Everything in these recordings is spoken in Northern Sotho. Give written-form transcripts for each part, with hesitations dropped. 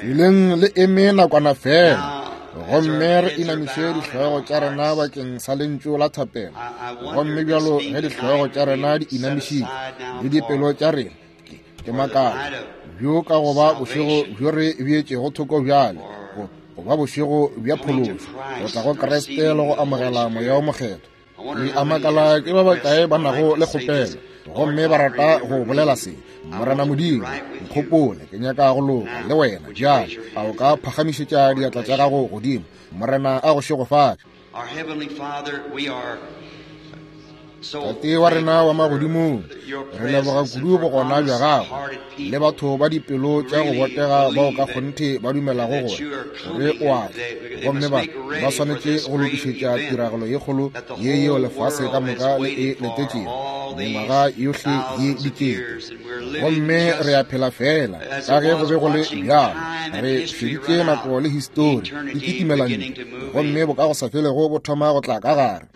Duleng le eme nakwana fela gomme re inamiše dihlogo tša rena bakeng sa lentšu la thapelo. Gomme bjalo ge dihlogo tša rena di inamišitšwe le dipelo tša rena, ke makala bjo ka go ba bošego bjo re beetšego thoko bjale go ba bošego bja phološo, go tla go Kriste le go amogela Moya wo Mokgethwa. Ke a makala ke ba bakae ba nago le kgopelo gomme ba rata go bolela se, Morena Modimo, nkgopole, ke nyaka go loka le wena bjale. A o ka phagamišetša diatla tša gago godimo? Morena a go šegofatše. Tate wa rena wa magodimong, re leboga kudu bogona bja gago le batho ba dipelo tša go botega bao ka kgonthe ba dumelago gore gore o a tla, gomme ba ba swanetše go lokišetša tiragalo ye kgolo ye yeo lefase ka moka le e letetšego mengwaga yohle ye dikete. Gomme re a phela fela ka ge go be go le bjalo, re šeditše nako le histori di kitimela ntle, gomme bokagosafelego bo thoma go tla ka gare.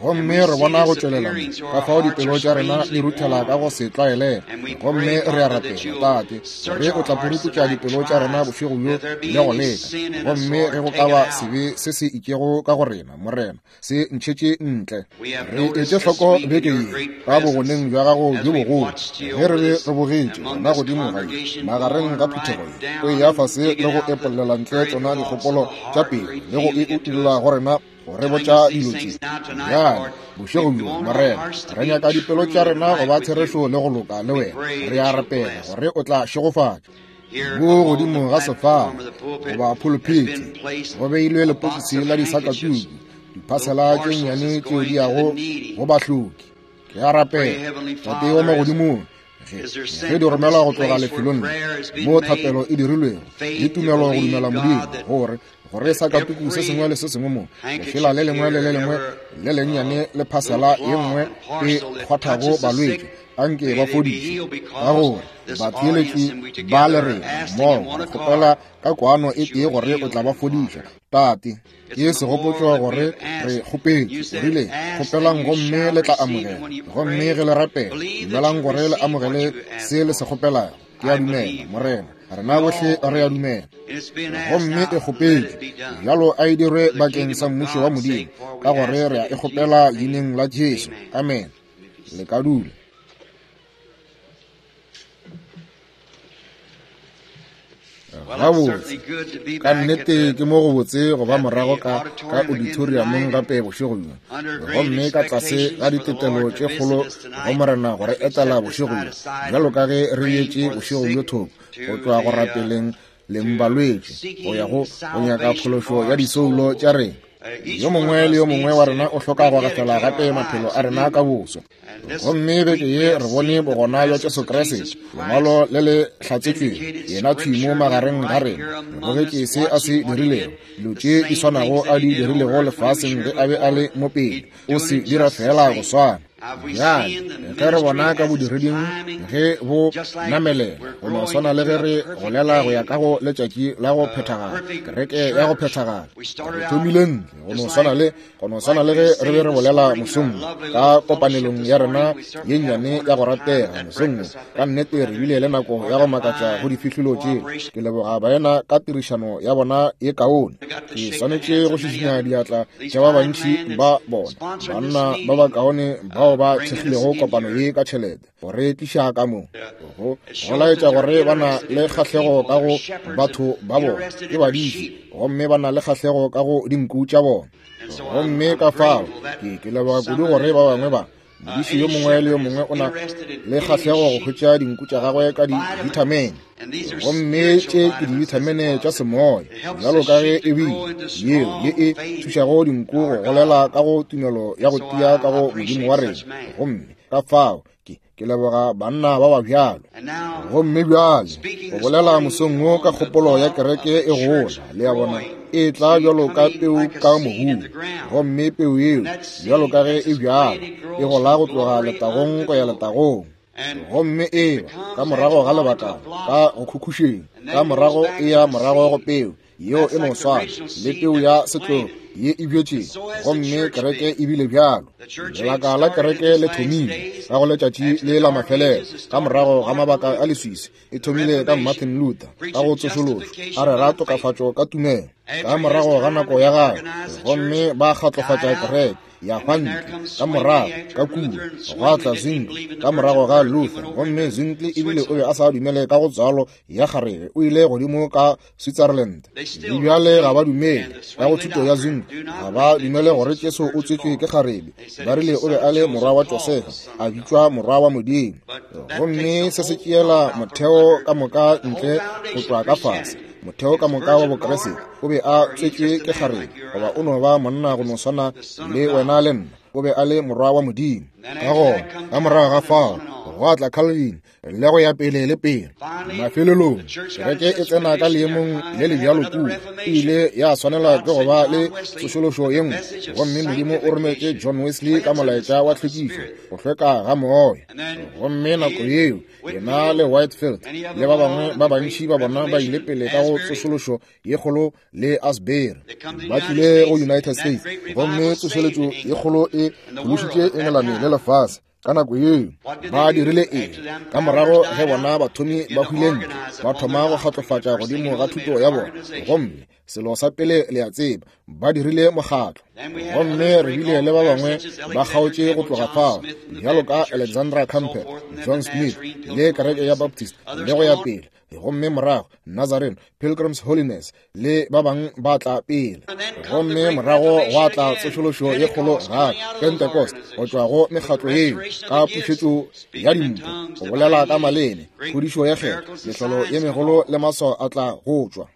Gomme re bona go tšwelela mo, ka fao dipelo tša rena di ruthela ka go se tlwaelege. Gomme re a rapela, Tate, gore o tla puruputša dipelo tša rena bošego bjo le go leka. Gomme ge go ka ba sebe se se itšego ka go rena, Morena, se ntšhetše ntle. Re etše hloko beke ye, ka bogoneng bja gago bjo bogolo, ge re be re bogetše wena godimo ga ye, magareng ga phuthego ye, o eya fase le go epollela ntle tšona dikgopolo tša pelo le go e utolla go rena, go re botša dilo tše. Bjale, bošego bjo, Morena, re nyaka dipelo tša rena go ba therešo le go loka le wena. Re a rapela gore o tla šegofatša. Bo godimo ga sefala goba phuluphithi go beilwe lepokisi la disakatuku, diphasela tše nnyane tšeo di yago go bahloki. Ke a rapela, Tate wa magodimong, ge di romelwa go tloga lefelong le moo thapelo e dirilwego le tumelo go dumela Modimo, gore gore sakatuku se sengwe le se sengwe mo, lefela le lengwe le le lengwe le lennyane le phasela ye nngwe e kgwathago balwetši, anke ba fodišwe, ka gore batheeletši ba le rena mmogo re kgopela ka kwano e tee gore o tla ba fodiša. Tate, ke segopotšo gore re kgopetše, o rile, Kgopelang gomme le tla amogela, gomme ge le rapela, dumelang gore le amogele se le se kgopelago. Ke a dumela, Morena, rena bohle re a dumela. Gomme e kgopetšwe bjalo, a e dirwe bakeng sa mmušo wa Modimo, ka gore re a e kgopela leineng la Jesu. Amen. Le ka dula. Gabotse, ka nnete ke mo go botse go ba morago ka ka auditoriumong gape bošego bjo, gomme ka tlase ga ditetelo tše kgolo go Morena go re etela bošego bjo, bjalo ka ge re yetše bošego bjo thoko go tšwa go rapeleng leng balwetši go ya go go nyaka phološo ya disoulo tša rena. Yo mongwe le yo mongwe wa rena o hloka go gafela gape maphelo a rena ka boswa. Gomme beke ye re bone bogona bja Jesu Kriste, lengwalo le le hlatsetšwego, yena thwi mo magareng ga rena. Re bogetše se a se dirilego, dilo tše di swanago a di dirilego lefaseng ge a be a le mo pele, o se dira feela go swana. Bjale ge re bona ka bodireding ge bo namelela, go no swana le ge re golela go ya ka go letšatši la go phethagala, kereke ya go phethagala. Re thomile ntle go no swana le go no swana le ge re be re bolela mosong ka kopanelong ya rena ye nnyane ya go ratega mosong. Ka nnete re bile le nako ya go makatša go difihlolo tše. Ke leboga baena ka tirišano ya bona ye kaone. Ke swanetše go šišinya diatla tša ba bantši ba bona, banna ba bakaone bao ba thekgilego kopano ye ka tšhelete go re tliša ka mo go go laetša gore ba na le kgahlego ka go batho ba bona, ke badiši, gomme ba na le kgahlego ka go dinku tša bona. Gomme ka fao ke leboga kudu gore ba bangwe ba modiši yo mongwe le yo mongwe o na le kgahlego go hwetša dinku tša gagwe ka dibithamene, gomme tše ke dibithamene tša semoya, bjalo ka ge e bile yeo ye e thušago dinku go golela ka go tumelo ya go tia ka go Modimo wa rena. Gomme ka fao ke leboga banna ba ba bjalo. Gomme bjale go bolela mosong wo ka kgopolo ya kereke e gola, le a bona, e tla bjalo ka peu ka mobung, gomme peu yeo bjalo ka ge e bjalo e gola go tloga letagong go ya letagong, gomme e ba ka morago ga lebaka ka go khukhušeng, ka morago e ya morago go peu yeo e no swana le peu ya setlogo. ye e bjetšego, gomme kereke e bile bjalo. Lebaka la kereke le thomile ka go letšatši le la mafelelo, ka morago ga mabaka a leswiswi. E thomile ka Martin Luther ka go tsošološo, a rera tokafatšo ka tumelo ka morago ga nako ya gagwe, gomme ba kgatlofatša kereke ya hwa ntle. Ka morago ka kua gwa tla Zwingli ka morago ga Luther, gomme Zwingli ebile o be a sa dumele ka go tswalo ya kgarebe, o ile godimo ka Switzerland. Le bjale ga ba dumele ka go thuto ya Zwingli, ga ba dumele gore Jesu o tswetšwe ke kgarebe. Ba rile o be a le morwa wa Josefa, a bitšwa morwa wa Modimo. Gomme se se tšeela motheo ka moka ntle go tšwa ka fase, motheo ka moka wa Bokriste. O be a tswetšwe ke kgarebe, goba o no ba monna go no swana le wena le nna. O be a le morwa wa Modimo. Ka gona ka morago ga fao gwa tla Calvin le go ya pele le pele. Mafelelong kereke e tsena ka leemong le le bjalo kua, e ile ya swanela ke go ba le tsošološo ye nngwe, gomme Modimo o rometše John Wesley ka molaetša wa tlhwekišo, go hlweka ga moya. Gomme nako yeo yena le Whitefield le ba bangwe ba bantši ba bona ba ile pele ka go tsošološo ye kgolo le Asbury, ba tlile go United States, gomme tsošeletšo ye kgolo e phološitše Engelane le lefase. Ka nako yeo ba dirile eng? Ka morago ge bona bathomi ba hwile ntle, ba thoma go kgatlofatša godimo ga thuto ya bona, gomme selo sa pele le a tseba, ba dirile mokgatlo. Gomme re bile le ba bangwe ba kgaotše go tloga fao, bjalo ka Alexandra Campbell, John Smith, le kereke ya Baptist, le go ya pele. Gomme morago Nazarene, Pilgrim's Holiness, le ba bangwe ba tla pele. Gomme morago gwa tla tsošološo ye kgolo gape, Pentecost, go tšwa go mekgatlo yeo ka pušetšo ya dimpho, go bolela ka maleme, phodišo ya kgetho, mehlolo ye megolo le maswao a tla go tšwa.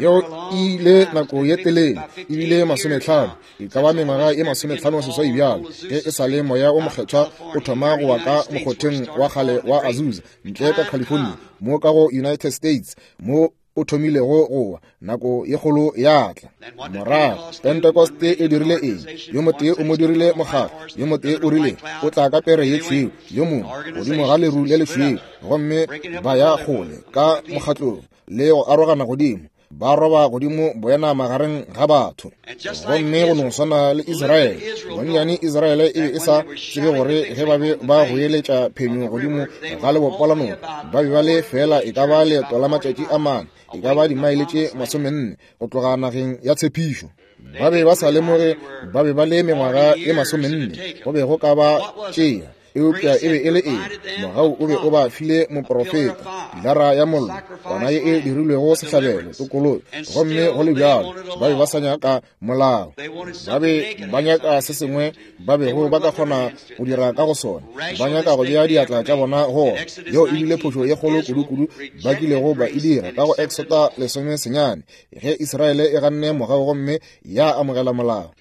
Yeo e ile nako ye telele, ebile 50, e ka ba mengwaga ye 56 bjalo, ge e sa le Moya o Mokgethwa o thoma go wa ka mokgotheng wa kgale wa Azusa ntle ka California, mo ka go United States, mo o thomilego go wa, nako ye kgolo ya tla. Morago Pentecost e dirile eng? Yo motee o mo dirile mokgatlo, yo motee o rile o tla ka pere ye tšhweu, yo mongwe godimo ga leru le lešweu, gomme ba ya kgole ka mokgatlong le go arogana godimo, ba roba godimo boena magareng ga batho. Gomme go no swana le Israele, bonnyane Israele e be e sa tsebe gore ge ba be ba goeletša phenyo godimo ga lebopo la noka, ba be ba le fela e ka ba leeto la matšatši a mane, e ka ba dimaele tše 40 go tloga nageng ya tshepišo. Ba be ba sa lemoge ba be ba le mengwaga ye 40 go be go ka ba tšea. Eupša e be e le eng? Mogau o be o ba file moprofeta, pilara ya mollo, kwana ye e dirilwego sehlabelo, tokologo. Gomme go le bjalo ba be ba sa nyaka molao, ba be ba nyaka se sengwe ba bego ba ka kgona go dira ka go sona, ba nyaka go bea diatla tša bona go ona. Yeo e bile phošo ye kgolo kudu-kudu ba kilego ba e dira ka go Exota 19, ge Israele e ganne mogau gomme ya amogela molao.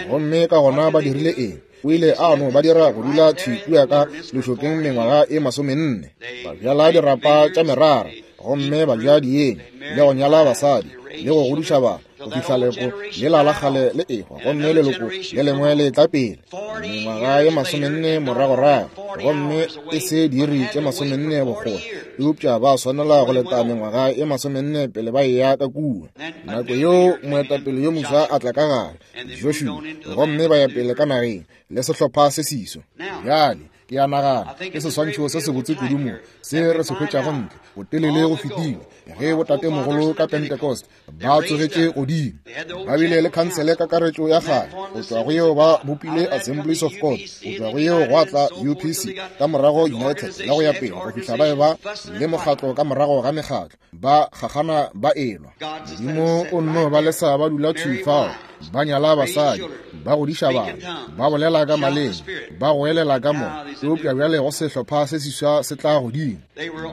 Gomme ka gona ba dirile eng? O ile a no ba dira go dula thwi kua ka lešokeng mengwaga e 40, ba bjala dirapa tša merara, gomme ba ja dienywa, le go nyala basadi, le go godiša bana, go fihla leloko lela la kgale le ehwa, gomme leloko le lengwe le tla pele. Mengwaga ye 40 moragorago, gomme e se diiri tše 40 bokgole, eupša ba swanela go leta mengwaga ye 40 pele ba eya ka kua. Nako yeo moetapele yo mofsa a tla ka gare, Joshua, gomme ba ya pele ka nageng le sehlopha se seso. Bjale ke a nagana ke seswantšho se sebotse kudu mo se re se hwetšago ntle botelele go fetile, ge botatemogolo ka Pentecost ba tsogetše godimo, ba bile le khansele kakaretšo ya kgale, go tšwa go yeo ba bopile Assemblies of God, go tšwa go yeo gwa tla UPC, ka morago United, le go ya pele go fihla ba eba le mokgatlo ka morago ga mekgatlo, ba gagana ba elwa. Modimo o nno ba lesa ba dula thwi fao, ba nyala basadi, ba godiša bana, ba bolela ka maleme, ba goelela ka moya. Eupša bjale go sehlopha se seswa se tla godimo.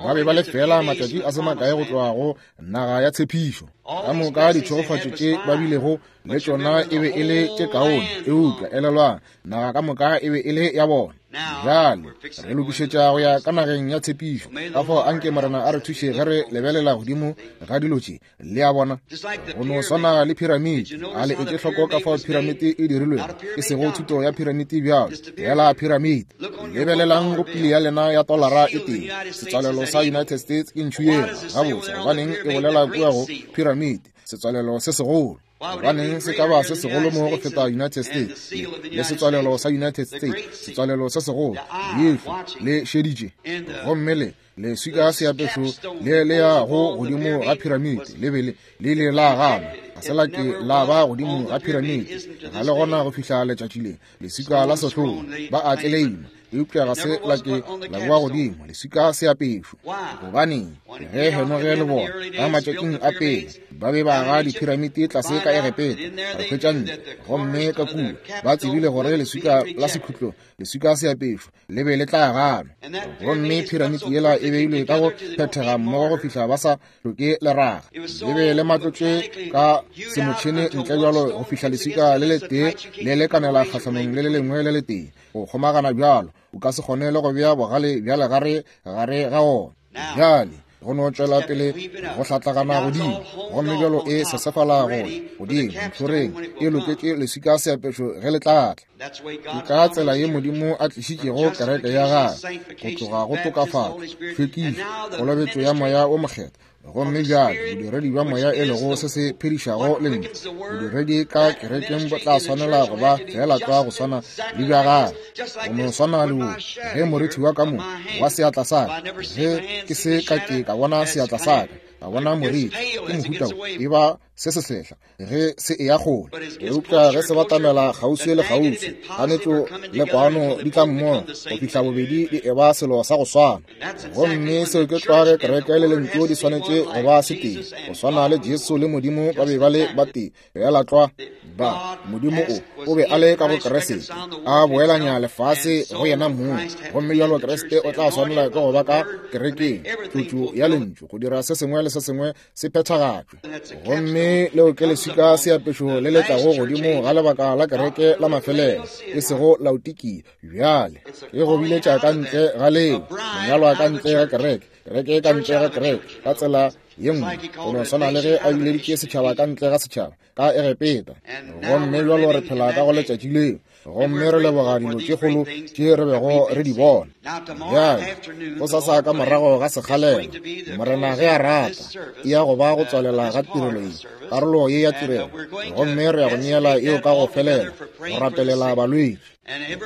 Ba be ba le fela matšatši a se makae go tloga go naga ya tshepišo. Ka moka ditšhegofatšo tše ba bilego le tšona e be e le tše kaone, eupša elelwang, naga ka moka e be e le ya bona. Bjale re lokišetša go ya ka nageng ya tshepišo. Ka fao anke Morena a re thuše ge re lebelela godimo ga dilo tše. Le a bona, go no swana le phiramiti. A le etše hloko ka fao phiramiti e dirilwego, e sego thuto ya phiramiti bjalo, fela phiramiti. Lebelelang go pili ya lena ya tolara e tee. Setswalelo sa United States ke ntšhu yela. Gabotse, gobaneng e bolela kua go phiramiti, setswalelo se segolo? Gobaneng se ka ba se segolo mo go feta United States le setswalelo sa United States, setswalelo se segolo, leihlo le šeditše, gomme le leswika seapešo le le ya go godimo ga piramite le be le ile la gana, ga se la ke la ba godimo ga piramite, ga le gona go fihla letšatši le. Leswika la sehlogo ba a tleleima, eupša ga se la ke la boa godimo leswika seapešo. Gobaneng? Ge Henoge le bona ka matšatšing a pele ba be ba aga diphiramiti tlase ka Egepeta, re hwetša ntle gomme ka kua ba tsebile gore leswika la sekhutlo, leswika seapešo le be le tla ganwa, gomme phiramiti yela e beilwe ka go phethega mmogo go fihla ba sa hloke leraga, le be le matlotšwe ka semotšhene ntle bjalo go fihla leswika le letee le lekanela kgahlanong le le lengwe le letee go kgomagana bjalo, o ka se kgone le go bea bogale bja legare gare ga ona. Bjale go no tšwela pele go hlatlagana godimo, gomme bjalo e sesefala go godimo ntlhoreng, e loketše leswika seapešo ge le tla tla. Ke ka tsela ye Modimo a tlišitšego kereke ya gagwe go tloga go tokafatšo, tlhwekišo, kolobetšo ya Moya wo Mokgethwa, gomme bjale bodiredi bja Moya e lego se se phedišago Lentšu. Bodiredi ka kerekeng bo tla swanela go ba feela tlwa go swana le bja gagwe, go no swana le wo. Ge morithi wa ka mo wa seatla sa ka, ge ke se ka ke ka bona seatla sa ka, ka bona morithi, ke mohuta wo, e ba se se sehla ge se eya kgole, eupša ge se batamela kgauswi le kgauswi, kganetšo le kwano di tla mmogo go fihla bobedi di eba selo sa go swana. Gomme seo ke tlwa ge kereke le Lentšu di swanetše go ba setee, go swana le Jesu le Modimo ba be ba le batee, feela tlwa ba Modimo o be a le ka go Kriste, a boelanya lefase go yena mong. Gomme bjalo Kriste o tla swanela ke go ba ka kerekeng, tlotšo ya Lentšu, go dira se sengwe le se sengwe se phethagatšwe. Gomme leo ke leswika seapešo le le tlago godimo ga lebaka la kereke la mafelelo, e sego Laodikia. Bjale e go biletša ka ntle ga leo, monyalwa ka ntle ga kereke, kereke ka ntle ga kereke, ka tsela ye nngwe, go no swana le ge a bileditše setšhaba ka ntle ga setšhaba ka Egepeta. Gomme bjalo re phela ka go letšatši leo, gomme re leboga dilo tše kgolo tše re bego re di bona. Bjale gosasa ka morago ga sekgalela, Morena ge a rata, e ya go ba go tswalela ga tirelo ye, karolo ye ya tirelo, gomme re ya go neela yeo ka go felela go rapelela balwetši.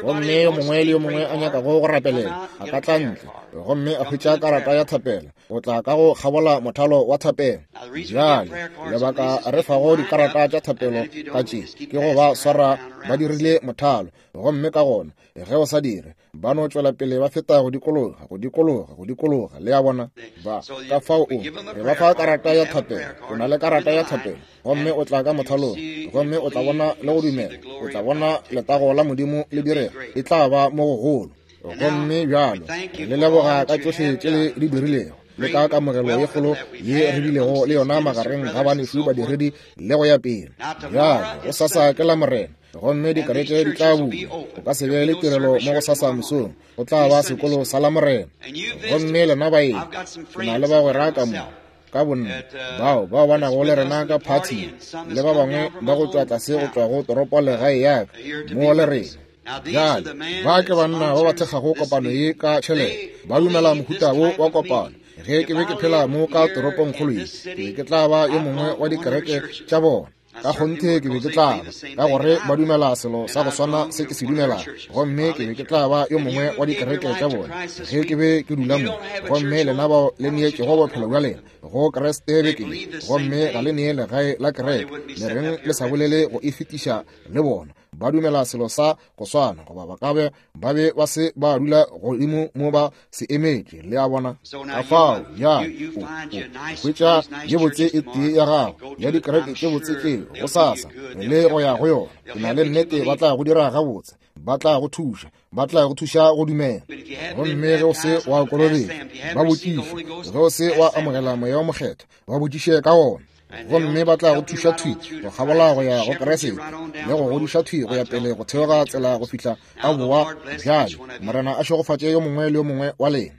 Gomme yo mongwe le yo mongwe a nyakago go rapelela a ka tla ntle gomme a hwetša karata ya thapelo, o tla ka go kgabola mothalo wa thapelo. Bjale lebaka re fago dikarata tša thapelo ka tše ke go ba swara ba dirile mothalo, gomme ka gona ge o sa dire ba no tšwela pele ba feta go dikologa, go dikologa, go dikologa, le a bona. Ba ka fao o re ba fa karata ya thapelo, o na le karata ya thapelo, gomme o tla ka mothalong, gomme o tla bona le go dumela, o tla bona letago la Modimo le direga, e tla ba mo gogolo. Gomme bjalo le leboga ka tšohle tše le di dirilego, le ka kamogelo ye kgolo ye re bilego le yona magareng ga banešu badiredi le go ya pele. Bjale gosasa ke la Morena, gomme dikereke di tla bulwa. Go ka se be le tirelo mo gosasa mosong, go tla ba sekolo sa la Morena. Gomme lena baeng, ke na le bagwera ka mo ka bonna bao bao ba nago le rena ka phathing, le ba bangwe ba go tšwa tlase go tšwa go toropo legae ya ka mo le rena. Bjale ba ke banna ba ba thekgago kopano ye ka tšhelete, ba dumela mohuta wo wa kopano. Ge ke be ke phela mo ka toropongkgolo ye, ke be ke tla ba yo mongwe wa dikereke tša bona. Ka kgonthe ke be ke tla ba, ka gore ba dumela selo sa go swana se ke se dumelago, gomme ke be ke tla ba yo mongwe wa dikereke tša bona ge ke be ke dula mo. Gomme lena bao le neetšego bophelo bja lena go Kriste beke ye, gomme ga le nee legae la kereke, le reng le sa bolele go e fetiša le bona? Ba dumela selo sa go swana, goba ba ka be ba be ba se ba dula godimo mo ba se emetše, le a bona. Ka fao ya o hwetša ye botse e tee ya gago ya dikereke tše botse tšeo gosasa le go ya go yona. Ke na le nnete ba tla go dira gabotse, ba tla go thuša, ba tla go thuša go dumela. Gomme ge o se wa kolobetšwa, ba botšiše. Ge o se wa amogela Moya wo Mokgethwa, ba botšiše ka wona. Gomme ba tla go thuša thwi go kgabola go ya go Kriste, le go godiša thwi go ya pele go theoga tsela go fihla a boa. Bjale Morena a šegofatše yo mongwe le yo mongwe wa lena.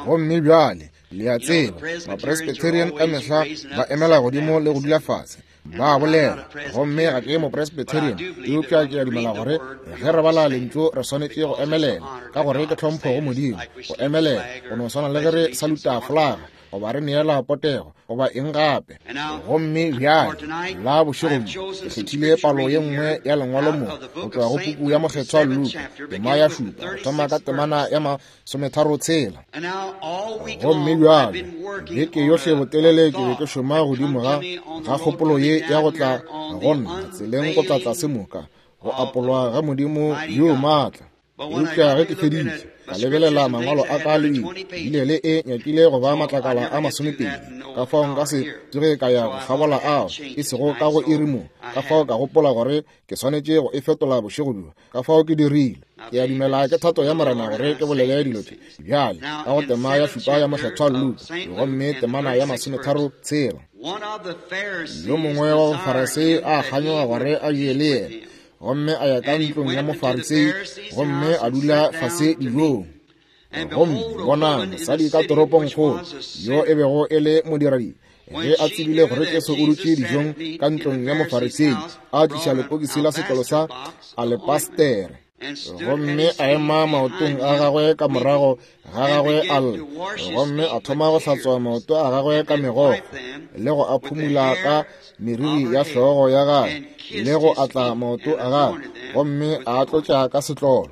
Gomme bjale le a tseba, Mapresbyterian ka mehla ba emela godimo le go dula fase, ba bolela. Gomme ga ke Mopresbyterian, eupša ke a dumela gore ge re bala Lentšu re swanetše go emelela, ka gore ke tlhompho go Modimo go emelela, go no swana le ge re saluta folaga. goba re neela potego, goba eng gape. Gomme bjale, la bošego bjo, ke kgethile palo ye nngwe ya Lengwalo mo, go tšwa go puku ya Mokgethwa Luka, tema ya 7, go thoma ka temana ya 36. Gomme bjale, beke yohle botelele ke be ke šoma godimo ga ga kgopolo ye ya go tla go nna tseleng go tla tlase moka, go apolwa ga Modimo yo maatla. Eupša ge ke feditše, ka lebelela mangwalo a ka le bile le e nyakile go ba matlakala a 20, ka fao nka se tsoge ka ya go kgabola ao, e sego ka go iri mo. Ka fao ka gopola gore ke swanetše go e fetola bošego bjo, ka fao ke dirile. Ke a dumela ke thato ya Morena gore ke bolele dilo tše bjale ka go tema ya 7 ya Mokgethwa Luka, gomme temana ya 36. Yo mongwe wa Bafarisei a kganyoga gore a je le yena, gomme a ya ka ntlong ya Mofarisei gomme a dula fase dijong. Gomme bonang, mosadi ka toropongkgolo, yo e bego e le modiradibe, ge a tsebile gore Jesu o dutše dijong ka ntlong ya Mofarisei, a tliša lepokisi la setlolo sa alepastere, gomme a ema maotong a gagwe ka morago ga gagwe a lla, gomme a thoma go hlatswa maoto a gagwe ka megokgo, le go a phumula ka meriri ya hlogo ya gagwe, le go atla maoto a gagwe, gomme a tlotša ka setlolo.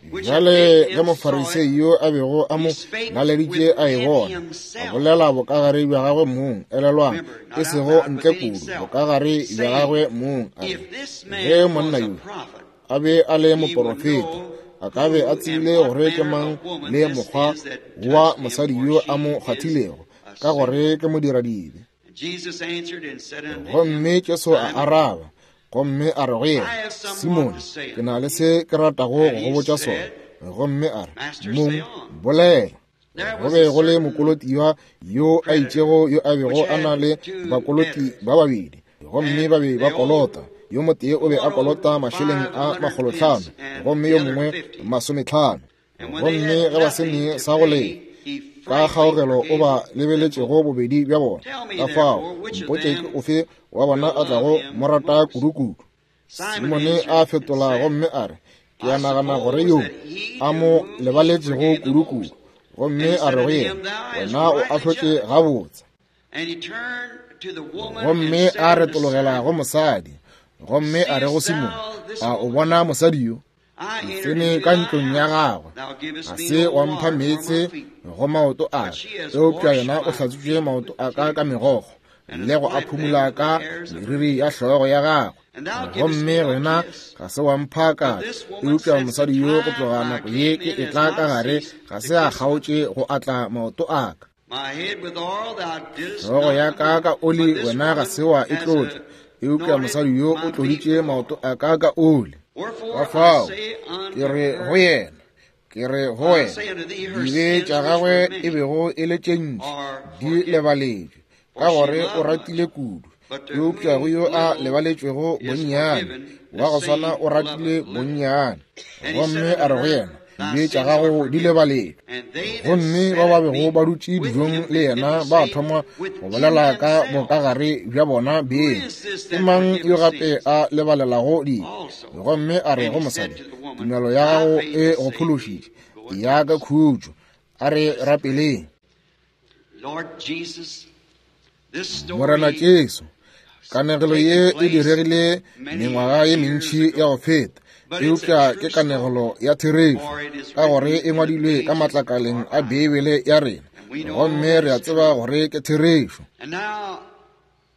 Bjale ge Mofarisei yo a bego a mo laleditše a e bona, a bolela bokagare bja gagwe mong, elelwang, e sego ntle kudu, bokagare bja gagwe mong, a re, ge monna yo a be a le moporofeta, a ka be a tsebile gore ke mang le mokgwa wa mosadi yo a mo kgwathilego, ka gore ke modiradibe. Gomme Jesu a araba gomme a re go yena, Simone, ke na le se ke ratago go go botša sona. Gomme a re, Mong, bolela. Go be go le mokolotiwa yo a itšego yo a bego a na le bakoloti ba babedi, gomme ba be ba kolota. Yo motee o be a kolota mašeleng a 500, gomme yo mongwe 50. Gomme ge ba se ne sa go lefa, ka kgaogelo o ba lebeletšego bobedi bja bona. Ka fao, mpotše ke ofe wa bona a tlago mo rata kudukudu. Simone a fetola gomme a re, Ke a nagana gore yo a mo lebaletšego kudukudu. Gomme a re go yena, Wena o ahlotše gabotse. Gomme a retologela go mosadi, gomme a re go Simone, A o bona mosadi yo? Ke tsene ka ntlong ya gagwe, ga se wa mpha meetse go maoto a ka, eupša yena o hlatswitše maoto a ka ka megokgo le go a phumula ka meriri ya hlogo ya gagwe. Gomme wena ga se wa mpha ka, eupša mosadi yo go tloga nako ye ke etla ka gare ga se a kgaotše go atla maoto a ka. Hlogo ya ka ka oli wena ga se wa e tlotša, eupša mosadi yo o tloditše maoto a ka ka oli. Ka fao ke re go yena, ke re go wena, dibe tša gagwe e bego e le tše ntši di lebaletšwe, ka gore o ratile kudu. Eupša go yo a lebaletšwego bonnyane, wa go swana o ratile bonnyane. Gomme a re go yena, dibe tša gago di lebaletšwe. Gomme ba ba bego ba dutše dijong le yena ba thoma go bolela ka bokagare bja bona beng, ke mang yo gape a lebalelago dibe? Gomme a re go mosadi, tumelo ya gago e go phološitše, ya ka khutšo. A re rapeleng. Morena Jesu, kanegelo ye e diregile mengwaga ye mentši ya go feta, eupša ke kanegelo ya therešo, ka gore e ngwadilwe ka matlakaleng a Beibele ya rena, gomme re a tseba gore ke therešo.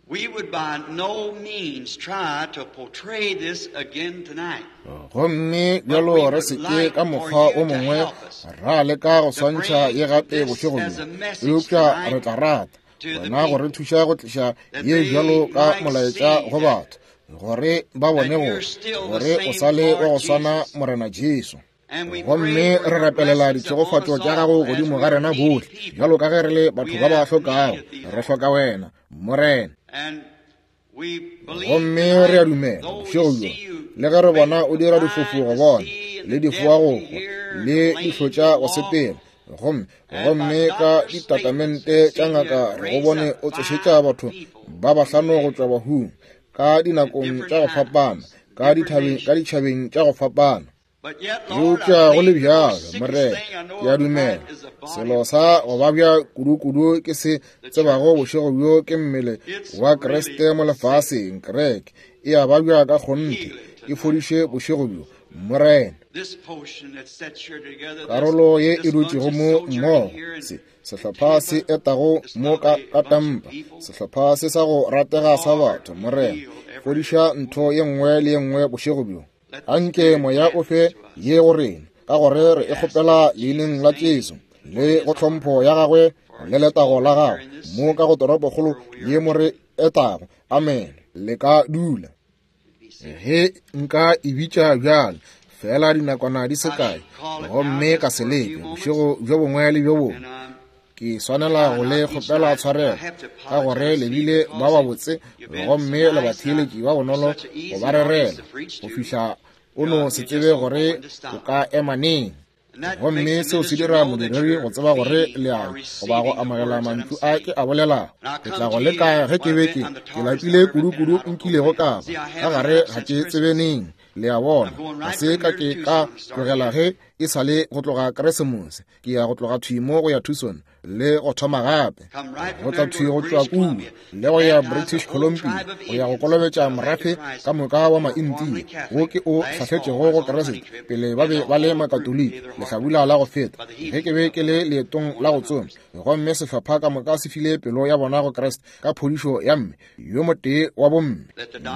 We would by no means try to portray this again tonight. Gomme bjalo re se ke ka mokgwa o mongwe ra leka go swantšha ye gape bošego bjo, eupša re tla rata wena go re thuša go tliša ye bjalo ka molaetša go batho, gore ba bone gore gore o sa le wa go swana Morena Jesu. Gomme re rapelela ditšhegofatšo tša gago godimo ga rena bohle, bjalo ka ge re le batho ba ba hlokago. Re hloka wena, Morena. Gomme re a dumela bošego bjo, le ge re bona o dira difofu go bona, le difoa go kwa, le dihlotša go sepela, gomme gomme ka ditatamente tša ngaka re go bone o tsošetša batho ba bahlano go tšwa bahung, ka dinakong tša go fapana, ka dithabeng, ka ditšhabeng tša go fapana. Eupša go le bjalo, Morena, ke a dumela selo sa go babja kudu-kudu ke se tsebago bošego bjo ke mmele wa Kriste mo lefaseng. Kereke e a babja ka kgonthe. E fodiše bošego bjo, Morena. Karolo ye e dutšego mo mmogo, se sehlopha se etago mo ka, ka Tampa, sehlopha se sa go ratega sa batho, Morena, fodiša ntho ye nngwe le ye nngwe bošego bjo. Anke Moya o fe ye go rena, ka gore re e kgopela leineng la Jesu, le go tlhompho ya gagwe le letago la gagwe, mo ka go toropokgolo ye mo re etago. Amen. Le ka dula. Ge nka e bitša bjale, fela dinakwana di se kae, gomme ka se leke bošego bjo bongwe le bjo bongwe. Ke swanela go le kgopela tshwarelo ka gore le bile ba babotse gomme le batheeletši ba bonolo go ba rerela go fihla o no se tsebe gore o ka ema neng. Gomme seo se dira modiredi go tseba gore le a goba go amogela mantšu a ke a bolelago. Ke tla go leka ge ke be ke ke lapile kudu-kudu nkilego ka ba ka gare ga ke tsebe neng. Le a bona, ga se ka ke ka tlogela ge e sa le go tloga Keresemose. Ke ya go tloga thwi mo go ya Tucson le go thoma gape, go tla thwi go tšwa kua le go ya British Columbia go ya go kolobetša morafe ka moka wa Maindia wo ke o hlahletšego go Keresete pele ba be ba le Makatoliki lehlabula la go feta ge ke be ke le leetong la go tsoma. Gomme sehlopha ka moka se file pelo ya bona go Kriste ka phodišo ya mme yo motee wa bomme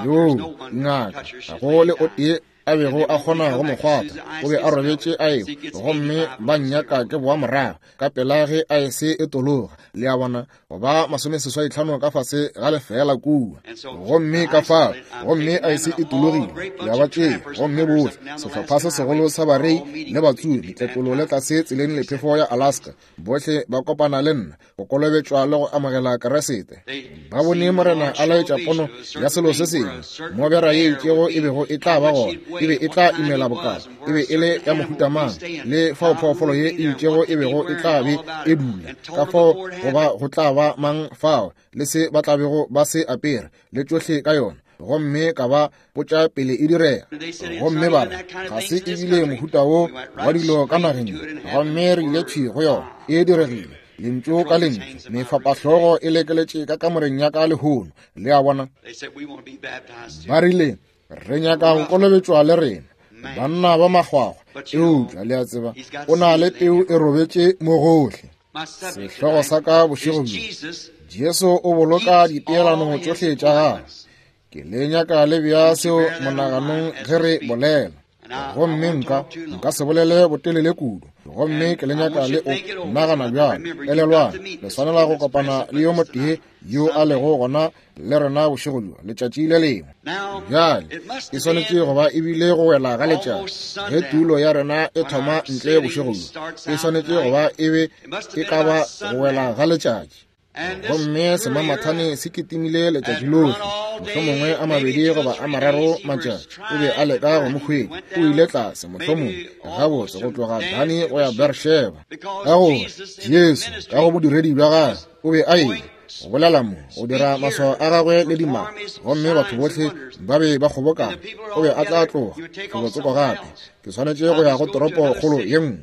yoo ngaka ga go le o tee a bego a kgona go mo kgwatha. O be a robetše a ewa, gomme ba nnyaka ke boa morago ka pela ge a ese e tologa, le a bona, go ba 85 ka fase ga lefeela kua. Gomme ka fao, gomme a ese e tologile, ya ba tšea, gomme bohle sehlopha se segolo sa barei le batsomi, tletlolo le tlase tseleng le phefo ya Alaska, bohle ba kopana le nna go kolobetšwa le go amogela Keresete. Ba bone Morena a laetša pono ya selo se sengwe, mo bera ye itšego e bego e tla ba gona, e be e tla imela bokana, e be e le ya mohuta mang, le fao phoofolo ye e itšego e bego e tla be e dula, ka fao goba go tla ba mang fao, le se ba tla bego ba se apere, le tšohle ka yona. Gomme ka ba botša pele e direga, gomme ba re ga se ebile mohuta wo wa dilo ka nageng. Gomme re ile thwi go yona, e diregile, lentšu ka lentšu. Mefapahlogo e lekeletše ka kamoreng ya ka lehono, le a bona. Ba rile re nyaka go kolobetšwa le rena, banna ba makgwakgwa, eupša le a tseba o na le peu e robetše mo gohle. Sehlogo sa ka bošego bjo, Jesu o boloka dipeelano tšohle tša gagwe. Ke le nyaka le bea seo monaganong ge re bolela. Gomme nka se bolele botelele kudu. Gomme ke le nyaka le o nagana bjalo. Elelwang, le swanela go kopana le yo motee yo a lego gona le rena bošego bjo, letšatši le lengwe. Bjale, e swanetše go ba ebile go wela ga letšatši ge tulo ya rena e thoma ntle bošego bjo. E swanetše go ba e be e ka ba go wela ga letšatši. Gomme semamathane se kitimile letšatši lohle, mohlomongwe a mabedi goba a mararo matšatši, o be a leka go mo hwetša. O ile tlase, mohlomongwe gabotse go tloga Dani go ya Beersheba, ka gore Jesu ka go bodiredi bja gagwe o be a ile go bolela mo, go dira maswao a gagwe le dimaka, gomme batho bohle ba be ba kgobokana. O be a tla tloga felotsoko gape. Ke swanetše go ya go toropokgolo ye nngwe.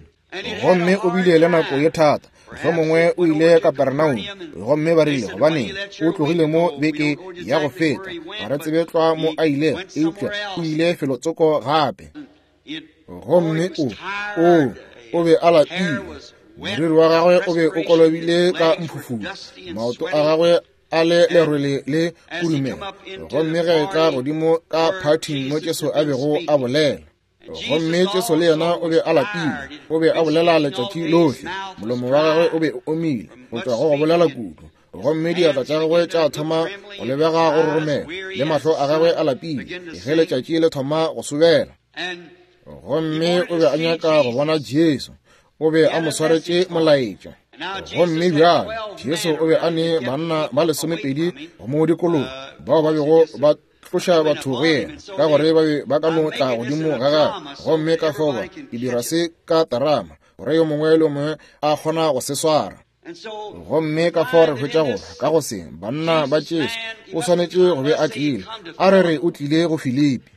Gomme o bile le nako ye thata. Mohlomongwe o ile Kapernaum, gomme ba rile, gobaneng, o tlogile mo beke ya go feta. Ga re tsebe tlwa mo a ilego, eupša o ile felotsoko gape. Gomme o be a lapile. Moriri wa gagwe o be o kolobile ka mphufutšo, maoto a gagwe a le lerwele le kudumela. Gomme ge e tla godimo ka phathing mo Jesu a bego a bolela, gomme Jesu le yena o be a lapile, o be a bolela letšatši lohle, molomo wa gagwe o be o omile go tšwa go go bolela kudu, gomme diatla tša gagwe tša thoma go lebega go roromela, le mahlo a gagwe a lapile ge letšatši le thoma go sobela. Gomme o be a nyaka go bona Jesu, o be a mo swaretše molaetša. Gomme bjale Jesu o be a ne banna ba 12 go mo dikologa, bao ba bego ba tloša batho go yena, ka gore ba be ba ka no tla godimo ga gagwe. Gomme ka fao ba ke dira se ka terama, gore yo mongwe le yo mongwe a kgona go se swara. Gomme ka fao re hwetša gore ka go se banna ba Jesu o swanetše go be a tlile, a re re o tlile go Filipi.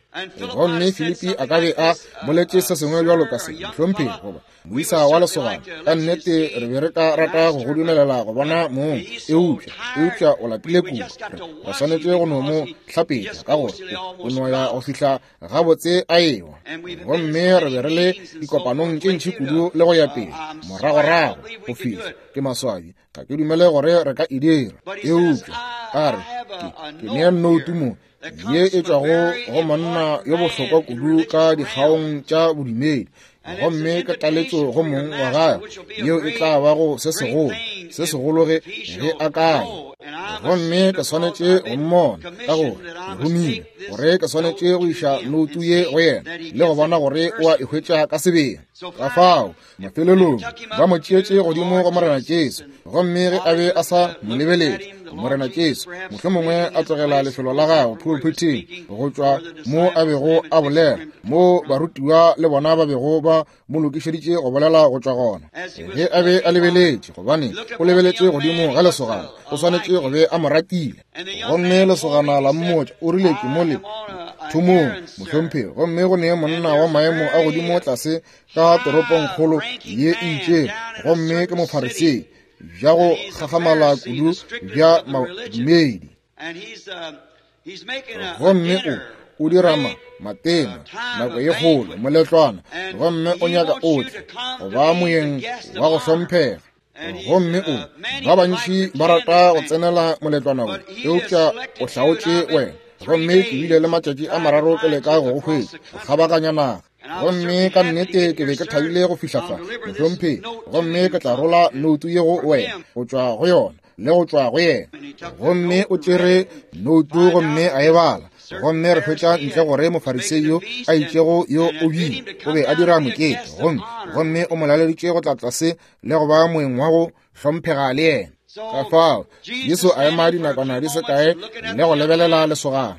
Gomme Filipi a ka be a boletše se sengwe bjalo ka se, Mohlomphegi, goba moisa wa lesogana, ka nnete re be re ka rata go go dumelela go bona mong, eupša, eupša o lapile kudu, re swanetše go no mo hlapetša, ka gore o no ya go fihla gabotse a ewa. Gomme re be re le dikopanong tše ntši kudu le go ya pele, moragorago go fihla, ke maswabi, ga ke dumele gore re ka e dira. Eupša a re, ke, ke nea nnoutu mo ye e tšwago go monna yo bohlokwa kudu ka dikgaong tša bodumedi, gomme ke taletšo go mong wa gagwe, yeo e tla bago se segolo, se segolo ge, ge a ka ya. Gomme ke swanetše go mmona, ka gore ke romile gore ke swanetše go iša noutu ye go yena le go bona gore o a e hwetša ka sebele. Ka fao mafelelong ba mo tšeetše godimo go Morena Jesu, gomme ge a be a sa mo lebeletše Morena Jesu, mohlomongwe a tlogela lefelo la gagwe pulpithing go tšwa mo a bego a bolela, mo barutiwa le bona ba bego ba mo lokišeditše go bolela go tšwa gona. Ge a be a lebeletše, gobane o lebeletše godimo ga lesogana, o swanetše go be a mo ratile. Gomme lesogana la mmotša, o rile, ke mo le thomong, mohlomphegi, gomme go ne monna wa maemo a godimo tlase ka toropongkgolo ye e itšego, gomme ke Mofarisei, bja go gagamala kudu bja madumedi. Gomme o, o dira ma, matena, nako ye kgolo, moletlwana, gomme o nyaka o tle go ba moyeng wa go hlomphega. Gomme o, ba bantši ba rata go tsenela moletlwana wo, eupša o hlaotše wena. Gomme ke bile le matšatši a mararo ke leka go go hwetša, go kgabaganya naga. Gomme ka nnete ke be ke thabile go fihla fa, mohlomphegi, gomme ke tla rola noutu ye go wena, go tšwa go yona, le go tšwa go yena. Gomme o tšere noutu gomme a e bala. Gomme re hwetša ntle gore Mofarisei yo a itšego yo o bile, o be a dira mokete, gomme, gomme o mo laleditše go tla tlase le go ba moeng wa go hlomphega le yena. Ka fao Jesu a ema dinakwana di se kae le go lebelela lesogana.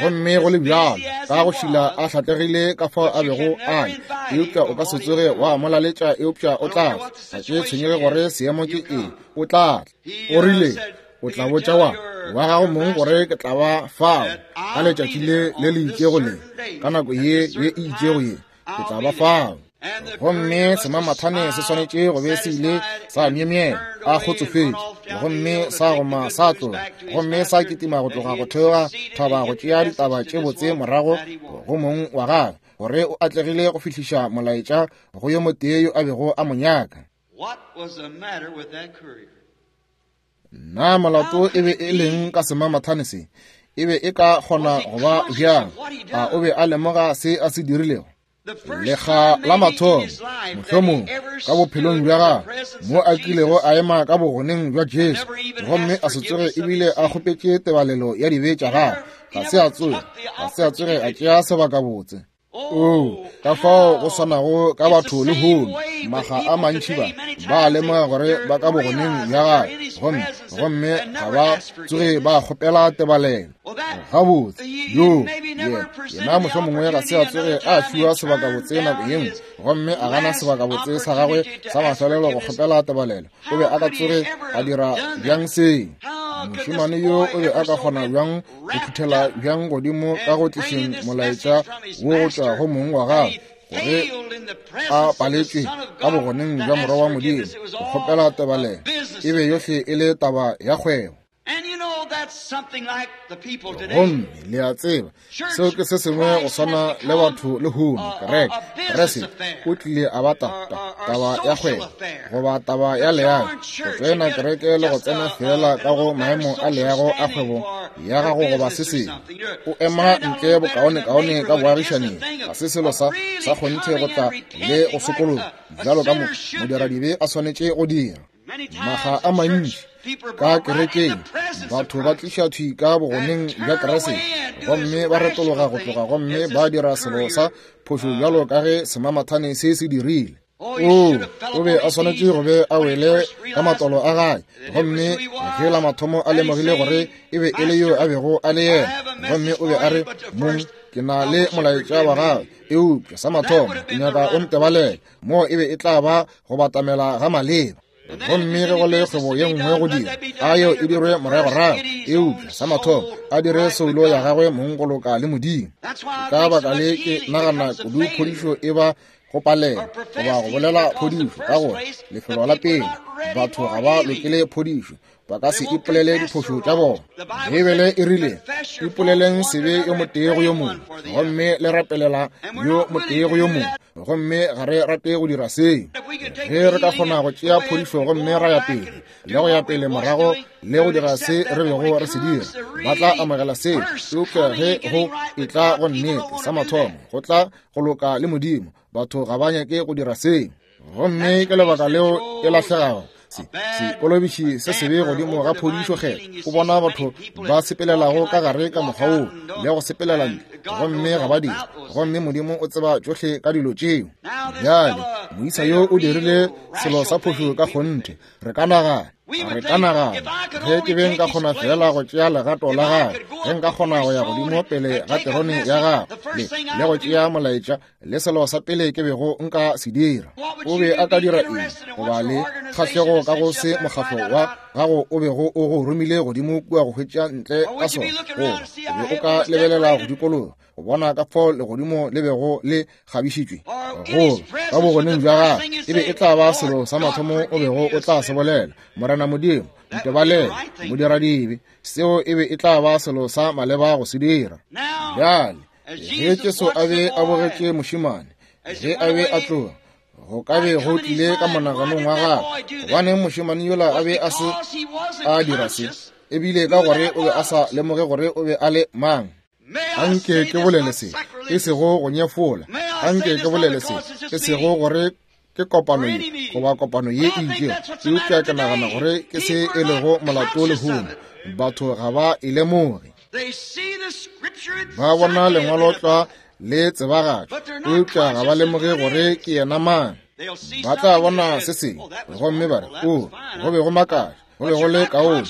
Gomme go le bjalo, ka go šila a hlatlegile ka fao a bego a le, eupša o ka se tsoge wa mo laletša, eupša o tla tla. Ga ke tshwenyege gore seemo ke eng, o tla tla. O rile, O tla botša wa, wa gago mong gore ke tla ba fao ka letšatši le le le itšego le, ka nako ye ye e itšego ye, ke tla ba fao. Gomme semamathane se swanetše go be se ile sa myemyela a kgotsofetše, gomme sa goma sa tloga, gomme sa kitima go tloga go theoga thaba go tšea ditaba tše botse morago go mong wa gagwe, gore o atlegile go fihliša molaetša go yo motee yo a bego a mo nyaka. Na molato e be e leng ka semamathane se? E be e ka kgona go ba bjang? A o be a lemoga se a se dirilego? Lekga la mathomo, mohlomong ka bophelong bja gagwe, mo a kilego a ema ka bogoneng bja Jesu, gomme a se tsoge ebile a kgopetše tebalelo ya dibe tša gagwe, ga se a tsoge, ga se a tsoge a tšea sebakabotse. Oo, ka fao go swanago ka batho lehono, maga a mantši ba, ba lemoga gore ba ka bogoneng bja gagwe, gomme, gomme ga ba tsoge ba kgopela tebalelo. Gabotse, yo, yena, yena mohlomongwe ga se a tsoge a fiwa sebakabotse nako ye nngwe, gomme a gana sebakabotse sa gagwe sa mafelelo go kgopela tebalelo. O be a ka tsoge a dira bjang se? Mošemane yo o be a ka kgona bjang go phuthela bjang godimo ka go tlišeng molaetša wo go tšwa go mong wa gagwe, gore a paletšwe ka bogoneng bja Morwa wa Modimo go kgopela tebalelo, e be yohle e le taba ya kgwebo. Gomme le a tseba, seo ke se sengwe go swana le batho lehono, kereke, Kriste o tlile a ba ta, ta, taba ya kgwebo goba taba ya leago, go tsena kereke le go tsena feela ka go maemo a leago a kgwebo ya gago goba se sengwe. O ema ntle bokaonekaone ka boagišaneng, ga se selo sa, sa kgonthe go tla le go sokologa, bjalo ka mo, modiradibe a swanetše go dira. Maga a mantši ka kerekeng batho ba tliša thwi ka bogoneng bja Kriste, gomme ba retologa go tloga gomme ba dira selo sa phošo bjalo ka ge semamathane se se dirile. Oo, o be a swanetše go be a wele ka matolo a gagwe, gomme ge la mathomo a lemogile gore e be e le yo a bego a le yena, gomme o be a re, Mong, ke na le molaetša wa gago, eupša sa mathomo ke nyaka o ntebalele. Moo e be e tla ba go batamela ga maleba. Gomme ge go le kgwebo ye nngwe go dira, a yeo e dirwe moragorago, eupša sa mathomo a dire soulo ya gagwe mong go loka le Modimo. Ka baka le ke nagana kudu phodišo e ba go palela goba go bolela phodišo, ka gore lefelo la pele batho ga ba lokele phodišo, ba ka se ipolele diphošo tša bona. Beibele e rile, Ipoleleng sebe yo motee go yo mongwe, gomme le rapelela yo motee go yo mongwe. Gomme ga re rate go dira seo. Ge re ka kgona go tšea phodišo gomme ra ya pele le go ya pele morago le go dira se re bego re se dira, ba tla amogela seo. Eupša ge go etla go nnete, sa mathomo go tla go loka le Modimo, batho ga ba nyake go dira seo. Gomme ke lebaka leo e lahlegago. Sekolobiši se sebe godimo ga phodišo kgetho, o bona batho ba sepelelago ka gare ka mokgwa woo le go sepelela ntle, gomme ga ba dire. Gomme Modimo o tseba tšohle ka dilo tšeo. Bjale moisa yo o dirile selo sa phošo ka kgonthe. Re ka nagana, re ka nagana, ge ke be nka kgona feela go tšea legato la gagwe, ge nka kgona go ya godimo pele ga terone ya gagwe le go tšea molaetša, le selo sa pele ke bego nka se dira, o be a ka dira eng goba le kgahlego ka go se mokgatlo wa gago o bego o go romile godimo kua go hwetša ntle ka sona? Goba o be o ka lebelela go dikologa go bona ka fao legodimo le bego le kgabišitšwe, goba ka bogoneng bja gagwe e be e tla ba selo sa mathomo o bego o tla se bolela, Morena Modimo, ntebalele, modiradibe. Seo e be e tla ba selo sa maleba go se dira. Bjale ge Jesu a be a bogetše mošemane ge a be a tloga, go ka be go tlile ka monaganong wa gagwe, gobaneng mošemane yola a be a se a dira se? Ebile ka gore o be a sa lemoge gore o be a le mang. Anke ke bolele se, e sego go nyefola. Anke ke bolele se, e sego gore ke kopano ye goba kopano ye e itšego, eupša ke nagana gore ke se e lego molato lehono. Batho ga ba e lemoge. Ba bona lengwalo tlwa le tsebagatšwa, eupša ga ba lemoge gore ke yena mang. Ba tla bona se sengwe gomme ba re, O, go be go makatša, go be go le kaone,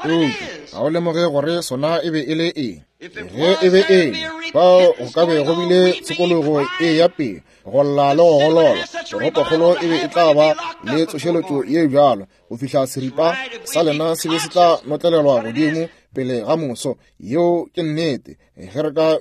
eupša ga o lemoge gore sona e be e le eng. Ge e be e le fao, go ka be go bile tshokologo e ya pele, go lla le go golola. Toropokgolo e be e tla ba le tsošeletšo ye bjalo go fihla seripa sa lena se be se tla notlelelwa godimo pele ga moso. Yeo ke nnete, ge re ka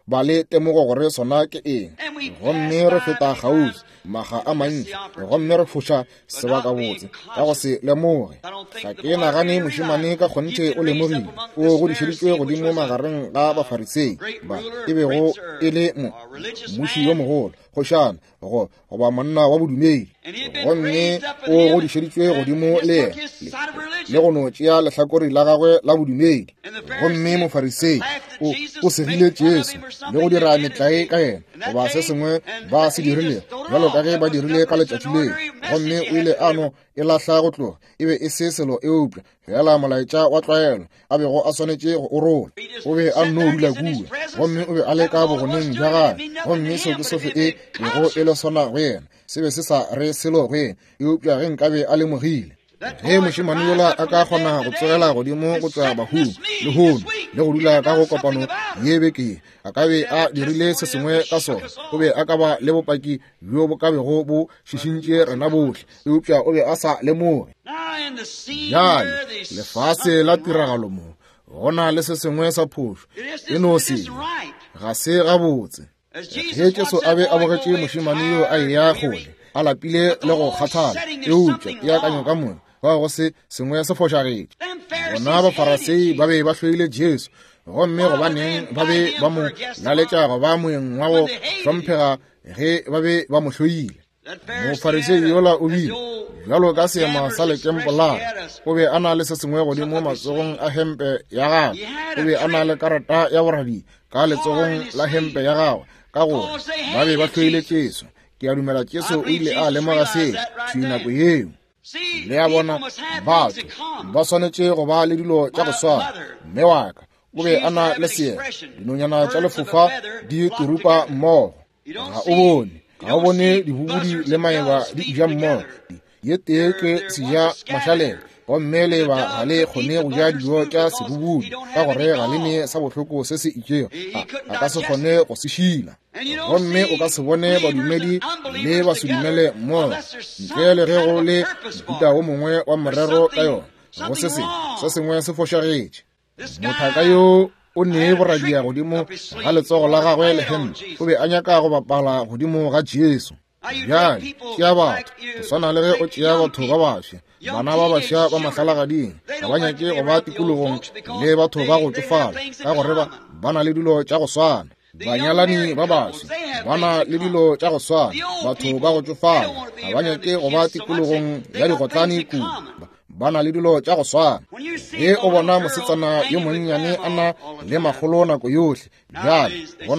ba le temogo gore sona ke eng. Gomme re feta kgauswi maga a mantši gomme re foša sebakabotse ka go se lemoge. Ga ke nagane mošemane ka kgonthe o lemogile. O godišeditšwe godimo magareng ga Bafarisei ba e bego e le mmuši yo mogolo, kgošana, go goba monna wa bodumedi, gomme o godišeditšwe godimo le yena le go no tšea lehlakore la gagwe la bodumedi. Gomme Mofarisei o segile Jesu le go dira metlae ka yena goba se sengwe ba se dirilego, bjalo ka ge ba dirile ka letšatši leo. Gomme o ile a no e lahla go tloga. E be e se selo eupša fela molaetša wa tlwaelo a bego a swanetše go o rola. O be a nno dula kua, gomme o be a le ka bogoneng bja gagwe, gomme seo ke sohle e bego e le sona go yena. Se be se sa re selo go yena, eupša ge nkabe a lemogile. Ge mošemane yola a ka kgona go tsogela godimo go tšwa bahung lehono le go dula ka go kopano ye beke ye, a ka be a dirile se sengwe ka sona. O be a ka ba le bopaki bjo bo ka bego bo šišintše rena bohle, eupša o be a sa lemoge. Bjale lefase la tiragalo mo go na le se sengwe sa phošo, e no se ga se gabotse. Ge Jesu a be a bogetše mošemane yo a eya kgole, a lapile le go kgathala, eupša peakanyo ka moka fao go se sengwe se fošagetše. Bona Bafarasei ba be ba hloile Jesu, gomme gobaneng ba be ba mo laletša go ba moeng wa go hlomphega ge ba be ba mo hloile? Mofarisei yola o bile bjalo ka seema sa lekempolara, o be a na le se sengwe godimo matsogong a hempe ya gagwe, o be a na le karata ya borabi ka letsogong la hempe ya gagwe, ka gore ba be ba hloile Jesu. Ke a dumela Jesu o ile a lemoga seo thwi nako yeo. Le a bona, batho ba swanetše go ba le dilo tša go swana. Mme wa ka o be a na le seema, dinonyana tša lefofa di turupa mmogo. Ga o bone, ga o bone dibubudi le maeba di ja mmogo. Ye tee ke seja mašalela, Gomme leeba ga le kgone go ja dijo tša sebubudi ka gore ga le ne sa bohloko se se itšego, a ka se kgone go se šila. Gomme o ka se bone badumedi le basedumele mmogo ntle le ge go le mohuta wo mongwe wa morero ka yona, go se sengwe, se sengwe se fošagetše. Mothaka yo o nee boradia godimo ga letsogo la gagwe le hempe, o be a nyaka go bapala godimo ga Jesu. Bjale tšea batho go swana le ge o tšea batho ba bafsa, bana ba bafsa ba mahlalagading, ga ba nyake go ba tikologong le batho ba go tšofala ka gore ba na le dilo tša go swana. Banyalani ba bafsa ba na le dilo tša go swana, batho ba go tšofala ga ba nyake go ba tikologong ya digotlane kudu, ba na le dilo tša go swana. Ge o bona mosetsana yo monnyane a na le makgolo nako yohle, bjale go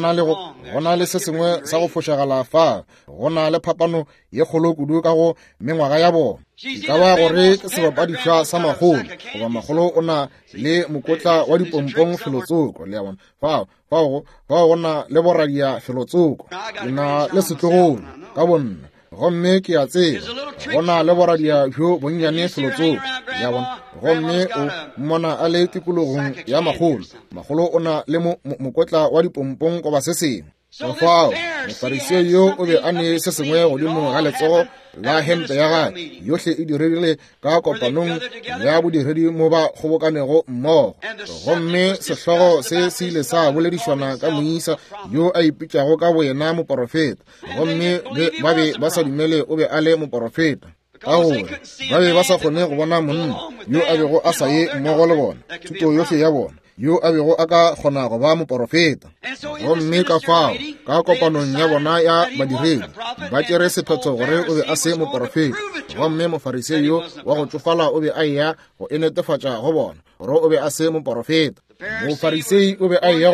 na le se sengwe sa go fošagala fa, go na le phapano ye kgolo kudu ka go mengwaga ya bona. E ka ba gore ke sebapadišwa sa makgolo, goba makgolo o na le mokotla wa dipompong felotsoko, le a bona, fao go na le boradia felotsoko. Ke na le setlogolo ka bonna, gomme ke a tseba go na le boradia bjo bonnyane felotsoko, ya bona. Gomme o mmona a le tikologong ya makgolo, makgolo o na le mokotla wa dipompong goba se sengwe. Ka fao Mofarisei yo o be a ne se sengwe godimo ga letsogo la hempe ya gagwe, yohle e diregile ka kopanong ya bodiredi mo ba kgobokanego mmogo. Gomme sehlogo se se ile sa boledišwana ka moisa yo a ipitšago ka boyena moporofeta, gomme ba be ba sa dumele o be a le moporofeta, ka gore ba be ba sa kgone go bona monna yo a bego a sa ye mmogo le bona, thuto yohle ya bona, yo a bego a ka kgona go ba moporofeta. Gomme ka fao ka kopanong ya bona ya badiredi ba tšere sephetho gore o be a se moporofeta, gomme Mofarisei yo wa go tšofala o be a eya go e netefatša go bona gore o be a se moporofeta. Mofarisei o be a eya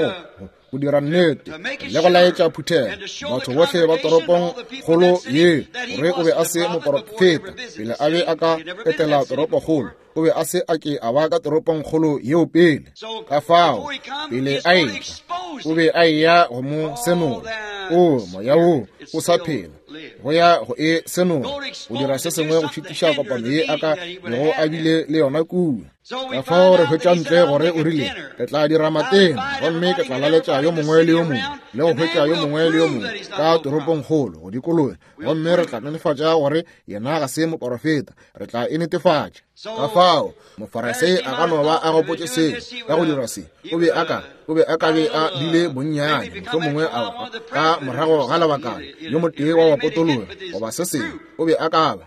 go dira nnete le go laetša phuthego batho bohle ba toropong kgolo ye gore o be a se moporofeta pele a be a ka etela toropokgolo. O be a se a ke a ba ka toropong kgolo yeo pele. Ka fao pele a etla, o be a eya go mo senola. O moya wo o sa phela go ya go e senola, go dira se sengwe go šitiša kopano ye a ka bego a bile le yona kua. Ka fao re hwetša ntle gore o rile, ke tla dira matena, gomme ke tla laletša yo mongwe le yo mongwe le go hwetša yo mongwe le yo mongwe ka toropong kgolo go dikologa, gomme re tla netefatša gore yena ga se moporofeta, re tla e netefatša. Ka fao Mofarisei a ka no ba a gopotše seo ka go dira se, o be a ka be a bile bonnyane, mohlomongwe a ka morago ga lebakana yo motee wa bapotologi goba se sengwe, o be a ka ba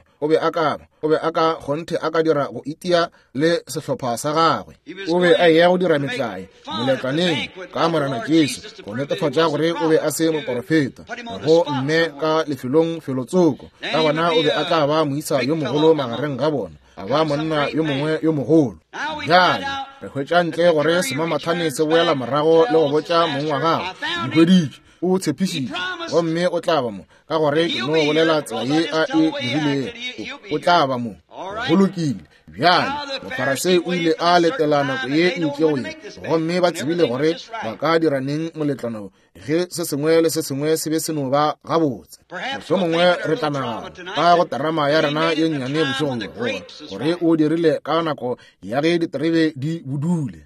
kgonthe a ka dira go itia le sehlopha sa gagwe. O be a eya go dira metlae moletlwaneng ka Morena Jesu go netefatša gore o be a se moporofeta, go mme ka lefelong felotsoko. Ka gona o be a tla ba moisa yo mogolo magareng ga bona, a ba monna yo mongwe yo mogolo. Bjale re hwetša ntle gore semamathane se boela morago le go botša mong wa gagwe, Nkhweditše, o tshepišitše, gomme o tla ba mo, ka gore ke no bolela tsela ye a e dirilego, o tla ba mo. Go lokile. Bjale Mofarisei o ile a letela nako ye e itšego ye, gomme ba tsebile gore ba ka dira neng moletlwana ge se sengwe le se sengwe se be se no ba gabotse. Mohlomongwe re tla nagana ka go terama ya rena ye nnyane bošegong bjo gore o dirile ka nako ya ge diterebe di budule.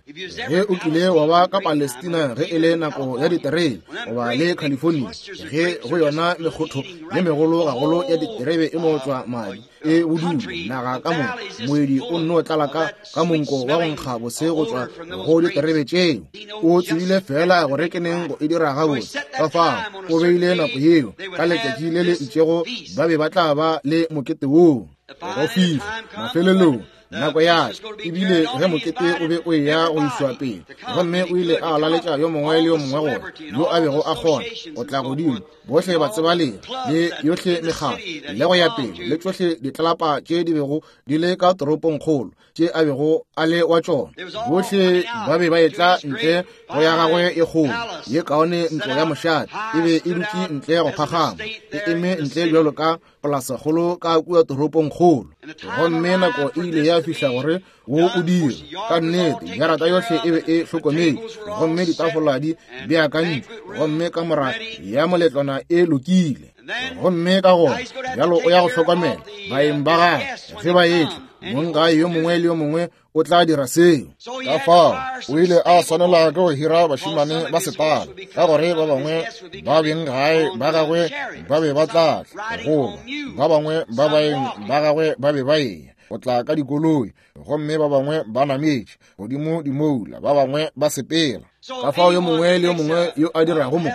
Ge o kile wa ba ka Palestina ge e le nako ya diterebe, goba le California ge go yona mekgotho ye megolo gagolo ya diterebe e no tšwa madi e budule, naga ka moka moedi o nno tlala ka monko wa go nkga bose go tšwa go diterebe tšeo. O tsebile fela gore ke neng go e dira gabotse. Ka fao o beile nako yeo ka letšatši le le itšego ba be ba tla ba le mokete woo go fihla mafelelong. Nako ya ebile ge mokete o be o eya go išwa pele, gomme o ile a laletša yo mongwe le yo mongwe gore yo a bego a kgona go tla godimo, bohle ba tsebaleng le yohle mekgatlo le go ya pele le tšohle ditlelapa tše di bego di le ka toropong kgolo tše a bego a le wa tšona, bohle ba be ba etla ntle go ya gagwe e kgolo ye kaone ntlo ya mošate e be e dutše ntle go phagama, e eme ntle bjalo ka polasakgolo ka kua toropong kgolo. Gomme nako e ile ya fihla gore wo o dire. Ka nnete jarata yohle e be e hlokometše, gomme ditafola di beakantšwe, gomme kamora ya moletlwana e lokile. Gomme ka gona bjalo o ya go hlokomela baeng ba gagwe ge ba etla. Mong gae yo mongwe le yo mongwe o tla dira seo. Ka fao o ile a swanela ke go hira bašemane ba setala, ka gore ba bangwe ba beng gae ba gagwe ba be ba tla tla, goba ba bangwe ba baeng ba gagwe ba be ba eya go tla ka dikoloi, gomme ba bangwe ba nametše godimo dimoula, ba bangwe ba sepela. Ka fao yo mongwe le yo mongwe yo a dirago mo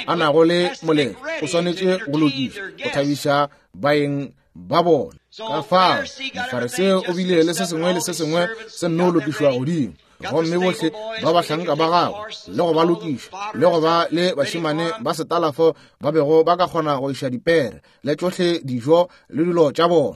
a nago le moletlo o swanetše go lokiša go thabiša baeng ba bona. Ka fao Mofariseo o bile le se sengwe le se sengwe se nno lokišwa godimo, gomme bohle ba bahlanka ba gagwe le go ba lokiša le go ba le bašemane ba setalafo ba bego ba ka kgona go iša dipere le tšohle dijo le dilo tša bona.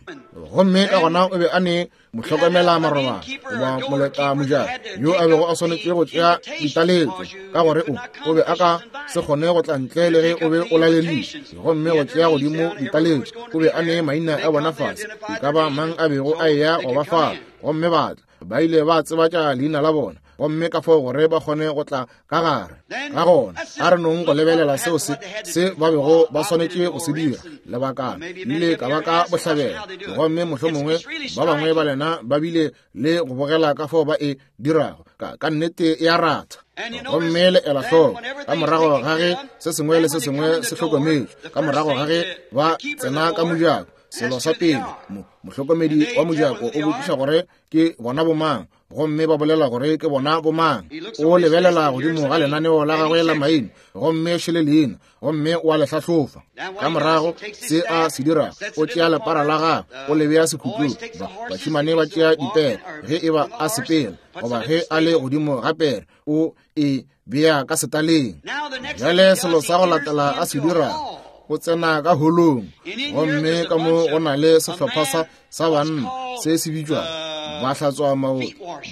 Gomme ka gona o be a ne mohlokomela marobalo goba moleta mojako yo a bego a swanetše go tšea ditaletšo, ka gore o be a ka se kgone go tla ntle le ge o be o laleditše. Gomme go tšea godimo ditaletšo, o be a ne maina a bona fase, e ka ba mang a bego a eya go ba fa, gomme ba tla, ba ile ba tsebatša leina la bona, gomme ka fao gore ba kgone go tla ka gare. Ka gona a re nong go lebelela seo se se ba bego ba swanetše go se dira. Lebakana ile ka ba ka bohlabela, gomme mohlomongwe ba bangwe ba lena ba bile le go bogela ka fao ba e dirago. Ka nnete ya ratha. Gomme le ela hloko, ka morago ga ge se sengwe le se sengwe se hlokometšwe, ka morago ga ge ba tsena ka mojako, selo sa pele mohlokomedi wa mojako o botšiša gore ke bona bomang, gomme ba bolela gore ke bona bomang. O lebelela godimo ga lenaneo la gagwe la maina, gomme šele leina, gomme o a le hlahlofa. Ka morago se a se dirago, o tšea lepara la gagwe, o le bea sekhutlong. Bašemane ba tšea dipere ge e ba a sepela, goba ge a le godimo ga pere, o e bea ka setaleng. Bjale selo sa go latela a se dirago, o tsena ka holong, gomme ka mo go na le sehlopha sa banna se se bitšwago ba hlatswa maoto,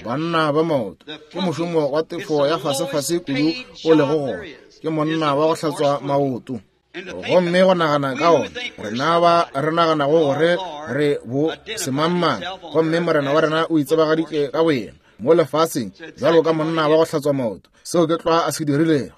banna ba maoto. Ke mošomo wa tefo ya fasefase kudu o lego gona, ke monna wa go hlatswa maoto. Gomme go nagana ka ona, rena ba re naganago gore re bo semangmang, gomme Morena wa rena o itsebagaditše ka boyena mo lefaseng bjalo ka monna wa go hlatswa maoto. Seo ke tlwa a se dirilego.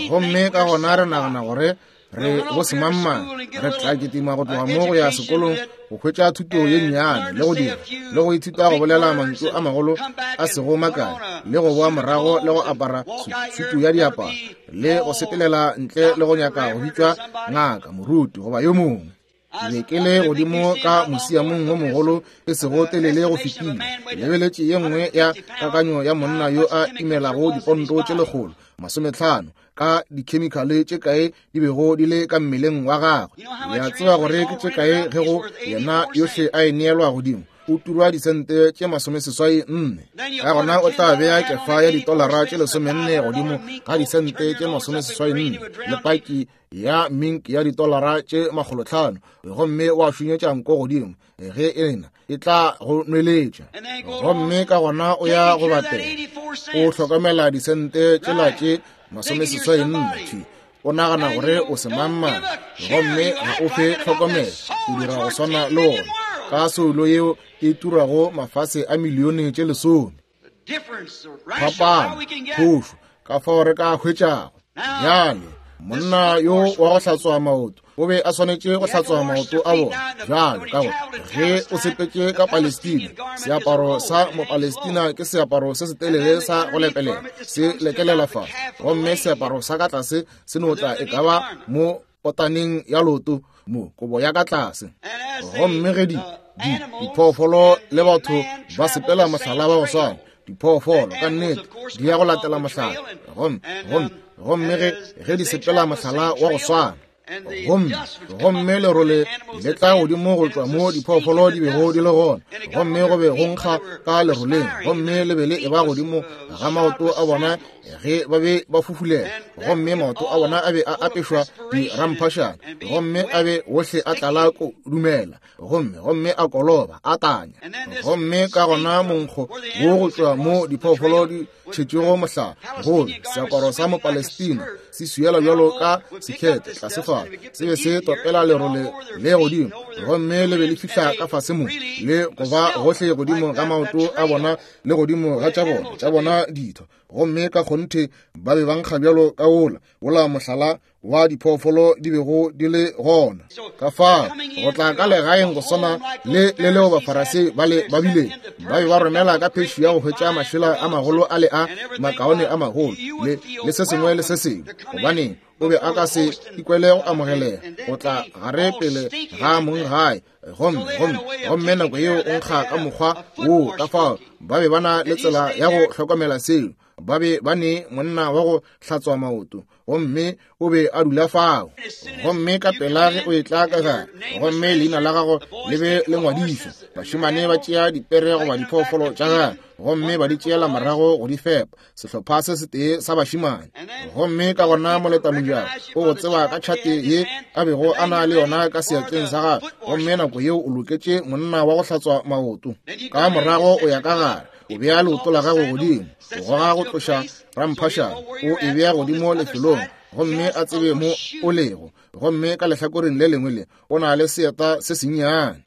Gomme ka gona re nagana gore re bo semangmang, re tla kitima go tloga mo go ya sekolong go hwetša thuto ye nnyane, le go dira le go ithuta go bolela mantšu a magolo a sego makae, le go boa morago le go apara sutu ya diaparo, le go sepelela ntle le go nyaka go bitšwa ngaka, moruti goba yo mongwe. Ke be ke le godimo ka musiamong wo mogolo e sego telele go fetile, ke lebeletše ye nngwe ya kakanyo ya monna yo a imelago diponto tše 150 ka dikhemikhale tše kae di bego di le ka mmeleng wa gagwe. Le a tseba gore ke tše kae ge go yena yohle a e neelwa godimo, o turwa disente tše 84. Ka gona o tla bea kefa ya ditolara tše 14 godimo ga disente tše 84 le paki ya mink ya ditolara tše 500, gomme wa šunyetša nko godimo ge ena e tla go nweletša. Gomme ka gona o ya go batela, o hlokomela disente tšela tše 84, o nagana gore o semangmang, gomme ga o fe tlhokomelo, o dira go swana le ona ka soulo yeo e turago mafase a milione tše 10. Phapano, phošo, ka fao re ka hwetšago. Bjale, monna yo wa go hlatswa maoto o be a swanetše go hlatswa maoto a bona. Bjale, ka gore ge o sepetše ka Palestina, seaparo sa Mopalestina ke seaparo se setelele sa go lepelela, se lekelela fase, gomme seaparo sa ka tlase se no tla e ka ba mo potaneng ya loto, mo kobo ya ka tlase. Gomme ge diphoofolo le batho ba sepela mohlala wa go swana, diphoofolo ka nnete di ya go latela mohlala, gomme ge di sepela mohlala wa go swana, gomme lerole le tla godimo go tšwa mo diphoofolo di bego di le gona, gomme go be go nkga ka leroleng, gomme le be le eba godimo ga maoto a bona ge ba be ba fufulela, gomme maoto a bona a be a apešwa diramphašana, gomme a be ohle a tlala ko dumela, gomme a koloba a tanya. Gomme ka gona monkgo wo go tšwa mo diphoofolo di tšhetšego mohlala, gobe seaparo sa Mopalestina se swiela bjalo ka sekhete tlase fa, se be se topela lerole le godimo, gomme le be le fihla ka fase mo le go ba gohle godimo ga maoto a bona le godimo ga tša bona ditho, gomme ka kgonthe ba be ba nkga bjalo ka wola mohlala wa diphoofolo di bego di le gona. Ka fao go tla ka legaeng go swana le le leo Bafarasei bale ba bile ba be ba romela ka phešu ya go hwetša mašela a magolo a le a makaone a magolo le le se sengwe le se sengwe, gobaneng o be a ka se ikwele go amogelega go tla gare pele ga mong gae. Gomme, gomme, gomme nako yeo o nkga ka mokgwa woo. Ka fao ba be ba na le tsela ya go hlokomela seo. Ba be ba ne monna wa go hlatswa maoto, gomme o be a dula fao. Gomme ka pela ge o etla ka gare, gomme leina la gago le be le ngwadišwa, bašemane ba tšea dipere goba diphoofolo tša gagwe gomme ba di tšeela morago go di fepa, sehlopha se setee sa bašemane. Gomme ka gona moletamojako o go tseba ka tšhate ye a bego a na le yona ka seatleng sa gagwe, gomme nako yeo o loketše monna wa go hlatswa maoto. Ka morago o ya ka gare, o bea leoto la gago godimo, o goga go tloša ramphašana, o e bea godimo lefelong, gomme a tsebe mo o lego. Gomme ka lehlakoreng le lengwe le o na le seeta se sennyane.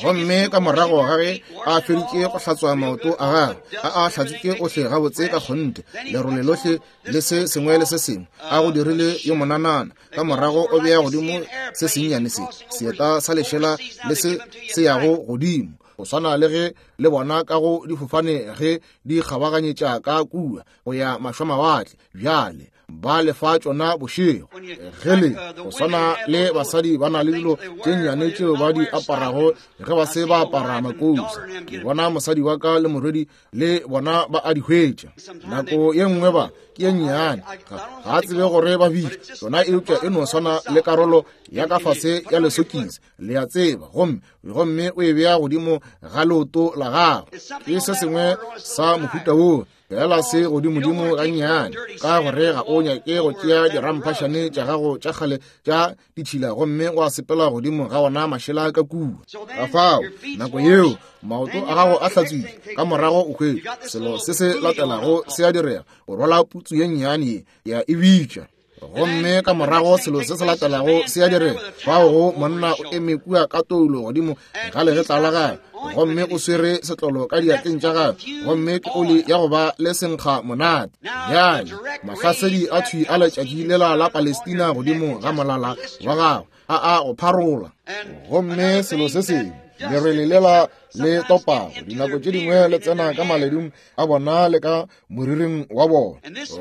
Gomme ka morago ga ge a feditše go hlatswa maoto a gagwe, a a hlatswitše ohle gabotse ka kgonthe, lerole lohle le se sengwe le se sengwe, a go dirile yo monanana, ka morago o bea godimo se sennyane se, seeta sa lešela le se se yago godimo, go swana le ge le bona ka go difofane ge di kgabaganyetša ka kua go ya mašwamawatle. Bjale ba lefa tšona bošego ge le go swana le basadi ba na le dilo tše nnyane tšeo ba di aparago ge ba se ba apara makousa. Ke bona mosadi wa ka le morwedi le bona ba a di hwetša. Nako ye nngwe ba ke ye nnyane, ga a tsebe gore ba bitša tšona, eupša e no swana le karolo ya ka fase ya lesokisi, le a tseba, gomme gomme o e bea godimo ga leoto la gago. Ke se sengwe sa mohuta woo, fela se godimodimo gannyane, ka gore ga o nyake go tšea diramphašane tša gago tša kgale tša ditšhila gomme wa sepela godimo ga ona mašela ka kua. Ka fao nako yeo maoto a gago a hlatswile, ka morago o hwetša selo se se latelago se a direga, o rwala putsu ye nnyane ye ya e bitša. Gomme ka morago selo se se latelago se a direga, fao go monna o eme kua ka toulo godimo ga legetla la gagwe, gomme o swere setlolo ka diatleng tša gagwe, gomme ke oli ya go ba le senkga monate. Bjale mahlasedi a thwi a letšatši lela la Palestina godimo ga molala wa gagwe a a go pharola. Gomme selo se sengwe, lerwele lela le topago dinako tše dingwe le tsena ka maledung a bona le ka moriring wa bona.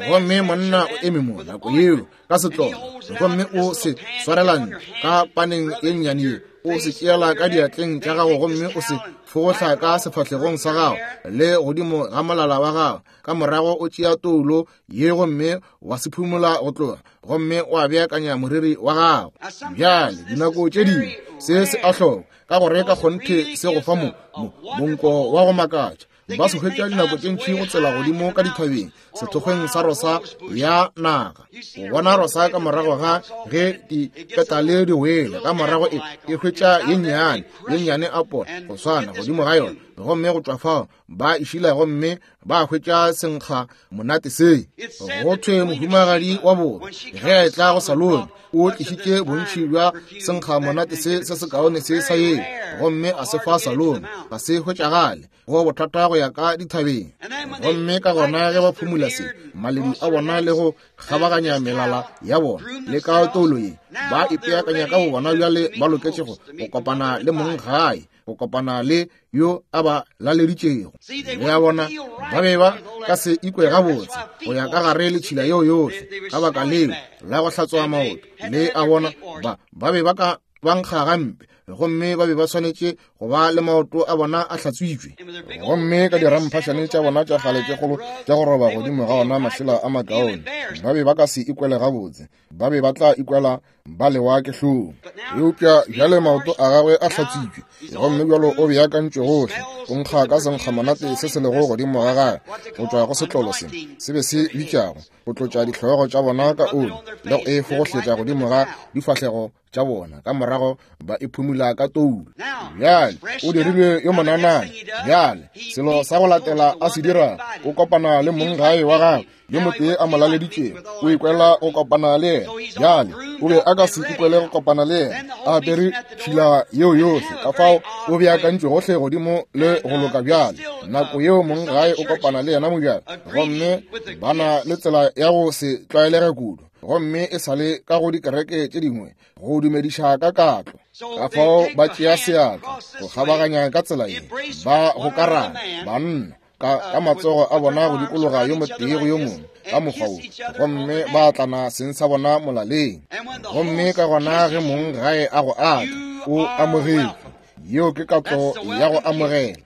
Gomme monna o eme mo nako yeo ka setlolo, gomme o se swarelane ka paneng ye nnyane ye, o se tšeela ka diatleng tša gago gomme o se fogohla ka sefahlegong sa gago le godimo ga molala wa gago. Ka morago o tšea toulo ye gomme wa se phumola go tloga, gomme wa beakanya moriri wa gago. Bjale dinako tše dingwe se se a hloka, ka gore ka kgonthe se go fa mo monko wa go makatša. Ba se hwetša dinako tše ntši go tsela godimo ka dithabeng sethokgweng sa rosa ya naga. O bona rosa ka morago ga ge dipetale di wele, ka morago e hwetša ye nnyane ye nnyane apole go swana godimo ga yona, gomme go tšwa fao ba e šila gomme ba hwetša senkga monate se. Go thwe mohumagadi wa borwa ge a etla go Salome o tlišitše bontši bja senkga monate se se sekaone se sa yeo, gomme a se fa Salome, ga se hwetšagale, go bothata go ya ka dithabeng. Gomme ka gona ge ba phumula se maledu a bona le go kgabaganya melala ya bona le ka toulo ye, ba ipeakanya ka bo bona bjale ba loketše go kopana le mong gae, go kopana le yo a ba laleditšego. Le a bona, ba be ba ka se ikwe gabotse go ya ka gare le tšhila yeo yohle, ka baka leo la go hlatswa maoto. Le a bona, ba be ba ka ba nkga gampe, gomme ba be ba swanetše go ba le maoto a bona a hlatswitšwe. Gomme ka diramphašane tša bona tša kgale tše kgolo tša go roba godimo ga ona mašela a makaone, ba be ba ka se ikwele gabotse, ba be ba tla ikwela ba lewa ke hlong. Eupša bjale maoto a gagwe a hlatswitšwe, gomme bjalo o beakantšwe gohle, o nkga ka senkgamonate se se lego godimo ga gagwe go tšwa go setlolo se se be se bitšago go tlotša dihlogo tša bona ka oli le go e fogohletša godimo ga difahlego tša bona, ka morago ba e phumula ka toulo. Bjale o dirilwe yo monanana. Bjale selo sa go latela a se dirago, o kopana le mong gae wa gagwe yo motee a mo laleditšego, o ikwela go kopana le yena. Bjale o be a ka se ikwele go kopana le yena a apere tšhila yeo yohle, ka fao o beakantšwe gohle godimo le go loka. Bjale nako yeo mong gae o kopana le yena mobjale, gomme ba na le tsela ya go se tlwaelege kudu. Gomme e sa le ka go dikereke tše dingwe go dumediša ka katlo. Ka fao ba tšea seatla go kgabaganya ka tsela ye, ba gokarana banna ka matsogo a bona go dikologa yo motee go yo mongwe ka mokgwa wo, gomme ba atlana seng sa bona molaleng. Gomme ka gona ge mong gae a go atla, o amogetšwe. Yeo ke katlo ya go amogela.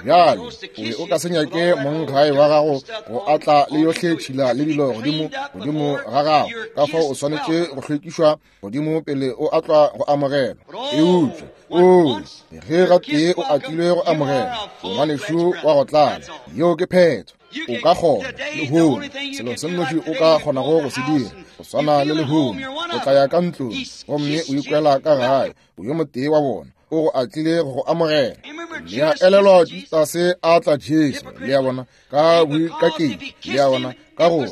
Bjale, o be o ka se nyake mong gae wa gago go atla le yohle tšhila le dilo godimo godimo ga gago, ka fao o swanetše go hlwekišwa godimo pele o atlwa go amogelwa. Eupša o ge gatee o atlilwe go amogelwa, o ngwanešu wa go tlala. Yeo ke phetho. O ka kgona lehono, selo se nnoši o ka kgonago go se dira, go swana le lehono, o tla ya ka ntlong gomme o ikwela ka gae, o yo motee wa bona, o go atlile go go amogela. Le a elelwa Judase a tla Jesu, le a bona, ka boikaketši, le a bona, ka gore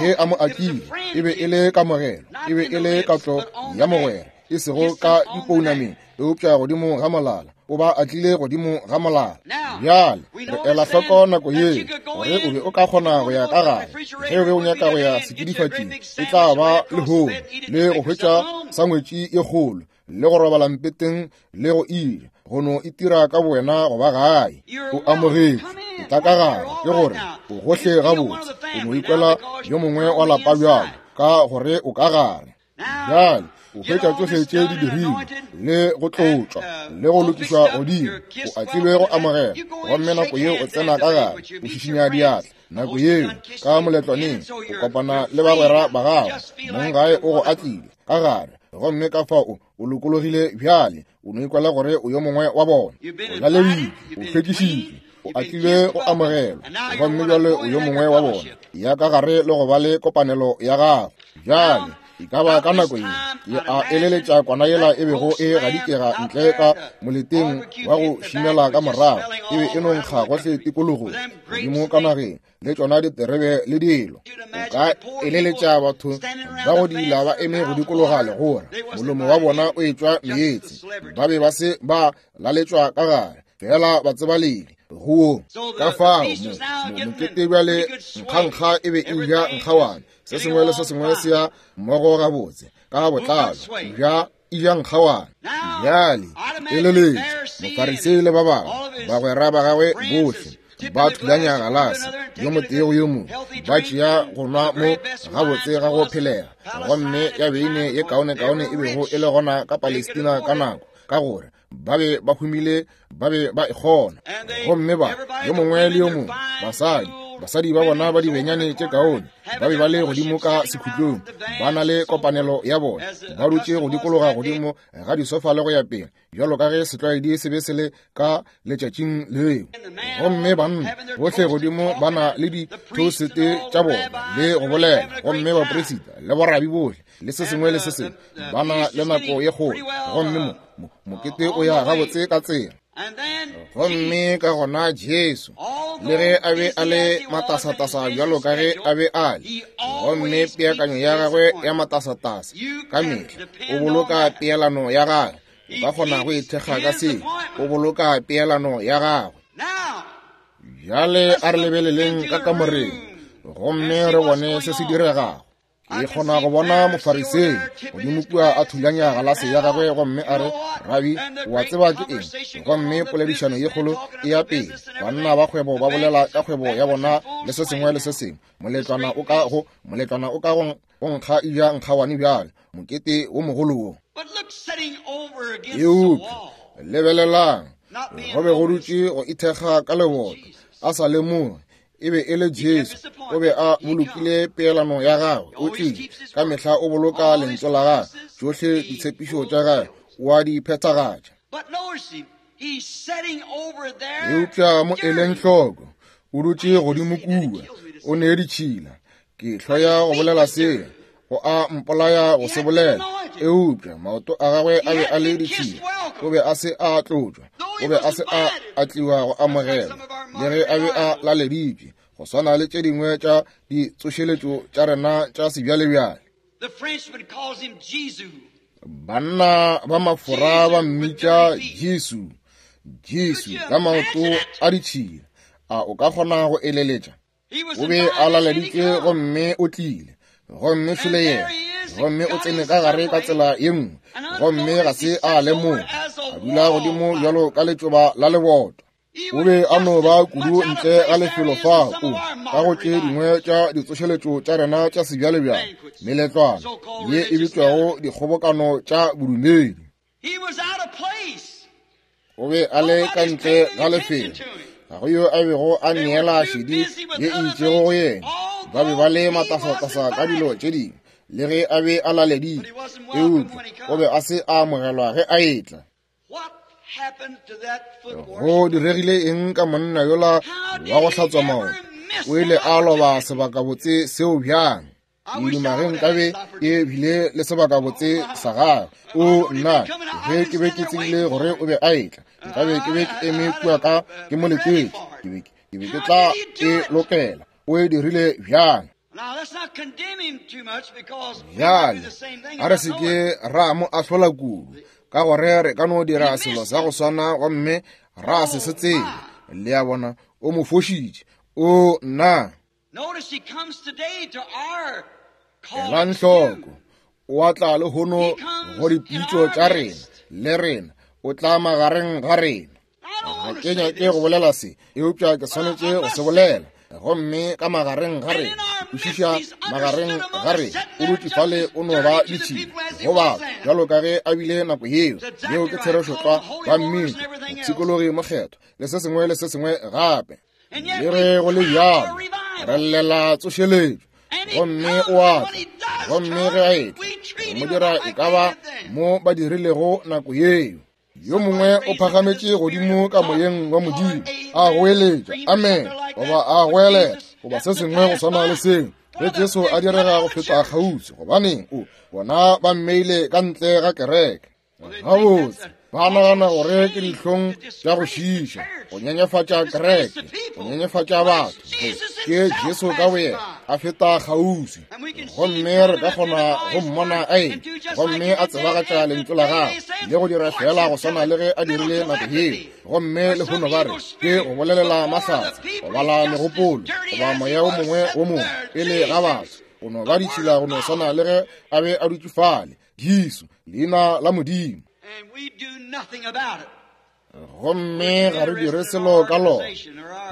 ge a mo atlile e be e le kamogelo, e be e le katlo ya mogwera, e sego ka dipounameng, eupša godimo ga molala. O ba atlile godimo ga molala. Bjale re ela hloko nako ye gore o be o ka kgona go ya ka gare ge o be o nyaka go ya sekidifatšing, e tla ba lehono, le go hwetša sangwetši ye kgolo, le go robala mpeteng, le go ija, go no itira ka bowena go ba gae. O amogetšwe, o tla ka gare, ke gore o gohle gabotse, o no ikwela yo mongwe wa lapa bjalo ka gore o ka gare. Bjale o hwetša tšohle tše di dirilwe le go tlotšwa le go lokišwa godimo, o atlilwe go amogela. Gomme nako yeo o tsena ka gare, o šišinya diatla. Nako yeo ka moletlwaneng o kopana le bagwera ba gago, mong gae o go atlile ka gare, gomme ka fao o lokologile bjale, o no ikwela gore o yo mongwe wa bona. O laleditšwe, o hlwekišitšwe, o atlilwe go amogelwa, gomme bjale o yo mongwe wa bona. Ya ka gare le go ba le kopanelo ya gago. Bjale e ka ba ka nako ye ke a eleletša kwana yela e bego e gadikega ntle ka moleteng wa go šimela ka morago, e be e no nkga gohle tikologong, godimo ka nageng, le tšona diterebe le dilo. O ka eleletša batho ba go dila ba eme go dikologa legora, molomo wa bona o etšwa meetse, ba be ba se ba laletšwa ka gare, fela batsebaledi go ka fao mokete bjale nkgankga e be e ja nkgawane, se sengwe le se sengwe se ya mmogo gabotse ka botlalo, ja e ja nkgawane. Bjale eleletša Mofarisei le ba bangwe bagwera ba gagwe bohle ba thulanya galase yo motee go yo mongwe, ba tšea go nwa mo gabotse ga go phelega, gomme ya beine ye kaonekaone e bego e le gona ka Palestina ka nako, ka gore ba be ba humile, ba be ba e kgona. Gomme ba yo mongwe le yo mongwe, basadi ba bona ba dibenyane tše kaone, ba be ba le godimo ka sekhutlong, ba na le kopanelo ya bona, ba dutše go dikologa godimo ga disofa le go ya pele, bjalo ka ge setlwaedi se be se le ka letšatšing leo. Gomme banna bohle godimo ba na le dithosete tša bona le go bolela, gomme bapresita le borabi bohle le se sengwe le se sengwe ba na le nako ye kgolo, gomme mokete o ya gabotse ka tsela. Gomme ka gona Jesu, le ge a be a le matasatasa bjalo ka ge a be a le, gomme peakanyo ya gagwe ya matasatasa ka mehla, o boloka peelano ya gagwe. O ka kgona go ithekga ka seo, o boloka peelano ya gagwe. Bjale a re lebeleleng ka kamoreng gomme re bone se se diregago. Ke kgona go bona Mofarisei godimo kua a thulanya galase ya gagwe gomme a re, Rabi, o a tseba ke eng? Gomme poledišano ye kgolo e ya pele, banna ba kgwebo ba bolela ka kgwebo ya bona le se sengwe le se sengwe. Moletlwana o ka go, moletlwana o ka go nkga eja nkgawane bjale, mokete wo mogolo wo. Eupša lebelelang, go be go dutše go ithekga ka leboto, a sa lemoge e be e le Jesu. O be a bolokile peelano ya gagwe, o tlile ka mehla o boloka lentšu la gagwe, tšohle ditshepišo tša gagwe o a di phethagatša. Eupša mo eleng hloko, o dutše godimo kua, o ne ditšhila. Ke hloya go bolela seo, go a mpolaya go se bolela, eupša maoto a gagwe a be a le ditšhila, o be a se a tlotšwa, o be a se a atliwa go amogelwa, le ge a be a laleditšwe, go swana le tše dingwe tša ditsošeletšo tša rena tša sebjalebjale. Banna ba Mafora ba mmitša Jesu, Jesu ka maoto a ditšhila. A o ka kgona go eleletša? O be a laleditšwe gomme o tlile, gomme šole yena. Gomme o tsene ka gare ka tsela ye nngwe, gomme ga se a lemoga, a dula godimo bjalo ka letšoba la leboto. O be a no ba kudu ntle ga lefelo fao ka go tše dingwe tša ditsošeletšo tša rena tša sebjalebjale, meletlwana ye e bitšwago dikgobokano tša bodumedi. O be a le ka ntle ga lefelo, ga go yo a bego a neela šedi ye e itšego go yena. Ba be ba le matasatasa ka dilo tše dingwe, le ge a be a laleditšwe, eupša o be a se a amogelwa ge a etla. Go diregile eng ka monna yola wa go hlatswa maoto? O ile a loba sebakabotse seo bjang? Ke duma ge nkabe ke bile le sebakabotse sa gagwe. O nna, ge ke be ke tsebile gore o be a etla, nkabe ke be ke eme kua ka ke mo letetše. Ke be ke tla e lokela. O e dirile bjang? Bjale, a re se ke ra mo ahlola kudu, ka gore re ka no dira selo sa go swana gomme ra se se tsebe. Le a bona, o mo fošitše. O nna. Elang hloko, o a tla lehono go dipitšo tša rena, le rena, o tla magareng ga rena. Ga ke nyake go bolela se, eupša ke swanetše go se bolela. Gomme ka magareng ga rena, kwešiša, magareng ga rena, o dutše fale o no ba ditšhila go batho bjalo ka ge a bile nako yeo. Yeo ke therešo tlwa. Ba mmitša mopshikologi mokgethwa le se sengwe le se sengwe gape. Le ge go le bjalo, re llela tsošeletšo, gomme o a tla. Gomme ge a etla, re mo dira e ka ba mo ba dirilego nako yeo. Yo mongwe o phagametše godimo ka moyeng wa Modimo, a goeletša amen, goba a goelela, goba se sengwe go swana le seo, ge Jesu a direga go feta kgauswi. Gobaneng, o bona ba mmeile ka ntle ga kereke. Gabotse, ba nagana gore ke dihlong tša go šiiša, go nyenyefatša kereke, go nyenyefatša batho. Ke Jesu ka boyena a feta kgauswi, gomme re ka kgona go mmona a etla gomme a tsebagatša lentšu la gagwe le go dira fela go swana le ge a dirile nako yeo. Gomme lehono ba re ke go bolelela mahlatse, go bala megopolo, goba moya o mongwe wo mongwe pele ga batho, go no ba ditšhila go no swana le ge a be a dutše fale. Jesu, leina la Modimo. Gomme ga re dire selo ka lona.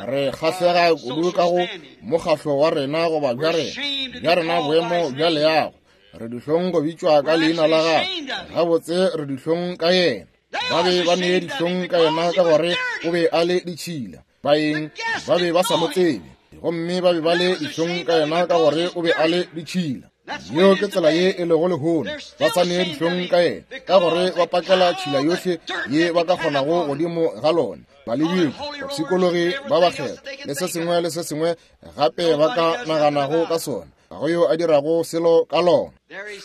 Re kgahlega kudu ka go mokgahlo wa rena goba bja rena, bja rena boemo bja leago. Re dihlong go bitšwa ka leina la gagwe. Gabotse re dihlong ka yena. Ba be ba ne dihlong ka yena ka gore o be a le ditšhila. Baeng ba be ba sa mo tsebe, gomme ba be ba le dihlong ka yena ka gore o be a le ditšhila. Yeo ke tsela ye e lego lehono. Ba sa ne dihlong ka yena ka gore ba pakela tšhila yohle ye ba ka kgonago godimo ga lona. Balebiki, bapshikologi ba bakgethwa, le se sengwe le se sengwe gape ba ka naganago ka sona, ga go yo a dirago selo ka lona.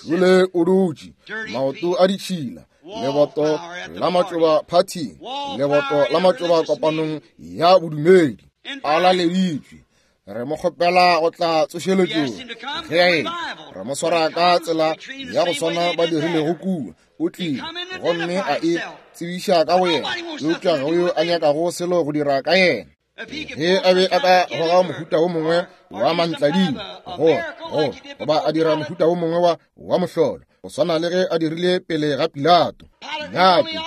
Jule o dutše, maoto a ditšhila, leboto la matšoba phathing, leboto la matšoba kopanong ya bodumedi, a laleditšwe. Re mo kgopela go tla tsošeletšong. Ge a etla, re mo swara ka tsela ya go swana ba dirilego kua. O tlile gomme a e tsebiša ka go yena, eupša ga go yo a nyakago selo go dira ka yena. Ge a be a ka goga mohuta wo mongwe wa mantladimo, go goba a dira mohuta wo mongwe wa mohlolo, go swana le ge a dirile pele ga Pilato. Nyake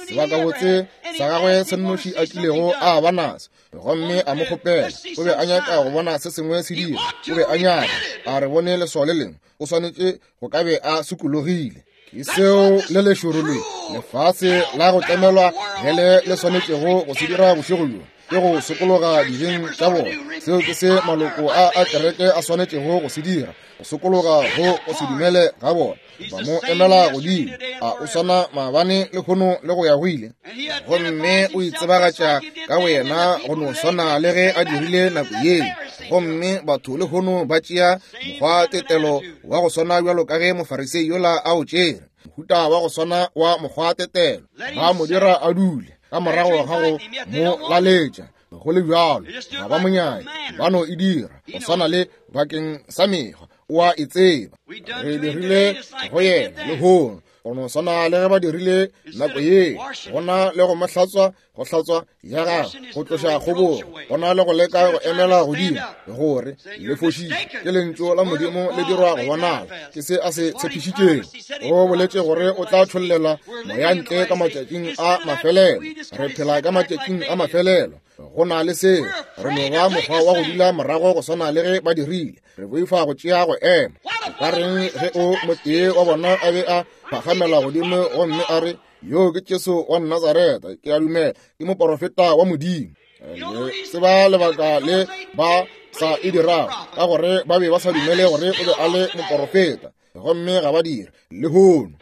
sebakabotse sa gagwe se nnoši a kilego a ba naso, gomme a mo kgopela. O be a nyaka go bona se sengwe se dira. O be a nyaka a re bone leswao le lengwe. O swanetše go ka be a sokologile. Ke seo le lešoro le lefase la go tlemelwa hele le swanetšego go se dira bošego bjo, ke go sokologa dibeng tša bona. Seo ke se maloko a kereke a swanetšego go se dira, go sokologa go go se dumele ga bona. Ba mo emela godimo, a o swana maabane lehono le go ya go ile. Gomme o itsebagatša ka boyena go no swana le ge a dirile nako yeo. Gomme batho lehono ba tšea mokgwa tetelo wa go swana bjalo ka ge Mofarisei yola a o tšere, mohuta wa go swana wa mokgwa tetelo. Ba mo dira a dule ka morago ga go mo laletša. Go le bjalo, ga ba mo nyake, ba no e dira go swana le bakeng sa mekgwa. O a e tseba. Re dirile go yena lehono. Go no swana le ge ba dirile nako ye, go na le go mo hlatswa, go hlatswa ya gagwe, go tloša kgobogo, go na le go leka go emela godimo, gore le fošitše. Ke lentšu la Modimo le dirwa go bonala. Ke se a se tshepišitšego. O boletše gore o tla tšhollela moya ntle ka matšatšing a mafelelo. Re phela ka matšatšing a mafelelo. Go na le seo, re no ba mokgwa wa go dula morago go swana le ge ba dirile. Re boifa go tšea go ema. O ka reng ge o motee wa bona a be a phagamela godimo gomme a re, Yo ke Jesu wa Nazareta, ke a dumela ke moporofeta wa Modimo. Le tseba lebaka le ba sa e dirago, ka gore ba be ba sa dumele gore o be a le moporofeta, gomme ga ba dire lehono.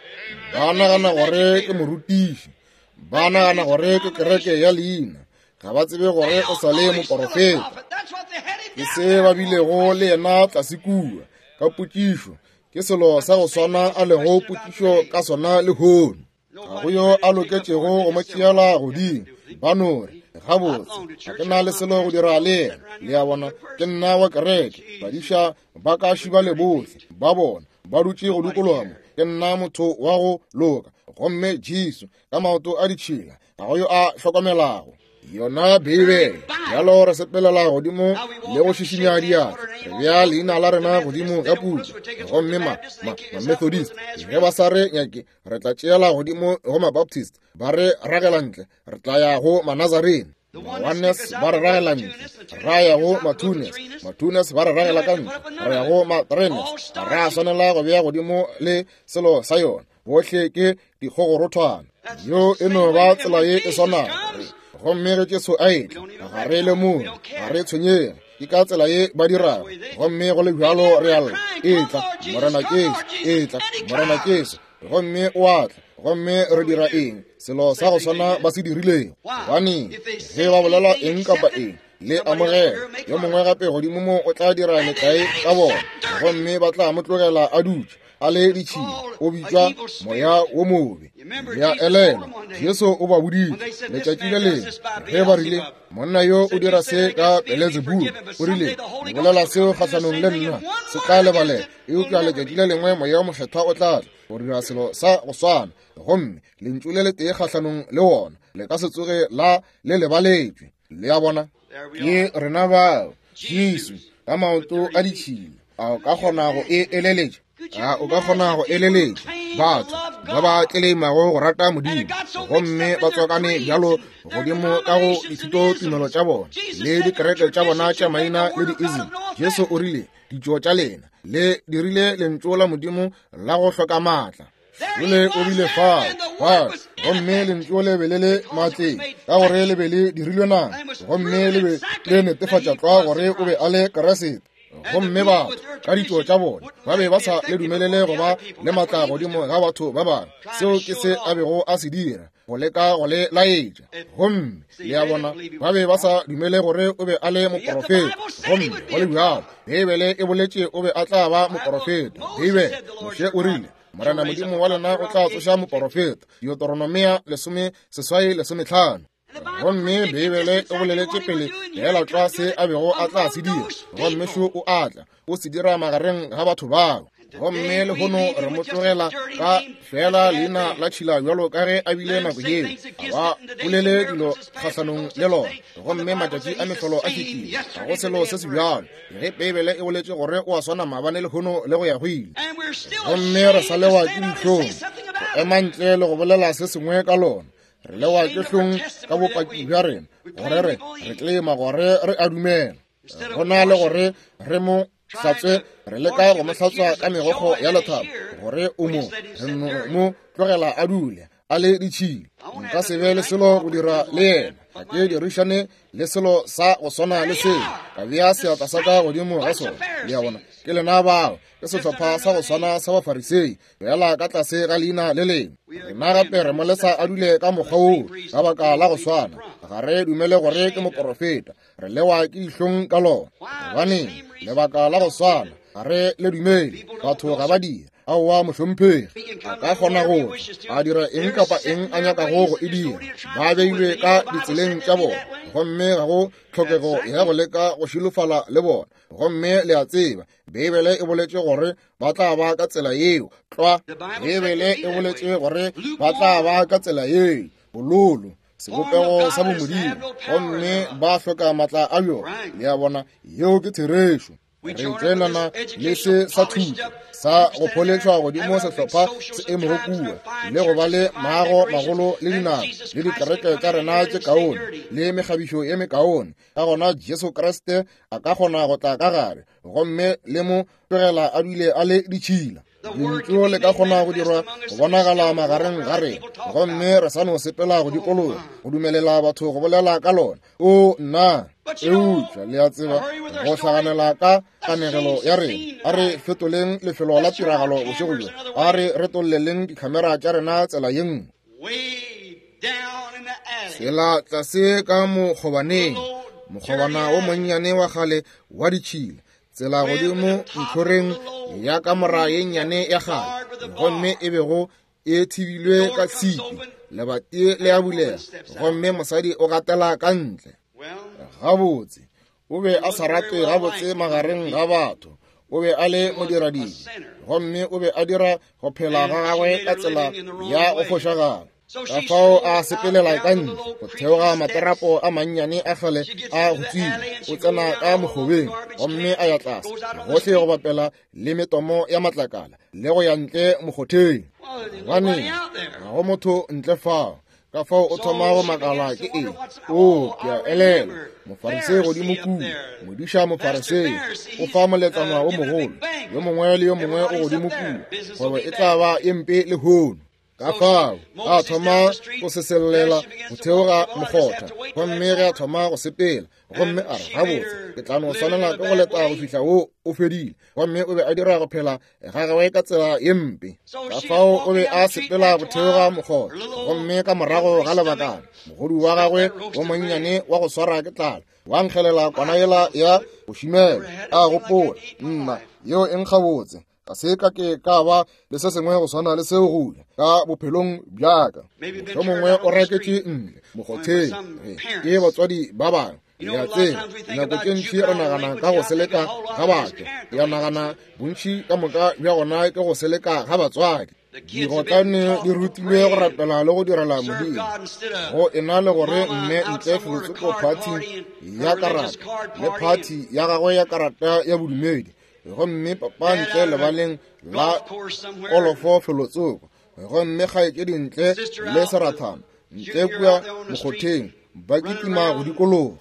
Ba nagana gore ke morutiši, ba nagana gore ke kereke ya leina, ga ba tsebe gore o sa le moporofeta. Ke se ba bilego le yena tlase kua ka potšišo, ke selo sa go swana a lego potšišo ka sona lehono. Ga go yo a loketšego go mo tšeela godimo. Ba no re, Gabotse, ga ke na le selo go dira le yena. Le a bona, ke nna wa kereke. Badiša ba ka šiba le bohle ba bona ba dutše go dikologa mo. Ke nna motho wa go loka. Gomme Jesu ka maoto a ditšhila, ga go yo a hlokomelago yona Beibele. Bjalo re sepelela godimo le go šišinya diatla, re bea leina la rena godimo ga puku. Gomme ma-Methodist ge ba sa re nyake, re tla tšeela godimo go ma-Baptist, ba re ragela ntle, re tla ya go ma-Nazarene. Ma-Oneness ba re ragela ntle, ra ya go ma-Twoness, ma-Twoness ba re ragela ka ntle, re ya go ma-Threeness. Ga ra swanela go bea godimo le selo sa yona. Bohle ke dikgogorothwana. Yo e no ba tsela ye e swanago. Gomme ge Jesu a etla, ga re lemoge, ga re tshwenyege. Ke ka tsela ye ba dirago. Gomme go le bjalo re a lla, Etla, Morena Jesu, etla, Morena Jesu. Gomme o a tla. Gomme re dira eng? Selo sa go swana ba se dirilego. Gobaneng, ge ba bolela eng kapa eng, le amogela. Yo mongwe gape godimo mo o tla dira metlae ka bona, gomme ba tla mo tlogela a dutše a le ditšhila. O bitšwa moya wo mobe. Le a elelwa, Jesu o ba boditše letšatši le lengwe ge ba rile, Monna yo o dira se ka Beelzebule. O rile, Le bolela seo kgahlanong le nna, se tla lebalela. Eupša letšatši le lengwe Moya wo Mokgethwa o tla tla go dira selo sa go swana, gomme lentšu le letee kgahlanong le wona le ka se tsoge la le lebaletšwe. Le a bona? Ke rena bao. Jesu ka maoto a ditšhila. A o ka kgona go e eleletša? A o ka kgona go eleletša batho ba ba tleleimago go rata Modimo, gomme ba tswakane bjalo godimo ka go dithutotumelo tša bona le dikereke tša bona tša maina le di-ism? Jesu o rile, Ditšo tša lena le dirile lentšu la Modimo la go hloka maatla. Jole o bile fao, fao, gomme lentšu le be le le maatleng, ka gore le be le dirilwe nama, gomme le be le netefatša tlwa gore o be a le Kriste. Gomme batho ka ditšo tša bona ba be ba sa le dumelele go ba le maatla godimo ga batho ba bangwe. Seo ke se a bego a se dira, go leka go le laetša. Gomme le a bona, ba be ba sa dumele gore o be a le moporofeta. Gomme go le bjalo, Beibele e boletše o be a tla ba moporofeta. Beibele, Moshe o rile, Morena Modimo wa lena o tla tsoša moporofeta, Deuteronomia 18:15. Gomme Beibele e boleletše pele feela tlwa se a bego a tla se dira, gomme šo o a tla, o se dira magareng ga batho bao. Gomme lehono re mo tlogela ka feela leina la tšhila bjalo ka ge a bile nako yeo. Ga ba bolele dilo kgahlanong le lona. Gomme matšatši a mehlolo a fetile, ga go selo se se bjalo. Ge Beibele e boletše gore o a swana maabane lehono le go ya go ile, gomme re sa lewa ke dihlong go ema ntle le go bolela se sengwe ka lona. Re lewa ke hlong ka bopaki bja rena gore re re tlema gore re a dumela, go na le gore re mo hlatswe. Re leka go mo hlatswa ka megokgo ya lethabo gore o mo, re no mo tlogela a dule a le ditšhila. Nka se be le selo go dira le yena, ga ke dirišane le selo sa go swana le seo, ka bea seatla sa ka godimo ga sona. Le a bona, ke lena bao, ke sehlopha sa go swana sa Bafarisei, fela ka tlase ga leina le lengwe. Rena gape re mo lesa a dule ka mokgwa woo ka baka la go swana. Ga re dumele gore ke moporofeta, re lewa ke dihlong ka lona. Gobaneng? Lebaka la go swana, ga re le dumele. Batho ga ba dire. Aowa, mohlomphegi. A ka kgona go tla, a dira eng kapa eng a nyakago go e dira. Ba beilwe ka ditseleng tša bona, gomme ga go tlhokego ya go leka go šilofala le bona. Gomme le a tseba, Beibele e boletše gore ba tla ba ka tsela yeo. Tlwa, Beibele e boletše gore ba tla ba ka tsela yeo. Bololo, sebopego sa bomodimo, gomme ba hloka maatla a bjona. Le a bona, yeo ke therešo. Re tšoenana le se sa thuto sa go pholetšwa godimo sehlopha se emego kua le go ba le maago magolo le dinako le dikereke tša rena tše kaone le mekgabišo ye mekaone. Ka gona Jesu Kriste a ka kgona go tla ka gare gomme le mo tlogela a dule a le ditšhila. Lentšu le ka kgona go dirwa go bonagala magareng ga rena, gomme re sa no sepela go dikologa go dumelela batho go bolela ka lona. O nna, eupša le a tseba, go hlaganela ka kanegelo ya rena, a re fetoleng lefelo la tiragalo bošego bjo, a re retolleleng dikhamera tša rena tsela ye nngwe. Tsela tlase ka mokgobaneng, mokgobana wo monnyane wa kgale wa ditšhila, tsela godimo ntlhoreng ya kamora ye nnyane ya kgale, gomme e bego e thibilwe ka tshipi, lebati le a bulega, gomme mosadi o gatela ka ntle. Gabotse, o be a sa ratwe gabotse magareng ga batho. O be a le modiradibe, gomme o be a dira go phela ga gagwe ka tsela ya go fošagala. Ka fao a sepelela ka ntle go theoga materapo a mannyane a kgale a go tswile, o tsena ka mokgobeng gomme a ya tlase gohle go bapela le metomo ya matlakala le go ya ntle mokgotheng. Gobane ga go motho ntle fao. Ka fao o thoma go makala ke eng. O, ke a elelwa, Mofarisei godimo kua, modiša Mofarisei, o fa moletlwana wo mogolo, yo mongwe le yo mongwe o godimo kua, kgwebo e tla ba ye mpe lehono. Ka fao a thoma go sesellela go theoga mokgotha, gomme ge a thoma go sepela, gomme a re, gabotse, ke tla no swanela ke go leta go fihla wo o fedile. Gomme o be a dira go phela ga gagwe ka tsela ye mpe. Ka fao o be a sepela go theoga mokgotha, gomme ka morago ga lebakana, mogodu wa gagwe wo monnyane wa go swara ke tlala wa nkgelela kwana yela ya go šimela. A gopola, nna, yeo e nkga botse. Ga se ka ke ka ba le se sengwe go swana le seo go ja ka bophelong bja ka. Mohlomongwe o reketše ntle mokgotheng ke batswadi ba bangwe. Le a tseba, dinako tše ntši re nagana ka go seleka ga batho. Ya nagana bontši ka moka bja gona ke go seleka ga batswadi. Digotlane di rutilwe go rapela le go direla Modimo go e na le gore mme ntle felotsoko phathi ya karata le phathi ya gagwe ya karata ya bodumedi, gomme papa ntle lebaleng la kolofo felotsoko, gomme kgaetšedi ntle le serathana ntle kua mokgotheng ba kitima go dikologa.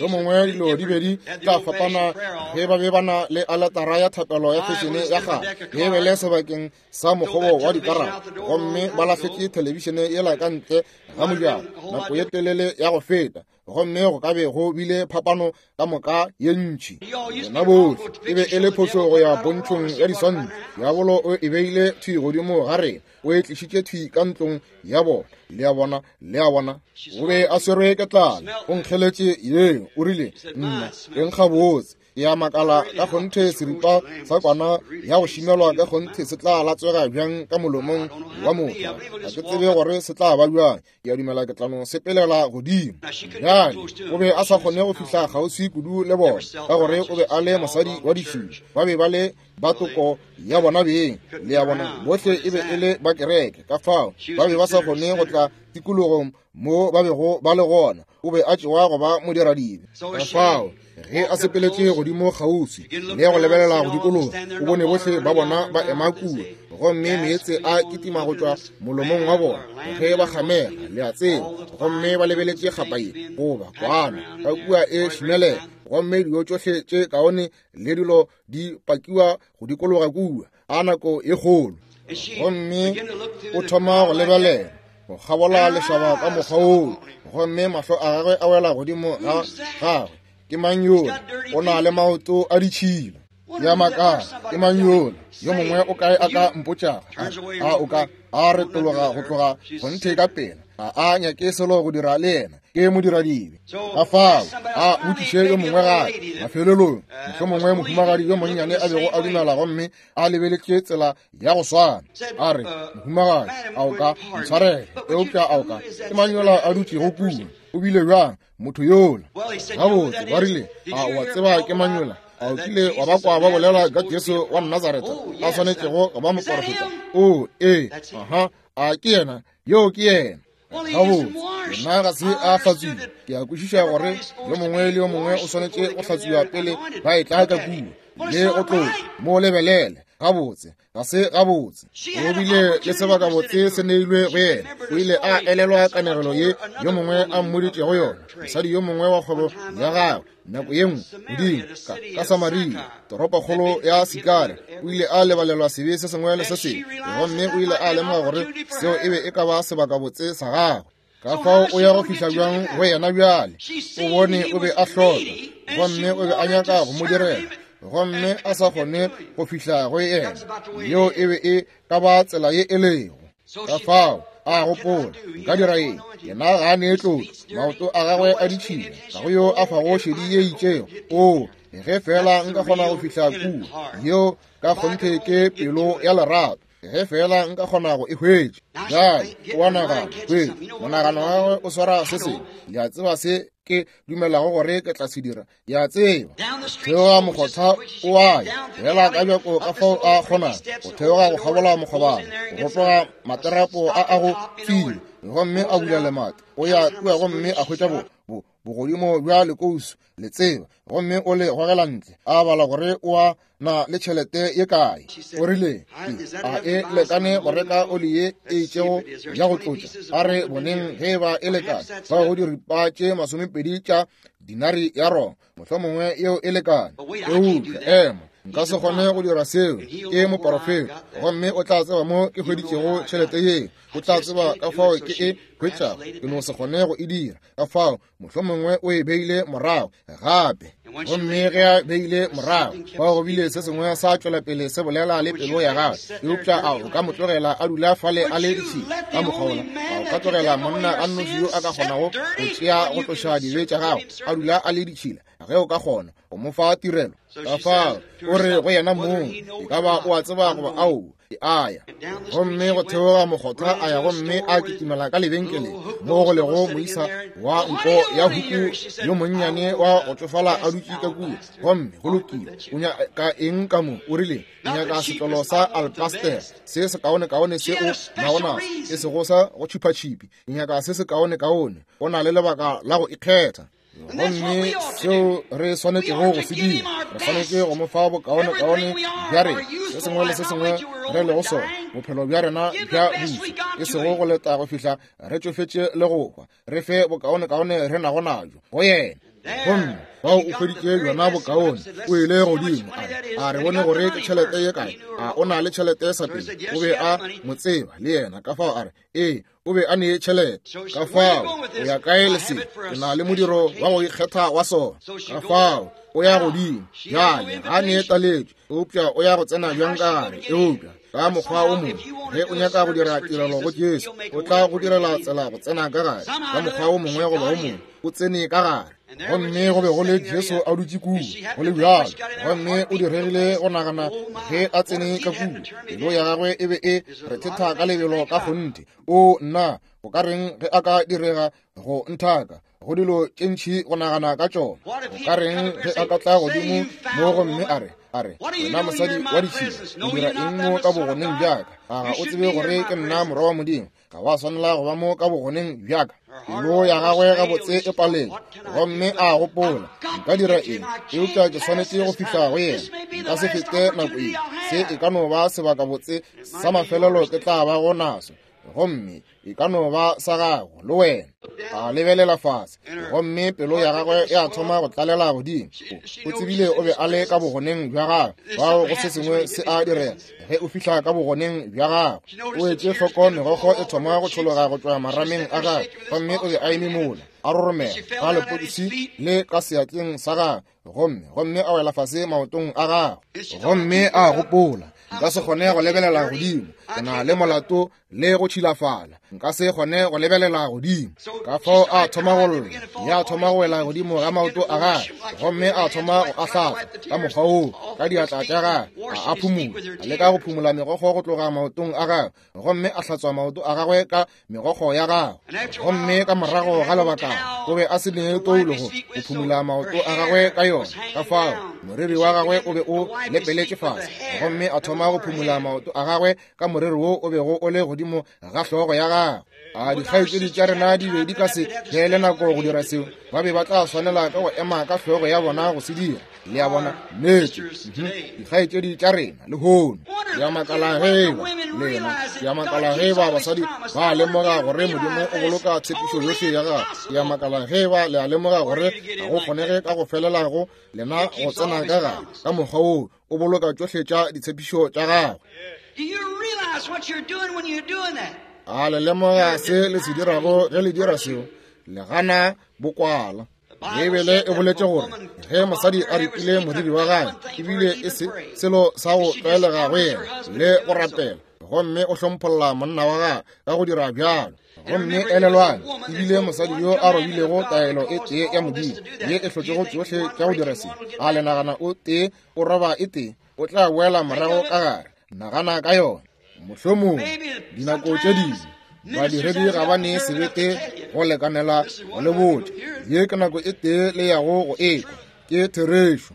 Mohlomongwe dilo di be di tla fapana ge ba be ba na le aletara ya thapelo ya fešene ya kgale Beibele sebakeng sa mokgobo wa dikarata, gomme ba lahletše thelebišene yela ka ntle ga mojako nako ye telele ya go feta, gomme go ka be go bile phapano ka moka ye ntši. Lena bohle, e be e le phošo go ya pontšhong ya diswantšho. Diabolo o e beile thwi godimo ga rena, o e tlišitše thwi ka ntlong ya bona. Le a bona, le a bona, o be a swerwe ke tlala, o nkgeletše yeo, o rile, nna, e nkga botse. Ke a makala ka kgonthe seripa sa kwana ya go šimelwa ka kgonthe se tla latswega bjang ka molomong wa motho. Ga ke tsebe gore se tla ba bjang. Ke a dumela ke tla no sepelela godimo. Bjale, o be a sa kgone go fihla kgauswi kudu le bona, ka gore o be a le mosadi wa ditšhila. Ba be ba le ba toko ya bona beng, le a bona, bohle e be e le ba kereke. Ka fao ba be ba sa kgone go tla tikologong mo ba bego ba le gona. O be a tšewa go ba modiradibe. Ka fao ge a sepeletše godimo kgauswi le go lebelela go dikologa, o bone bohle ba bona ba ema kua, gomme meetse a kitima go tšwa molomong wa bona ge ba kgamega, le a tseba, gomme ba lebeletše kgapa ye goba kwana ka kua e šimelela, gomme dilo tšohle tše kaone le dilo di pakiwa go dikologa kua, a nako e kgolo. Gomme o thoma go lebelela go kgabola lešaba ka mokgwa woo, gomme mahlo a gagwe a wela godimo ga gagwe. Ke mang yola? O na le maoto a ditšhila. Ke a makala, ke mang yola? Yo mongwe o kae a ka mpotšago? A o ka a retologa go tloga kgonthe ka pela. Ga a nyake selo go dira le yena, ke modiradibe. Ka fao a botšiše yo mongwe gape. Mafelelong, mohlomongwe mohumagadi yo monnyane a bego a dumela gomme a lebeletše tsela ya go swana, a re, Mohumagadi, a o ka ntshwarela? Eupša a o ka, ke mang yola a dutšego kua? O bile bjang motho yola? Gabotse, ba rile, a o a tseba ke mang yola? A o kile wa ba kwa ba bolela ka Jesu wa Nazaretha a swanetšego go ba moporofeta? O, ee, aha, a ke yena? Yoo ke yena. Gabotse, yena ga se a hlatswiwa. Ke a kwešiša gore yo mongwe le yo mongwe o swanetše go hlatswiwa pele ba etla ka kua le go tloša mo lebelele. Gabotse, ga se gabotse. O bile le sebakabotse se neilwe go yena. O ile a elelwa kanegelo ye yo mongwe a mmoditšego yona, mosadi yo mongwe wa kgwebo ya gagwe nako ye nngwe godimo ka, ka Samaria, toropokgolo ya Sikare. O ile a lebalelwa sebe se sengwe le se sengwe, gomme o ile a lemoga gore seo e be e ka ba sebakabotse sa gagwe. Ka fao o ya go fihla bjang go yena bjale? O bone o be a hloka, gomme o be a nyaka go mo direla, gomme a sa kgone go fihla go yena. Yeo e be e ka ba tsela ye e lego. Ka fao a gopola, nka dira eng? Yena ga a nee tlotlo, maoto a gagwe a ditšhila, ga go yo a fago šedi ye itšego. O, ge feela nka kgona go fihla kua! Yeo ka kgonthe ke pelo ya lerato. Ge feela nka kgona go e hwetša. Bjale o a nagana, hwetša, monagano wa gagwe o swara se sengwe. Le a tseba se ke dumelago gore ke tla se dira? Ke a tseba. Theoga mokgotha o a ya, fela ka bjako ka fao a kgonago go theoga go kgabola mokgobana, go rotoga materapo a a go fiwa, gomme a bula lemati, o ya kua gomme a hwetša bo, bo, bogodimo bja lekousu, le tseba, gomme o le gogela ntle, a bala gore o a na le tšhelete ye kae. O rile, A e lekane go reka oli ye e itšego ya go tlotša? A re boneng ge e ba e lekane. Fao go diripa tše 20 tša dinari ya Roma, mohlomongwe yeo e lekane. Eupša ema, nka se kgone go dira seo. Ke moporofeta, gomme o tla tseba mo ke hweditšego tšhelete yeo. O tla tseba ka fao ke e hwetšago. Ke no se kgone go e dira. Ka fao mohlomongwe o e beile morago gape. Gomme ge a beile morago, fao go bile se sengwe sa tšwela pele se bolela le pelo ya gagwe. Eupša a o ka mo tlogela a dula fale a le ditšhila ka mokgwa wola? A o ka tlogela monna a nnoši yo a ka kgonago go tšea go tloša dibe tša gago a dula a le ditšhila? Ge o ka kgona go mo fa tirelo, ka fao o re go yena mong, e ka ba o a tseba goba aowa, ke a ya. Gomme go theoga mokgotha a ya gomme a kitimela ka lebenkeleng mo go lego moisa wa nko ya huku yo monnyane wa go tšofala a dutše ka kua. Gomme go lokile, o nyaka eng ka mo? O rile, ke nyaka setlolo sa alpaster se sekaonekaone se o nago naso, e sego sa go tšhipatšhipi. Ke nyaka se sekaonekaone. O na le lebaka la go ikgetha. Gomme seo re swanetšego go se dira, re swanetše go mo fa bokaonekaone bja rena, se sengwe le se sengwe re lego sona, bophelo bja rena bja bušo, e sego go leta go fihla re tšofetše le go hwa. Re fe bokaonekaone re nago najo go yena. Gomme fao o hweditše bjona bokaone. O ile godimo, a re, a re bone gore ke tšhelete ye kae. A o na le tšhelete sa pele? O be a mo tseba le yena, ka fao a re, ee, o be a nee tšhelete. Ka fao o ya kae le se? Ke na le modiro wa go ikgetha wa sona. Ka fao o ya godimo bjale, ga a nee taletšo, eupša o ya go tsena bjang ka gare? Eupša ka mokgwa o mongwe, ge o nyaka go dira tirelo go Jesu, o tla go direla tsela go tsena ka gare. Ka mokgwa o mongwe goba o mongwe, o tsene ka gare. Gomme go be go le Jesu a dutše kua, go le bjalo. Gomme o diregile go nagana ge a tsene ka kua, pelo ya gagwe e be e rethetha ka lebelo ka kgonthe. O nna, go ka reng ge a ka direga go nthaka? Go dilo tše ntši go nagana ka tšona. Go ka reng ge a ka tla godimo mo gomme a re, a re, wena mosadi wa ditšhila, o dira eng mo ka bogoneng bja ka? A ga o tsebe gore ke nna Morwa wa Modimo? Ga wa swanela go ba mo ka bogoneng bja ka. Pelo ya gagwe gabotse e palelwa, gomme a gopola, nka dira eng? Eupša ke swanetše go fihla go yena. Nka se fete nako ye. Se e ka no ba sebakabotse sa mafelelo ke tla bago naso. Gomme E ka no ba sa gago le wena. A lebelela fase, gomme pelo ya gagwe ya thoma go tlalela godimo. O tsebile o be a le ka bogoneng bja gagwe. Fao go se sengwe se a direga ge o fihla ka bogoneng bja gagwe. O etše hloko megokgo e thoma go tšhologa go tšwa marameng a gagwe, gomme o be a eme mola, a roromela ka lepokisi le ka seatleng sa gagwe, gomme gomme a wela fase maotong a gagwe. Gomme a gopola, nka se kgone go lebelela godimo, ke na le molato le go tšhilafala, nka se kgone go lebelela godimo. Ka fao a thoma go lla, ya thoma go wela godimo ga maoto a gagwe, gomme a thoma go a hlatswa ka mokgwa woo ka diatla tša gagwe, a a phumola, a leka go phumola megokgo go tloga maotong a gagwe, gomme a hlatswa maoto a gagwe ka megokgo ya gagwe. Gomme ka morago ga lebaka o be a se ne toulo go phumola maoto a gagwe ka yona, ka fao moriri wa gagwe o be o lepeletše fase, gomme a thoma go phumola maoto a gagwe ka moriri wo o bego o le godimo ga hlogo ya gagwe. A dikgaetšedi tša rena di be di ka se beele nako go dira seo, ba be ba tla swanela ka go ema ka hlogo ya bona go se dira. Le a bona? Nnete. Dikgaetšedi tša rena lehono, ke a makala ge eba lena, ke a makala ge eba basadi ba lemoga gore Modimo o boloka tshepišo yohle ya gagwe. Ke a makala ge eba le a lemoga gore ga go kgonege ka go felela go lena go tsena ka gare ka mokgwa woo o boloka tšohle tša ditshepišo tša gagwe. A le lemoga se le se dirago ge le dira seo? Le gana bokwala. Beibele e boletše gore ge mosadi a ripile moriri wa gagwe, ebile e se selo sa go tlwaelega go yena le go rapela, gomme o hlompholla monna wa gagwe ka go dira bjalo. Gomme elelwang, ebile mosadi yo a robilego taelo e tee ya Modimo ye e hlotšego tšohle tša go dira se, a le nagana o tee o roba e tee, o tla boela morago ka gare? Nagana ka yona. Mohlomong dinako tše dingwe badiredi ga ba ne sebete go lekanela go le botša. Ye ke nako e tee le yago go ekwa, ke therešo.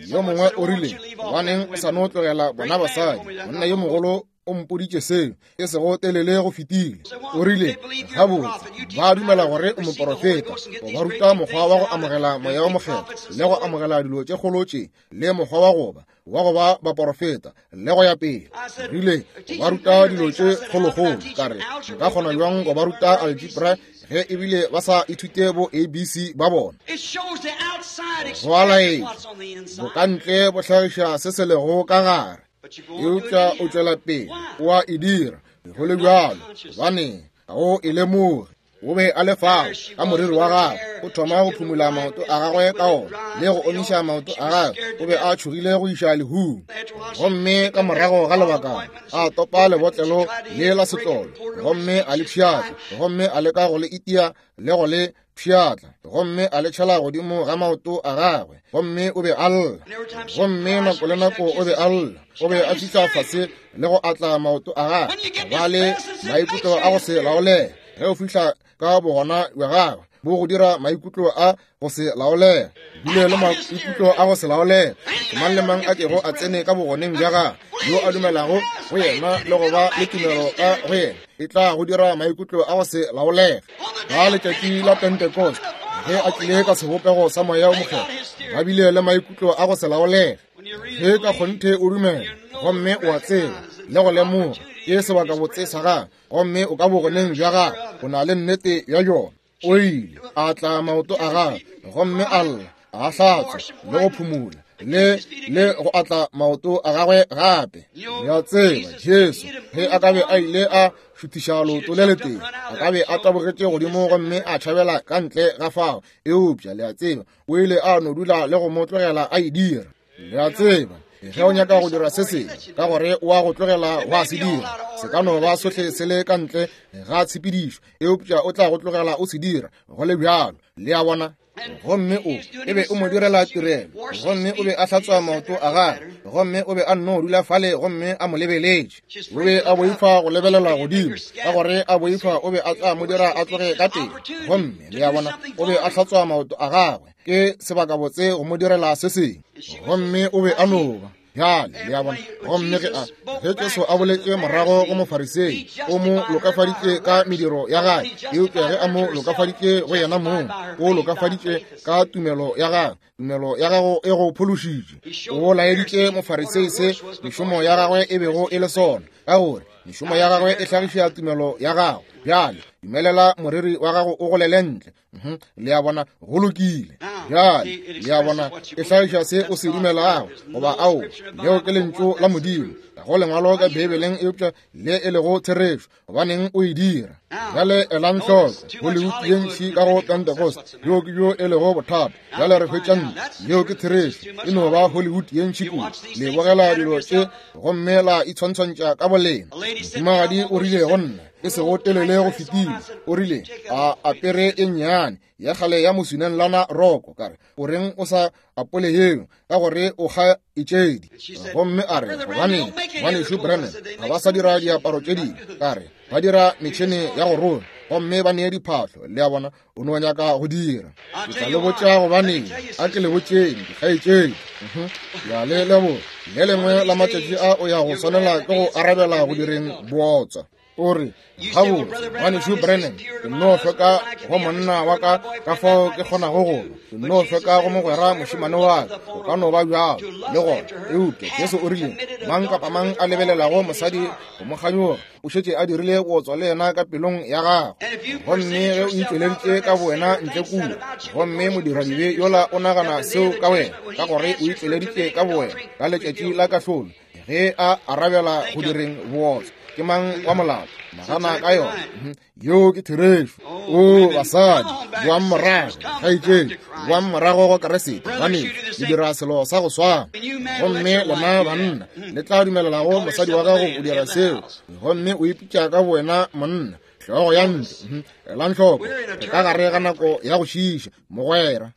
Yo mongwe o rile, gobaneng o sa no tlogela bona basadi? Monna yo mogolo o mpoditše seo e sego telele go fetile. O rile, gabotse, ba dumela gore o moporofeta, o ba ruta mokgwa wa go amogela Moya wo Mokgethwa le go amogela dilo tše kgolo tše, le mokgwa wa go ba wa go ba baporofeta le go ya pele. Rile, o ba ruta dilo tše kgolokgolo. Ka re, nka kgona bjang go ba ruta algebra ge ebile ba sa ithute bo ABC ba bona? Go a laetša bokantle bo hlagiša se se lego ka gare, eupša o tšwela pele o a e dira go le bjalo, gobane ga o e lemoge. O be a le fao ka moriri wa gagwe, o thoma go phumula maoto a gagwe ka ona le go omiša maoto a gagwe. O be a tšhogile go iša lehung. Gomme ka morago ga lebakana a topa lebotlelo le la setlolo, gomme a le pšhatla, gomme a leka go le itia le go le pšhatla, gomme a le tšhela godimo ga maoto a gagwe, gomme o be a lla. Gomme nako le nako o be a lla, o be a fihla fase le go atla maoto a gagwe, ba le maikutlo a go se laolege. Ge o fihla ka bogona bja gagwe, bo go dira maikutlo a go se laolege, dule le maikutlo a go se laolege. Mang le mang a kego a tsene ka bogoneng bja gagwe, yo a dumelago go yena le go ba le tumelo ka go yena, e tla go dira maikutlo a go se laolege. Ka letšatši la Pentecost, ge a tlile ka sebopego sa Moya o Mokgethwa, ba bile le maikutlo a go se laolege. Ge ka kgonthe o dumela gomme o a tseba le go lemoga ke sebakabotse sa gagwe, gomme o ka bogoneng bja gagwe, o na le nnete ya yona. O ile a tla maoto a gagwe gomme a lla, a hlatswa le go phumula le le go atla maoto a gagwe gape. Ya tseba Jesu ge a ka be a ile a šuthiša leoto le letee, a ka be a tabogetše godimo gomme a tšhabela ka ntle ga fao. Eupša le a tseba, o ile a no dula le go mo tlogela a e dira. Le a tseba, ge o nyaka go dira se sengwe, ka gore o a go tlogela wa se dira, se ka no ba sohle se le ka ntle ga tshepedišo, eupša o tla go tlogela o se dira go le bjalo. Le a bona? Gomme o e be o mo direla tirelo, gomme o be a hlatswa maoto a gagwe, gomme o be a nno dula fale gomme a mo lebeletše. O be a boifa go lebelela godimo, ka gore a boifa o be a tla mo dira a tloge ka pele. Gomme le a bona, o be a hlatswa maoto a gagwe, ke sebakabotse go mo direla se sengwe. Gomme o be a no ba. Bjale, le a bona. Gomme ge a, ge Jesu a boletše morago go Mofarisei, o mo lokafaditše ka mediro ya gagwe, eupša ge a mo lokafaditše go yena mong, o lokafaditše ka tumelo ya gagwe. Tumelo ya gago e go phološitše. O laeditše Mofarisei se mešomo ya gagwe e bego e le sona, ka gore mešomo ya gagwe e hlagiša tumelo ya gago. Bjale, dumelela moriri wa gago o golele ntle. Le a bona, go lokile. Bjale, le a bona, e hlagiša se o se dumelago, goba ao, leo ke lentšu la Modimo. Ga go lengwalo ka Beibeleng eupša le e lego therešo. Gobaneng o e dira? Bjale elang hloko, Hollywood ye ntši ka go Pentecost, bjo ke bjo e lego bothata. Bjale re hwetša ntle, yeo ke therešo, e no ba Hollywood ye ntši kudu. Le bogela dilo tše gomme la itshwantshwantša ka bolena. Mohumagadi o rile go nna, e sego telele go fetile, o rile, a apere e nnyane ya kgale ya moswinanlana roko. Ka re, o reng o sa apole yeo, ka gore o kga etšedi? Gomme a re, gobaneng, Ngwanešu Branham, ga ba sa dira diaparo tše dingwe. Ka re, ba dira metšhene ya go rona, gomme ba nee diphahlo. Le a bona, o no nyaka go dira. Ke tla le botša gobaneng. A ke le botšeng, dikgaetšedi. Ya le leboga. Le lengwe la matšatši a o ya go swanela ke go arabela go direng bootswa. O re, gabotse, Ngwanešu Branham, ke nno hloka go monna wa ka ka fao ke kgonago go ba. Ke nno hloka go mogwera mošemane wa ka. O ka no ba bjalo, le gona. Eupša Jesu o rile, mang kapa mang a lebelelago mosadi go mo kganyoga, o šetše a dirile bootswa le yena ka pelong ya gagwe. Gomme ge o itšweleditše ka bowena ntle kua, gomme modiradibe yola o nagana seo ka wena, ka gore o itšweleditše ka bowena ka letšatši la kahlolo, ge a arabela go direng bootswa, ke mang wa molato? Nagana ka yona. Yeo ke therešo. O basadi, boang morago, kgaetšedi, boang morago go Keresete, gobane le dira selo sa go swana. Gomme lena banna le tla dumelelago mosadi wa gago go dira seo, gomme o ipitša ka bowena monna, hlogo ya ntlo. Elang hloko, re ka gare ga nako ya go šiiša, mogwera.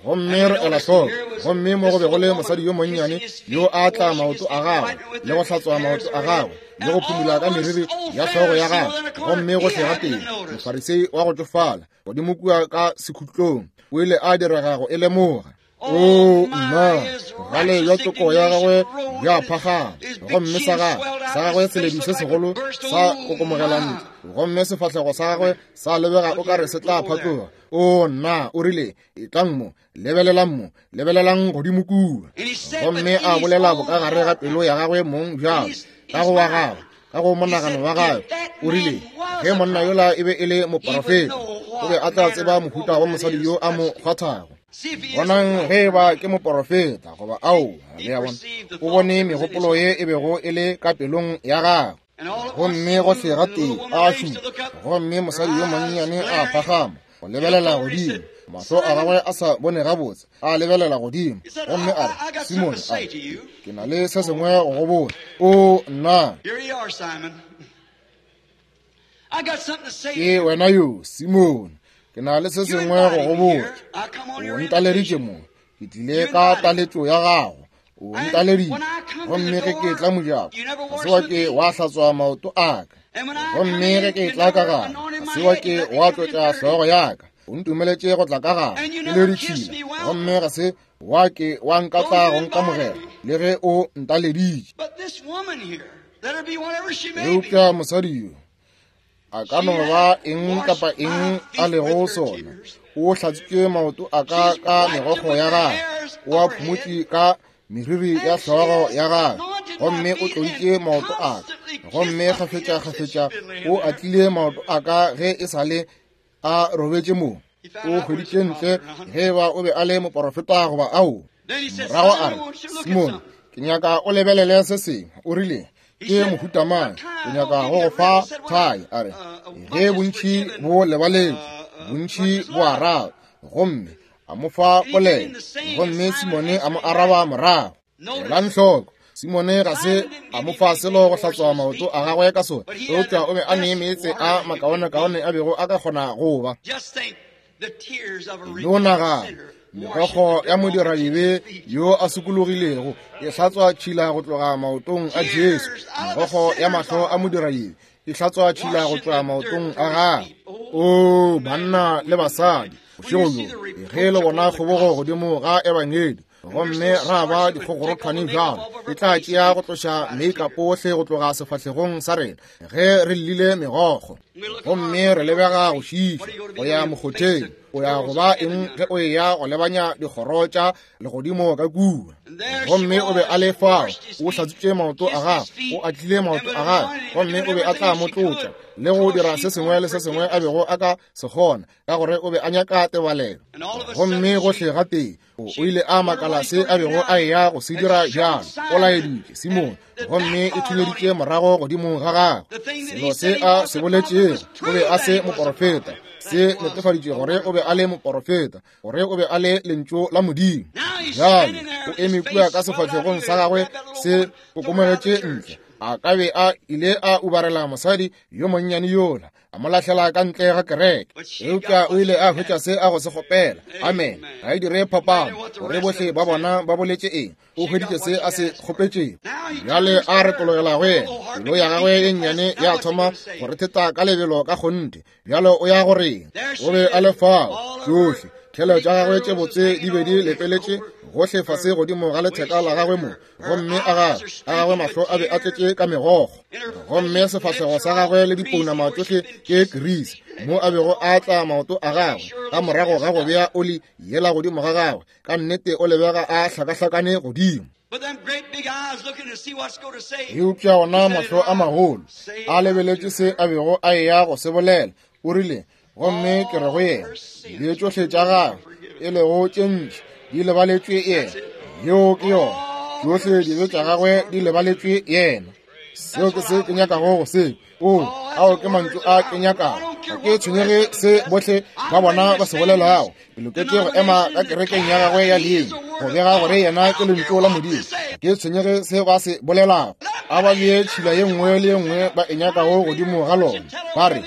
Gomme re ela hloko, gomme mo go be go le mosadi yo monnyane yo a tla maoto a gagwe le go hlatswa maoto a gagwe le go phumula ka meriri ya hlogo ya gagwe, gomme gohle gatee Mofarisei wa go tšofala godimo kua ka sekhutlong o ile a direga go e lemoga. O nna, bogale bja toko ya gagwe bja phagama, gomme sa gagwe sa gagwe seledu se segolo sa kokomogela ntle, gomme sefahlego sa gagwe sa lebega o ka re se tla phatloga. O nna, o rile, etlang mo, lebelelang mo, lebelelang godimo kua. Gomme a bolela bokagare ga pelo ya gagwe mong bjalo, ka go wa gagwe, ka go monagano wa gagwe, o rile, ge monna yola e be e le moporofeta, o be a tla tseba mohuta wa mosadi yo a mo kgwathago. Bonang ge e ba ke moporofeta goba aowa. Le a bona, o bone megopolo ye e bego e le ka pelong ya gagwe. Gomme gohle gatee a šupa, gomme mosadi yo monnyane a phagama go lebelela godimo, mahlo a gagwe a sa bone gabotse, a lebelela godimo, gomme a re, Simone, a re, ke na le se sengwe go go botša. O nna, ke wena yo, Simone, ke na le se sengwe go go botša. O ntaleditše mo, ke tlile ka taletšo ya gago. O ntaleditše, gomme ge ke tla mojako, ga se wa ke wa hlatswa maoto a ka. Gomme ge ke tla ka gare, ga se wa ke wa tlotša hlogo ya ka. O ntumeletše go tla ka gare ke le ditšhila, gomme ga se wa ke wa nkatla go nkamogela, le ge o ntaleditše. Eupša mosadi yo, a ka no ba eng kapa eng a lego sona, o hlatswitše maoto a ka ka megokgo ya gagwe, o a phumotše ka meriri ya hlogo ya gagwe, gomme o tloditše maoto a ka, gomme kgafetša-kgafetša o atlile maoto a ka ge e sa le a robetše moo. O hweditše ntle ge e ba o be a le moporofeta goba ao. Morago a re, Simone, ke nyaka o lebelele se sengwe. O rile, ke mohuta mang? Ke nyaka go go fa thai. A re, ge bontši bo lebaletše, bontši bo araba. Gomme a mo fa polelo, gomme Simone a mo araba morago. Elang hloko, Simone ga se a mo fa selo go hlatswa maoto a gagwe ka sona, eupša o be a ne meetse a makaonekaone a bego a ka kgona go ba. No nagana, megokgo ya modiradibe yo a sokologilego e hlatswa tšhila go tloga maotong a Jesu. Megokgo ya mahlo a modiradibe e hlatswa tšhila go tloga maotong a gagwe. O banna le basadi, bošego bjo, ge le bona kgobogo godimo ga Ebangedi, gomme ra ba dikgogorothwane bjalo, E tla tšea go tloša makeup ohle go tloga sefahlegong sa rena ge re llile megokgo gomme re lebega go šiiša go ya mokgotheng. O ya go ba eng ge o eya go lebanya dikgoro tša legodimo ka kua? Gomme o be a le fao, o hlatswitše maoto a gagwe, o atlile maoto a gagwe, gomme o be a tla mo tlotša le go dira se sengwe le se sengwe a bego a ka se kgona, ka gore o be a nyaka tebalelo. Gomme gohle gatee o ile a makala se a bego a eya go se dira bjalo. O laeditše Simone, gomme e thunyeditše morago godimo ga gagwe. Selo se a se boletšego, o be a se moporofeta, se netefaditše gore o be a le moporofeta, gore o be a le lentšu la Modimo. Bjale o eme kua ka sefahlegong sa gagwe se kokomogetše ntle. A ka be a ile a ubarela mosadi yo monnyane yola, a mo lahlela ka ntle ga kereke, eupša o ile a hwetša se a go se kgopela. Amen. Ga e dire phapano gore bohle ba bona ba boletše eng, o hweditše se a se kgopetšego. Bjale a retologela go yena, pelo ya gagwe ye nnyane ya thoma go retheta ka lebelo ka kgonthe. Bjale o ya go reng? O be a le fao, tšohle thelo tša gagwe tše botse di be di lepeletše gohle fase godimo ga letheka la gagwe mo, gomme a gagwe mahlo a be a tletše ka megokgo, gomme sefahlego sa gagwe le dipounama tšohle ke kirisi mo a bego a tla maoto a gagwe ka morago ga go bea oli yela godimo ga gagwe. Ka nnete o lebega a hlakahlakane godimo. Eupša ona mahlo a magolo a lebeletše se a bego a eya go se bolela. O rile, gomme ke re go yena, dibe tšohle tša gagwe e lego tše ntši di lebaletšwe yena. Yeo ke yona, tšohle dibe tša gagwe di lebaletšwe yena. Seo ke se ke nyakago go se. O, ao ke mantšu a ke nyakago. Ga ke tshwenyege se bohle ba bona ba se bolelago. Ke loketše go ema ka kerekeng ya gagwe ya leina go bega gore yena ke lentšu la Modimo. Ga ke tshwenyege se ba se bolelago. A ba bee tšhila ye nngwe le ye nngwe ba e nyakago godimo ga lona. Ba re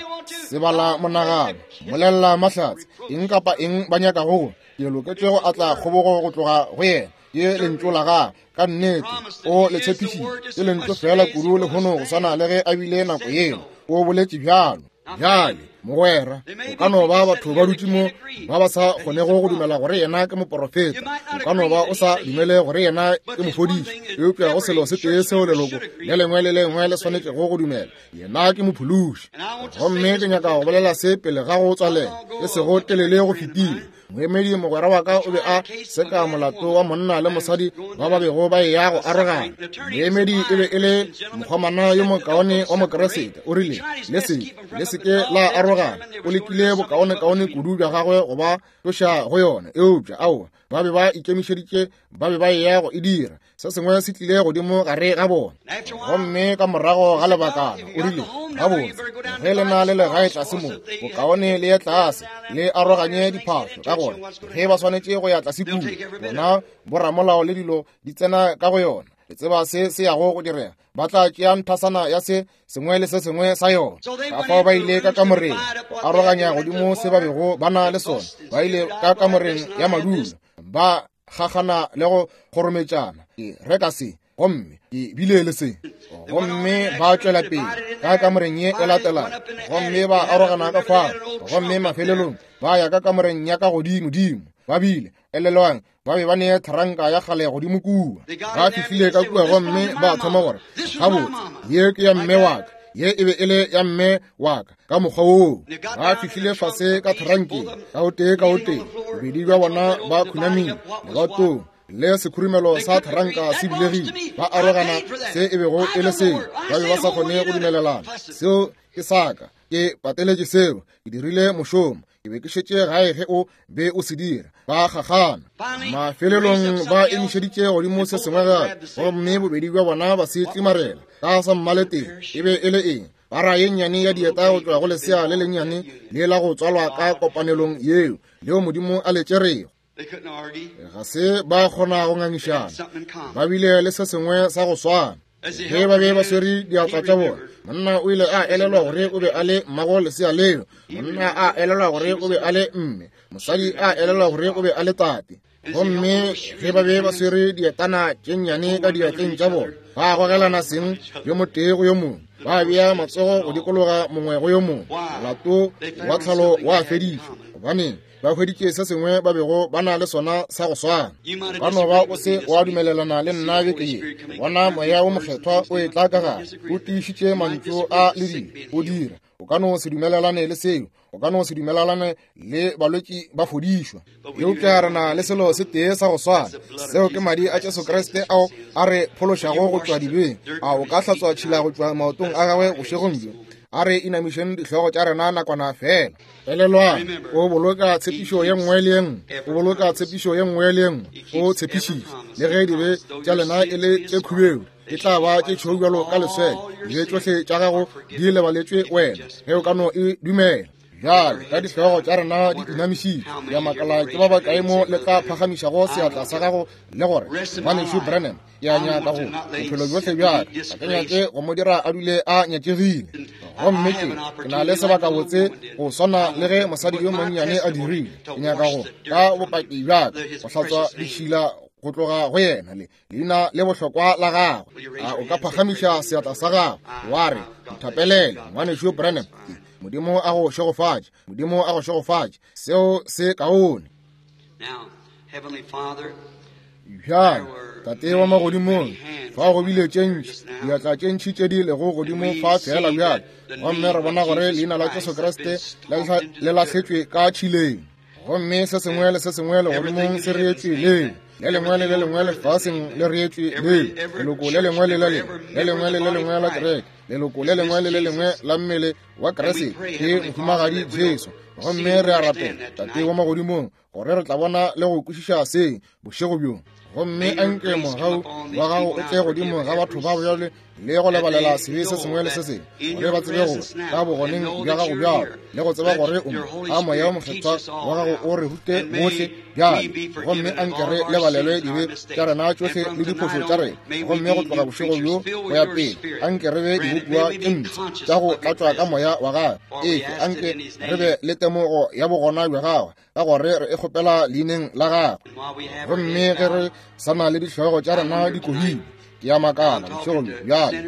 sebala monagano, molelela mahlatse, eng kapa eng ba nyakago go. Ke loketše go atla kgobogo go tloga go yena. Ke lentšu la gagwe. Ka nnete o le tshepišitše. Ke lentšu fela kudu lehono go swana le ge a bile nako yeo. O boletše bjalo. Bjale, mogwera, o ka no ba batho ba dutše mo ba ba sa kgonego go dumela gore yena ke moporofeta. O ka no ba o sa dumele gore yena ke mofodiši, eupša go selo se tee seo leloko le lengwe le lengwe le swanetšego go dumela, yena ke mophološi. Gomme ke nyaka go bolela se pele ga go tswalela, e sego telele go fetile. Moemedi mogwera wa ka o be a seka molato wa monna le mosadi ba ba bego ba eya go arogana. Moemedi e be e le mokgomana yo mokaone wa Mokeresete. O rile, le se ke la arogana. O lekile bokaonekaone kudu bja gagwe go ba tloša go yona, eupša aowa, ba be ba ikemišeditše, ba be ba eya go e dira. Se sengwe se tlile godimo gare ga bona. Gomme ka morago ga lebakana o rile, gabotse, ge le na le legae tlase mo, bokaone le ye tlase le aroganye diphahlo, ka gore ge ba swanetše go ya tlase kua, bona boramolao le dilo di tsena ka go yona. Le tseba se se yago go direga, ba tla tšea nthasana ya se sengwe le se sengwe sa yona. Ka fao ba ile ka kamoreng go aroganya godimo se ba bego ba na le sona. Ba ile ka kamoreng ya madulo, ba gagana le go kgorometšana, ke reka se gomme ke bile le se. Gomme ba tšwela pele ka kamoreng ye e latelago, gomme ba arogana ka fao, gomme mafelelong ba ya ka kamoreng ya ka godimodimo. Ba bile, elelwang, ba be ba ne thranka ya kgale godimo kua. Ba fihlile ka kua gomme ba thoma gore, gabotse, ye ke ya mme wa ka, ye e be e le ya mme wa ka. Ka mokgwa woo ba fihlile fase ka thrankeng, ka o tee ka o tee, bobedi bja bona ba khunamile lebatong, le sekhurumelo sa thranka se bulegile. Ba arogana se e bego e le seo. Ba be ba sa kgone go dumelelana. Seo ke sa ka, ke pateletše seo, ke dirile mošomo, ke be ke šetše gae ge o be o se dira. Ba gagana. Mafelelong ba emišeditše godimo se sengwe gape, gomme bobedi bja bona ba se tlimarela ka sa mmaleteng. E be e le eng? Para ye nnyane ya dieta go tšwa go lesea le lennyane le la go tswalwa ka kopanelong yeo, leo Modimo a le tšerego. Ga se ba kgona go ngangišana, ba bile le se sengwe sa go swana. Ge ba be ba swere diatla tša bona, monna o ile a elelwa gore o be a le mmago lesea leo, monna a elelwa gore o be a le mme, mosadi a elelwa gore o be a le tate. Gomme ge ba be ba swere dietana tše nnyane ka diatleng tša bona, ba gogelana seng yo motee go yo mongwe, ba bea matsogo go dikologa mongwe go yo mongwe. Molato wa tlhalo wa fedišwa. Gobaneng? Ba hweditše se sengwe ba bego ba na le sona sa go swana. O ka no ba o se wa dumelelana le nna beke ye. Bona Moya wo Mokgethwa o etla ka gare, o tiišitše mantšu a le dilo, o dira. O ka no se dumelelane le seo, o ka no se dumelelane le balwetši ba fodišwa. Eupša re na le selo se tee sa go swana, seo ke madi a Jesu Kriste ao a re phološago go tšwa dibeng. A o ka hlatswa tšhila go tšwa maotong a gagwe bošegong bjo? A re inamišeng dihlogo tša rena nakwana fela. Elelwang, o boloka tshepišo ye nngwe le ye nngwe, o boloka tshepišo ye nngwe le ye nngwe, o tshepišitše. Le ge dibe tša lena e le tše khubedu, e tla ba tše tšhweu bjalo ka leswele. Dibe tšohle tša gago di lebaletšwe wena, ge o ka no e dumela. Bjale, ka dihlogo tša rena di inamišitše, ke a makala ke ba bakae mo le tla phagamišago seatla sa gago le gore, Ngwanešu Branham, ke a nyaka go bophelo bjohle bja ka, ga ke nyake go mo dira a dule a nyakegile. Gomme ke, ke na le sebakabotse go swana le ge mosadi yo monnyane a dirile. Ke nyaka go, ka bopaki bja ka, go hlatswa ditšhila go tloga go yena le leina le bohlokwa la gagwe. A o ka phagamiša seatla sa gago wa re, Nthapelele, Ngwanešu Branham. Modimo a go šegofatše. Modimo a go šegofatše. Seo se kaone. Bjale, Tate wa Magodimong, fa go bile tše ntši, diatla tše ntši tše di lego godimo fa feela bjale, gomme re bona gore leina la Jesu Kriste le lahletšwe ka tšhileng. Gomme se sengwe le se sengwe legodimong se reetšwe leo, le lengwe le le lengwe lefaseng le reetšwe leo, leloko le lengwe le le lengwe, le lengwe le le lengwe la kereke, leloko le lengwe le le lengwe la mmele wa Kriste ke Mohumagadi Jesu. Gomme re a rapela, Tate wa Magodimong, gore re tla bona le go kwešiša se bošego bjo. Gomme anke mogau wa gago o tle godimo ga batho ba bjale le go lebalela sebe se sengwe le se sengwe, gore ba tsebe gore ka bogoneng bja gago bjalo, le go tseba gore o mo, a Moya wo Mokgethwa wa gago o re rute bohle bjale. Gomme anke re lebalelwe dibe tša rena tšohle le diphošo tša rena. Gomme go tloga bošego bjo go ya pele, anke re be dibopiwa tše mpsha tša go tlatšwa ka Moya wa gagwe. Efe, anke re be le temogo ya bogona bja gagwe, ka gore re e kgopela leineng la gagwe. Gomme ge re sa na le dihlogo tša rena di kohile, ke a makala bošegong bjo bjale,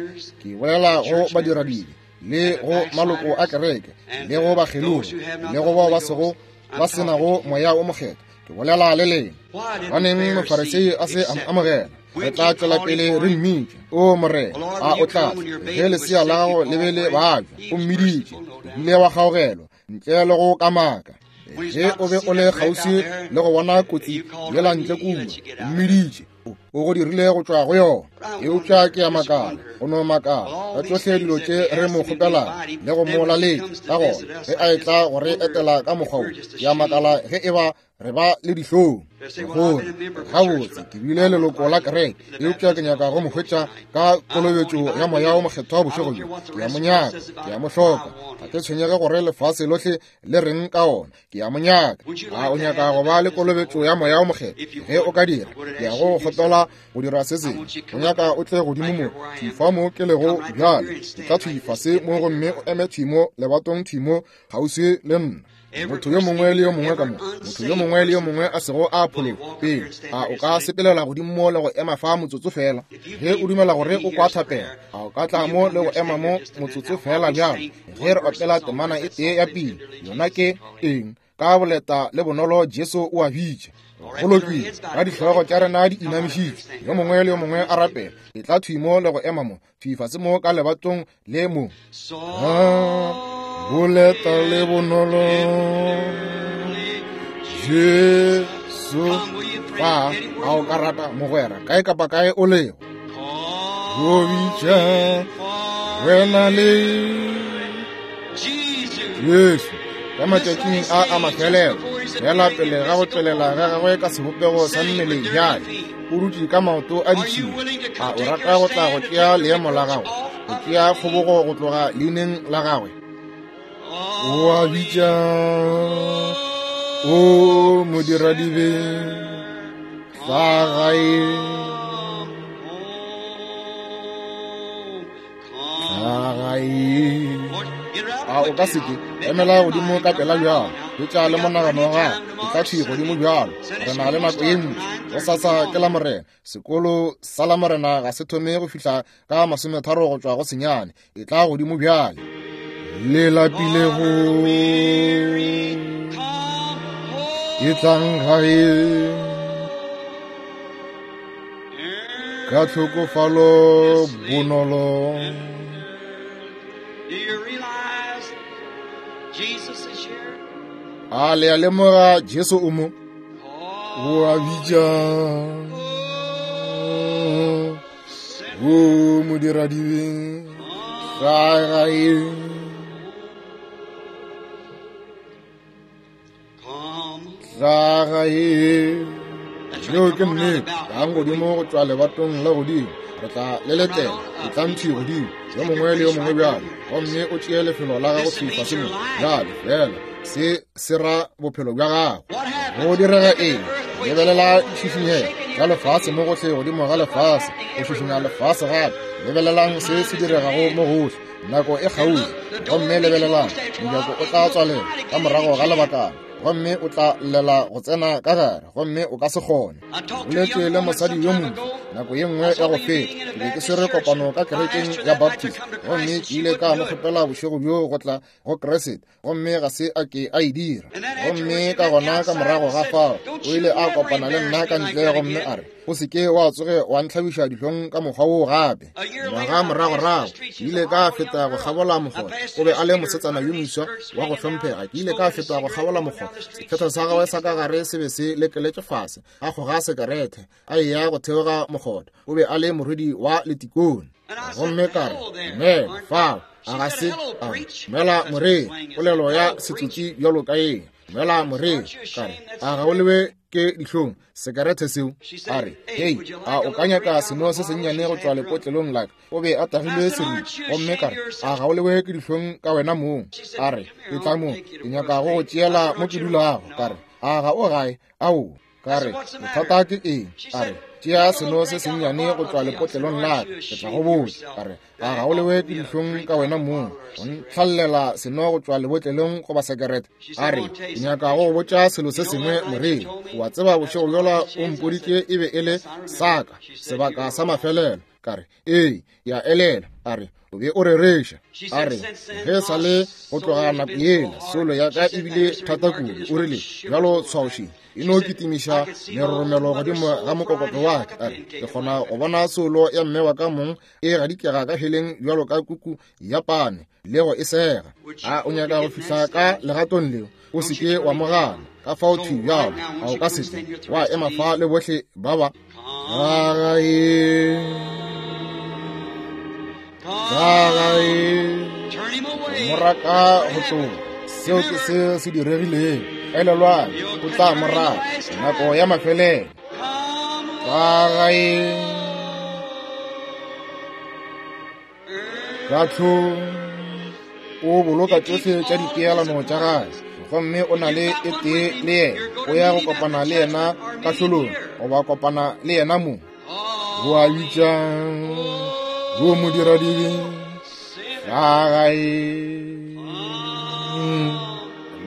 ke bolela go badiradibe le go maloko a kereke le go bakgelogi le go bao ba sego ba se nago Moya wo Mokgethwa, ke bolela le lena. Gobaneng Mofarisei a se a mo amogela? Re tla tšwela pele re mmitša, O Morena, a o tla tla ge lesea la gago le be le babja? O mmiditše, o bile wa kgaogelwa ntle le go kamaka. Ge o be o le kgauswi le go bona kotsi yela ntle kua, o mmiditše, o go dirile go tšwa go yona. Eupša ke a makala, go no makala ka tšohle dilo tše re mo kgopelago le go mo laletša, ka gona ge a etla go re etela ka mokgwa wo, ke a makala ge e ba re ba le dihlong gore gabotse ke bile leloko la kereke, eupša ke nyaka go mo hwetša ka kolobetšo ya Moya wo Mokgethwa bošego bjo. Ke a mo nyaka, ke a mo hloka. Ga ke tshwenyege gore lefase lohle le reng ka ona, ke a mo nyaka. A o nyaka go ba le kolobetšo ya Moya wo Mokgethwa? Ge o ka dira, ke ya go kgopela go dira se sengwe. O nyaka o tle godimo mo, thwi fa mo ke lego bjale. Etla thwi fase mo gomme o eme thwi mo lebatong, thwi mo kgauswi le nna. Motho yo mongwe le yo mongwe ka mo, motho yo mongwe le yo mongwe a sego a phologa pele, a o ka sepelela godimo mo le go ema fa motsotso fela? Ge o dumela gore o kwa thapelo, a o ka tla mo le go ema mo motsotso fela bjalo, ge re opela temana e tee ya pina? Yona ke eng? Ka boleta le bonolo Jesu o a bitša. Go lokile, ka dihlogo tša rena di inamišitšwe, yo mongwe le yo mongwe a rapela, etla thwi mo le go ema mo, thwi fase mo ka lebatong le mo. Boleta le bonolo Jesu fa, a o ka rata mogwera kae kapa kae o lego, go bitša wena le Jesu ka matšatšing a a mafelelo, fela pele ga go tšwelela ga gagwe ka sebopego sa mmele bjale, o dutše ka maoto a ditšhila. A o rata go tla go tšea leemo la gago, go tšea kgobogo go tloga leineng la gagwe? O a bitša, o modiradibe, tla gae. A o ka seke emela godimo ka pela bjalo, etla le monagano wa gago, etla thwi godimo bjalo. Re na le nako ye ntši. Go sasa ke la Morena. Sekolo sa la Morena ga se thome go fihla ka 30 go tšwa go senyane. Etla godimo bjale. Le lapilego. Etlang gae ka tlhokofalo bonolo. Do you realize Jesus is here? A le a lemoga Jesu o mo? O a bitša. O modiradibe, tla gae. Tla gae. Yeo ke nnete. Tlang godimo go tšwa lebatong la godimo. Re tla le letela. Etlang thwi godimo, yo mongwe le yo mongwe bjale, gomme o tšee lefelo la gago thwi fase mo. Bjale, feela se se ra bophelo bja gago. Go direga eng? Lebelela ditšhišinyego tša lefase mo gohle godimo ga lefase, go šišinya lefase gape. Lebelelang se se diregago mo gohle. Nako e kgauswi. Gomme lebelelang, mojako o tla tswalela ka morago ga lebakana, gomme o tla llela go tsena ka gare, gomme o ka se kgone. Boletše le mosadi yo moswa nako ye nngwe ya go feta. Ke be ke swere kopano ka kerekeng ya Baptist, gomme ke ile ka mo kgopela bošego bjoo go tla go Kriste, gomme ga se a ke a e dira. Gomme ka gona ka morago ga fao o ile a kopana le nna ka ntle gomme a re, O se ke wa tsoge wa ntlhabiša dihlong ka mokgwa woo gape. Ngwaga moragorago ke ile ka feta go kgabola mokgotha. O be a le mosetsana yo moswa wa go hlomphega. Ke ile ka feta go kgabola mokgotha, sekhetho sa gagwe sa ka gare se be se lekeletše fase, a kgoga sekerete, a eya go theoga mokgotha. O be a le morwedi wa letikone. Gomme ka re, Dumela, fao. A ga se a re, Dumela, moreri, polelo ya setsotsi bjalo ka ye. Dumela, moreri. Ka re, A ga o lewe ke dihlong sekerete seo? A re, Hei, a o ka nyaka seno se sennyane go tšwa lepotlelong la ka? O be a tagilwe seripa. Gomme ka re, A ga o lewe ke dihlong ka wena mong? A re, Etla mo, ke nyaka go go tšeela mo ke dulago. Ka re, A ga o gae? Aowa. Ka re, Bothata ke eng? A re, Tšea seno se sennyane go tšwa lepotlelong la ka, ke tla go botša. Ka re, A ga o lewe ke dihlong ka wena mong go ntlhallela seno go tšwa lebotlelong goba sekerete? A re, Ke nyaka go go botša selo se sengwe, moreri. O a tseba bošego bjola o mpoditše e be e le sa ka sebaka sa mafelelo. Ka re, Ee, ke a elelwa. A re, O be o rereša. A re, Ge sa le go tloga nako yela, solo ya ka e bile thata kudu. O rile, Bjalo tshwaoši e no kitimiša meroromelo godimo ga mokokotlo wa ka. A re, Ke kgona go bona solo ya mme wa ka mong e gadikega ka heleng bjalo ka kuku ya pane le go e sega. A o nyaka go fihla ka legatong leo? O se ke wa mo gana. Ka fao thwi bjalo, a o ka se tle wa ema fa le bohle ba ba Gagae, gagae, moraka go tloga. Seo ke se se diregileng. Elelwang, o tla moraka nako ya mafelelo. Gagae, kahlong o boloka tšohle tša dipeelano tša gagwe, gomme o na le e tee le yena. O ya go kopana le yena kahlolong, goba kopana le yena mo. Go a bitša go modiradibe gagae.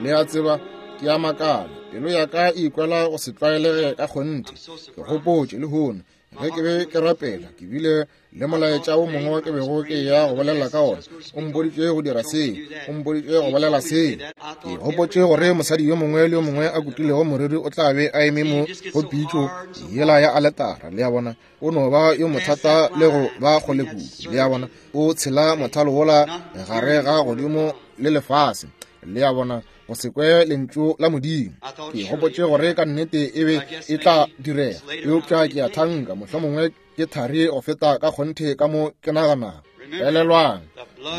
Le a tseba, ke a makala, pelo ya ka e ikwela go se tlwaelege ka kgonthe. Ke gopotše lehono ge ke be ke rapela, ke bile le molaetša wo mongwe ke bego ke ya go bolela ka ona. O mpoditše go dira seo, o mpoditše go bolela seo. Ke gopotše gore mosadi yo mongwe le yo mongwe a kutilego moriri o tla be a eme mo go pitšo yela ya aletara. Le a bona, o no ba yo mothata le go ba kgole kudu. Le a bona, o tshela mothalo wola gare ga godimo le lefase. Le a bona, go se kwe lentšu la Modimo. Ke gopotše gore ka nnete e be e tla direga, eupša ke a thanka mohlomongwe ke thari go feta ka kgonthe ka mo ke naganago. Elelwang,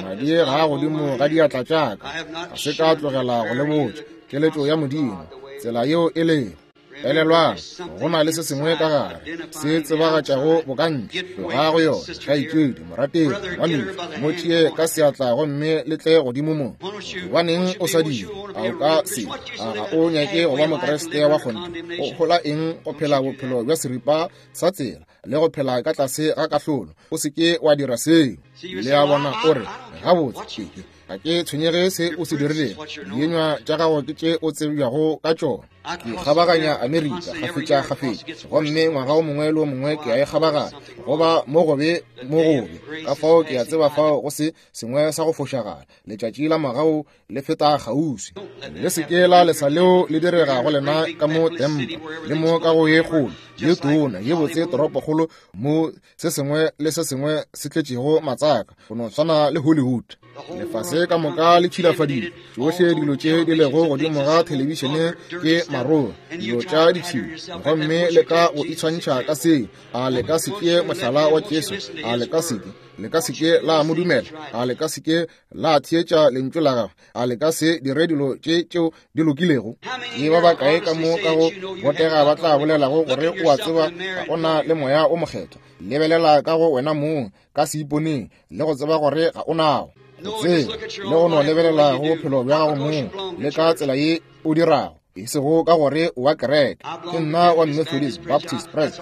madi ga a godimo ga diatla tša ka, ga se ka tlogela go le botša keletšo ya Modimo, tsela yeo e lego. Elelwang, go na le se sengwe ka gare se tsebagatšago bokantle. Tloga go yona, kgaetšedi, morategi, ngwanešu, mo tšee ka seatla gomme le tle godimo mo. Gobaneng o sa dire? A o ka se? A ga o nyake go ba Mokriste wa kgonthe? O hola eng go phela bophelo bja seripa sa tsela le go phela ka tlase ga kahlolo? O se ke wa dira seo. Le a bona, o re, Gabotse, ke, ke. Ga ke tshwenyege se o se dirilego, dienywa tša gago ke tše o tsebjago ka tšona. Ke kgabaganya Amerika kgafetšakgafetša, gomme ngwaga o mongwe le o mongwe ke a e kgabaganya, go ba mo gobe mo gobe. Ka fao ke a tseba fao go se sengwe sa go fošagala. Letšatši la mogau le feta kgauswi. Le se ke la lesa leo le direga go lena ka mo Tampa le mo ka go ye kgolo ye tona ye botse toropokgolo mo se sengwe le se sengwe se tletšego matsaka go no swana le Hollywood. Lefase ka moka le tšhilafadile. Tšohle dilo tše di lego godimo ga thelebišene ke maroa, dilo tša ditšhila, gomme le ka go itshwantšha ka seo. A le ka se tšee mohlala wa Jesu? A le ka se ke? Le ka se ke la mo dumela? A le ka se ke la theetša lentšu la gagwe? A le ka se dire dilo tše tšeo di lokilego? Ke ba bakae ka mo ka go botega ba tla bolelago gore o a tseba ga o na le Moya o Mokgethwa? Lebelela ka go wena mong ka seiponeng le go tseba gore ga o nago. Go tseba le go no lebelela go bophelo bja gago mong le ka tsela ye o dirago, e sego ka gore o wa kereke. Ke nna wa Methodist, Baptist, Presby.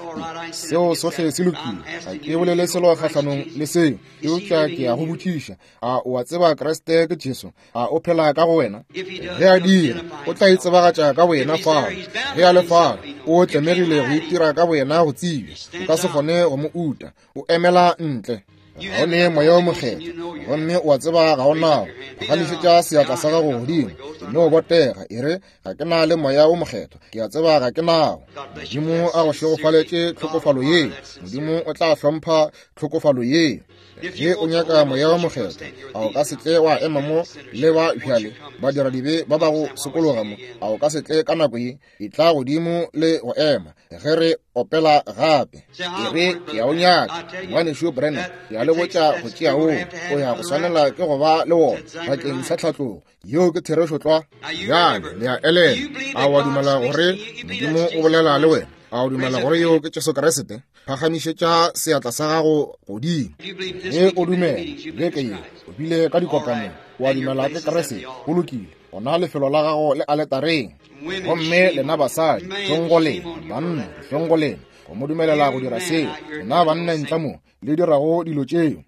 Seo sohle se lokile, ga ke bolele selo kgahlanong le seo, eupša ke ya go botšiša, a o a tseba Kriste ke Jesu? A o phela ka go wena? Ge a dira, o tla itsebagatša ka boyena fao. Ge a le fao, o tlemegile go itira ka boyena go tsebja. O ka se kgone go mo uta. O emela ntle. Ga o ne Moya wo Mokgethwa, gomme o a tseba ga o nao. Phagamišetša seatla sa gago godimo, no botega, e re, Ga ke na le Moya wo Mokgethwa, ke a tseba ga ke nao. Modimo a go šegofaletše tlhokofalo ye. Modimo o tla hlompha tlhokofalo ye. Ge o nyaka Moya wo Mokgethwa, a o ka se tle wa ema mo le ba bjale badiradibe ba ba go sokologa mo? A o ka se tle ka nako ye? Etla godimo le go ema ge re opela gape. E re, ke a o nyaka, Ngwanešu Branham, ke a le botša go tšea woo, o ya go swanela ke go ba le wona bakeng sa tlhatlogo. Yeo ke therešo tlwa. Bjale le a elelwa. A wa dumela gore Modimo o bolela le wena? A o dumela gore yeo ke Jesu Kriste? Phagamišetša seatla sa gago godimo ge o dumela. Beke ye o bile ka dikopanong, wa dumela ke Kriste. Go lokile, gona lefelo la gago le aletareng. Gomme lena basadi, hlong go lena, banna, hlong go lena, go mo dumelela go dira seo. Lena banna ntle mo le dirago dilo tšeo,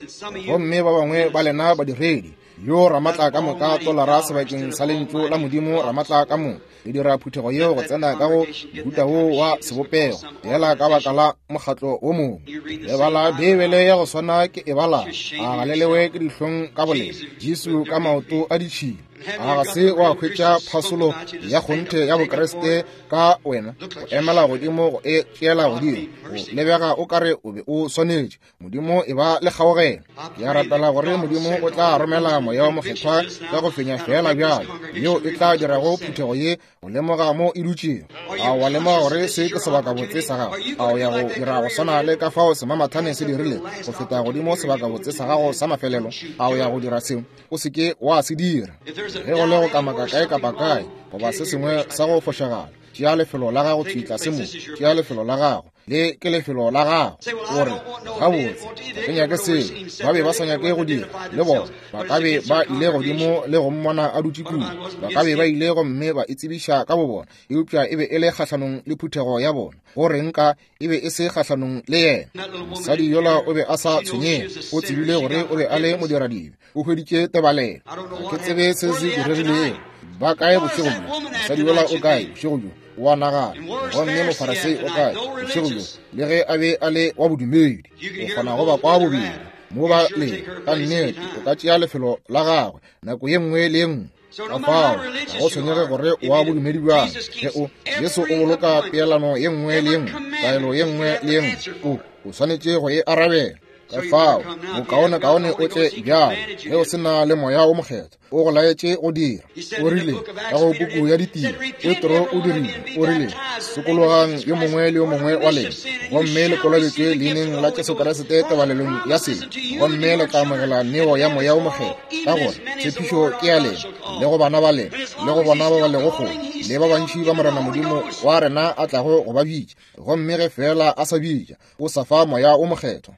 gomme ba bangwe ba lena badiredi, yo ramatla ka moka tolara sebakeng sa lentšu la Modimo ramatla ka moka, le dira phuthego yeo go tsena ka go mohuta wo wa sebopego fela ka baka la mokgatlo wo mongwe. Le bala Beibele ya go swana ke e bala, a ga le lewe ke dihlong ka bolena Jesu ka maoto a ditšhila? A ga se wa hwetša phasolo ya kgonthe ya Bokriste ka wena go emela godimo go e tšeela godimo? Go lebega o ka re o be o swanetše. Modimo e ba le kgaogelo. Ke a rapela gore Modimo o tla romela Moya wo Mokgethwa ka go fenya feela bjalo, yeo e tla dirago phuthego ye go lemoga mo e dutšego. A wa lemoga gore se ke sebakabotse sa gago? A o ya go dira go swana le ka fao semamathane se dirile go feta godimo sebakabotse sa gago sa mafelelo? A o ya go dira seo? O se ke wa se dira. Ge go le go kamaka kae kapa kae goba se sengwe sa go fošagala, tšea lefelo la gago thwi tlase mo. Tšea lefelo la gago. Le ke lefelo la gago. O re, Gabotse, ga ke nyake seo. Ba be ba sa nyake go dira, le bona. Ba ka be ba ile godimo le go mmona a dutše kua. Ba ka be ba ile gomme ba itsebiša ka bobona, eupša e be e le kgahlanong le phuthego ya bona. Go reng ka e be e se kgahlanong le yena? Mosadi yola o be a sa tshwenyege. O tsebile gore o be a le modiradibe. O hweditše tebalelo. Ga ke tsebe se se diregilego. Ba kae bošego bjo? Mosadi yola o kae bošego bjo? O a nagana. Gomme Mofarasei o kae bošego bjo? Le ge a be a le wa bodumedi, o kgona go ba kwa bobedi mo ba le ka nnete. O ka tšea lefelo la gagwe nako ye nngwe le ye nngwe. Ka fao ga go tshwenyege gore o wa bodumedi bjang, ge o Jesu o boloka peelano ye nngwe le ye nngwe, taelo ye nngwe le ye nngwe, o swanetše go e arabela. Ka fao bokaonekaone o tle bjalo ge o se na le Moya wo Mokgethwa o go laetše go dira. O rile ka go puku ya Ditiro, Petro o dirile, o rile, Sokologang yo mongwe le yo mongwe wa lena, gomme le kolobetšwe leineng la Jesu Kriste tebalelong ya sebe, gomme le tla amogela neo ya Moya wo Mokgethwa, ka gore tshepišo ke ya lena, le go bana ba lena, le go bona ba ba lego kgole, le ba bantši ba Morena Modimo wa rena a tlago go ba bitša. Gomme ge feela a sa bitša, o sa fa Moya wo Mokgethwa.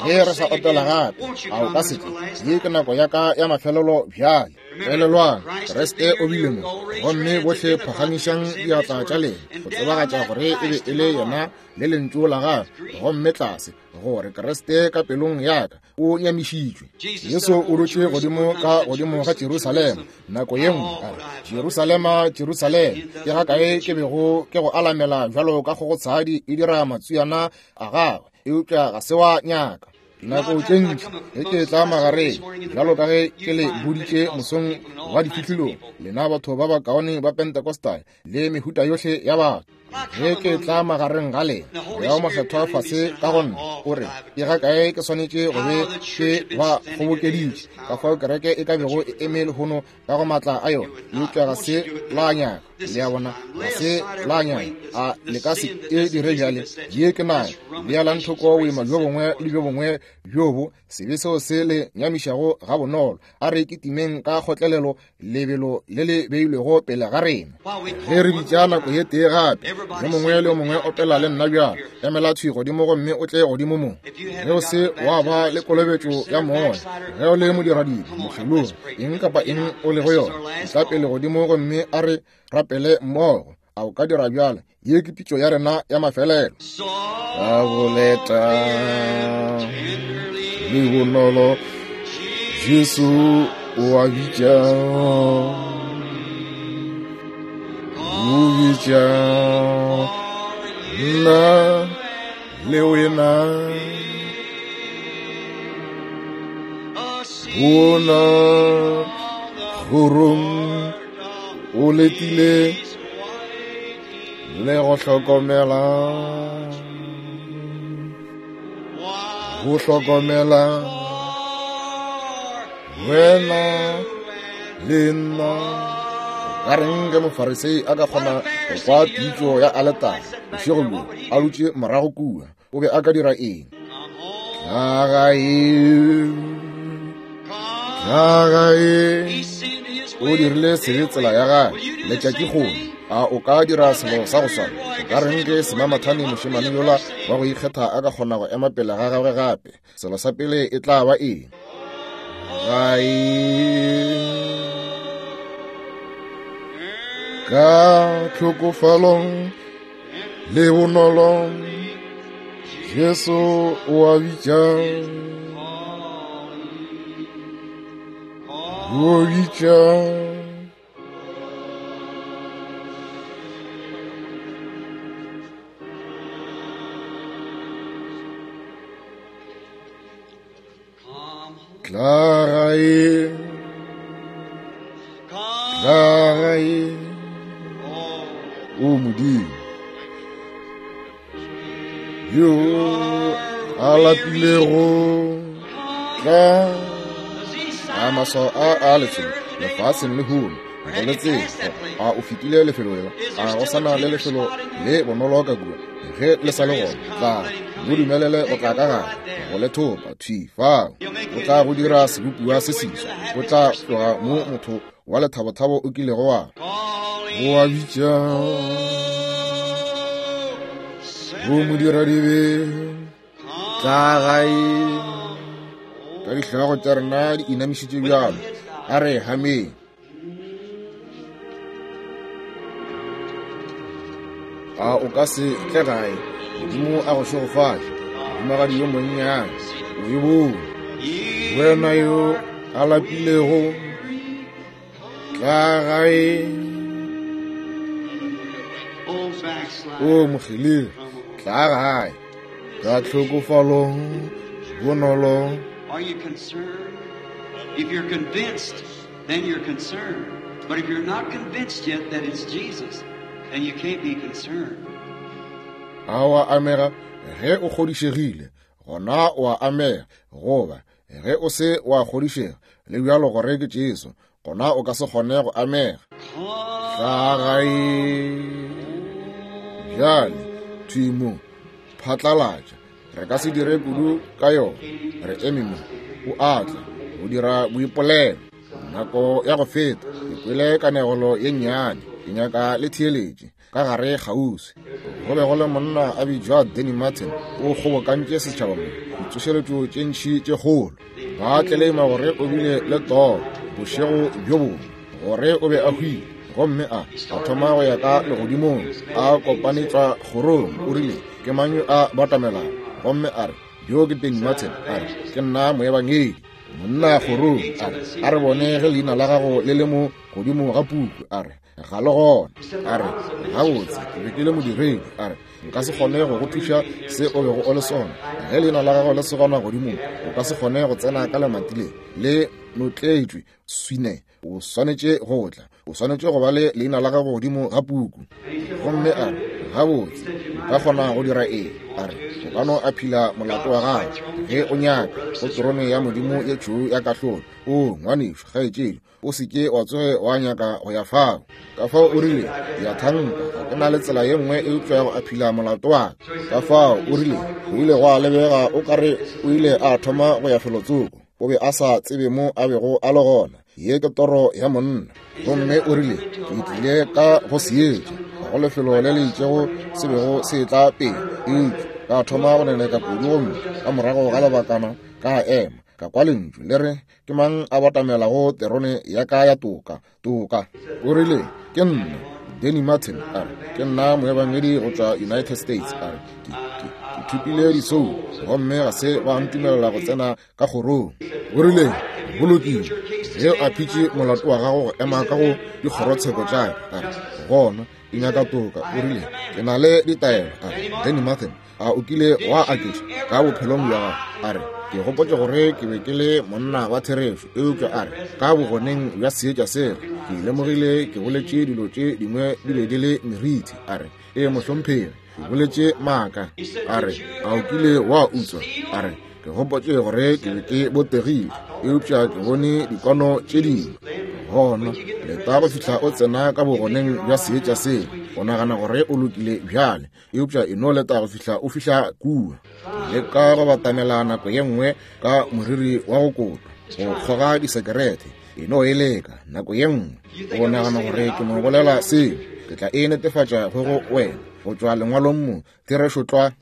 Ge Ge re sa opela gape, a o ka se tle? Ye ke nako ya ka ya mafelelo bjale. Elelwang, Kriste o bile mo, gomme bohle phagamišang diatla tša lena go tsebagatša gore e be e le yena le lentšu la gagwe, gomme tlase gore Kriste ka pelong ya ka o nyamišitšwe. Jesu o dutše godimo ka godimo ga Jerusalema nako ye nngwe, a re, Jerusalema, Jerusalema, ke ga kae ke bego ke go alamela bjalo ka kgogotshadi e dira matswiana a gagwe, eupša ga se wa nyaka. Nako tše ntši ge ke tla magareng, bjalo ka ge ke le boditše mosong wa difihlilong, lena batho ba bakaone ba Pentecostal le mehuta yohle ya batho, ge ke tla magareng ga lena, Moya wo Mokgethwa fase ka go nna o re, ke ga kae ke swanetše go be ke ba kgobokeditše, ka fao kereke e ka bego e eme lehono ka go maatla a yona, eupša ga se la nyaka. Le a bona, ga se la nyaka. A le ka se e dire bjale? Ye ke nayo. Bealang thoko boima bjo bongwe le bjo bongwe bjo bo sebe seo se le nyamišago gabonolo. A re kitimeng ka kgotlelelo lebelo le le beilwego pele ga rena. Ge re bitša nako ye tee gape, yo mongwe le yo mongwe opela le nna bjalo. Emela thwi godimo gomme o tle godimo mo. Ge o se wa ba le kolobetšo ya moya, ge o le modiradibe, mokgelogi, eng kapa eng o lego yona, etla pele godimo gomme a re rapele mmogo. A o ka dira bjalo? Ye ke pitšo ya rena ya mafelelo. Ka boleta le bonolo, Jesu o a bitša, o bitša nna le wena. Bona kgorong o letile le go hlokomela, go hlokomela wena le nna. Ka reng ge Mofarisei a ka kgona go kwa pitšo ya aletare bošego bjo a dutše morago kua, o be a ka dira eng? Tla gae, tla gae. O dirile sebe tsela ya gagwe letšatši kgolo. A o ka dira selo sa go swana? O ka reng ge semamathane mošemane yola wa go ikgetha a ka kgona go ema pele ga gagwe gape? Selo sa pele e tla ba eng? Gae. Ka tlhokofalong le bonolo, Jesu o a bitša, o bitša. Tla gae, tla gae, o Modimo yo a lapilego, tla. A maswao a a lefelo lefaseng lehono go le tsela, a o fetile lefelo lela, a go sana le lefelo le bonolo ka kua? Ge le sa le gona, tla mo dumelele go tla ka gare go le thopa thwi fao. O tla go dira sebopiwa se seswa, o tla tloga mo motho wa lethabothabo o kilego wa go a bitša go modiradibe. Tla gae ka dihlogo tša rena di inamišitše bjalo, a re hameng. A o ka se tle gae? Modimo a go šegofatše, mohumagadi yo monnyane. O e bone. Wena yo a lapilego, tla gae. O mokgelegi, tla gae. Ka tlhokofalong, bonolo. Are you concerned? If you're convinced, then you're concerned. But if you're not convinced yet that it's Jesus, then you can't be concerned. A o a amega? Ge o kgodišegile, gona o a amega. Goba ge o se wa kgodišega le bjalo gore ke Jesu, gona o ka se kgone go amega. Tla gae bjale, thwi mo, phatlalatša. Re ka se dire kudu ka yona. Re eme mo, o a tla go dira boipolelo. Nako ya go feta ke kwele kanegelo ye nnyane, ke nyaka le theeletše ka gare kgauswi. Go be go le monna a bitšwa Danny Martin, o kgobokantše setšhaba mo. Ditsošeletšo tše ntši tše kgolo. Ba tleleima gore o bile le toro bošego bjo bongwe, gore o be a hwile, gomme a a thoma go ya ka legodimong, a kopanetšwa kgorong. O rile, Ke mang yo a batamelago? Gomme a re, Yo ke Danny Martin. A re, Ke nna moebangedi. Monna kgorong a re, A re bone ge leina la gago le le mo godimo ga puku. A re, Ga le gona. A re, Gabotse, ke be ke le modiredi. A re, Nka se kgone go go thuša se o bego o le sona. Ge leina la gago le se gona godimo, o ka se kgone go tsena ka lemati le le notletšwe swine. O swanetše go tla. O swanetše go ba le leina la gago godimo ga puku. Gomme a re, Gabotse, nka kgona go dira eng? A re, O ka no aphila molato wa gago ge o nyaka, go terone ya Modimo ye tšhweu ya kahlolo. O, ngwanešu, kgaetšedi, o se ke wa tsoge wa nyaka go ya fao. Ka fao o rile, Ke a thanka ga ke na le tsela ye nngwe eupša ya go aphila molato wa ka. Ka fao o rile, go ile gwa lebega o ka re o ile a thoma go ya felotsoko. O be a sa tsebe mo a bego a le gona. Ye ke toro ya monna. Gomme o rile, Ke tlile ka go seetša, ga go lefelo le le itšego se bego se etla pele, eupša ka thoma go neneka kudu, gomme ka morago ga lebakana ka ema, ka kwa lentšu le re, Ke mang a batamelago terone ya ka ya toka? Toka. O rile, Ke nna Danny Martin. A re, Ke nna moebangedi go tšwa United States. A re, Ke, ke, ke thopile disoulo, gomme ga se ba ntumelela go tsena ka kgorong. O rile, Go lokile, ge o aphitše molato wa gago go ema ka go dikgorotsheko tša ka, a re, gona ke nyaka toka. O rile, Ke na le ditaelo. A re, Danny Martin, a o kile wa aketša ka bophelong bja gago? A re, Ke gopotše gore ke be ke le monna wa therešo, eupša a re, ka bogoneng bja seetša sela, ke lemogile ke boletše dilo tše dingwe di be di le merithi. A re, Ee, mohlomphegi, ke boletše maaka. A re, A o kile wa utswa? A re, Ke gopotše gore ke be ke botegile, eupša ke bone dikwano tše dingwe. Gona leta go fihla o tsena ka bogoneng bja seetša sela. O nagana gore o lokile bjale, eupša e no leta go fihla o fihla kua. Leka go batamela nako ye nngwe ka moriri wa go kotwa, go kgoga disekerete, e no e leka nako ye nngwe. O nagana gore ke no bolela seo, ke tla e netefatša go go wena go tšwa lengwalong mo, therešo tlwa.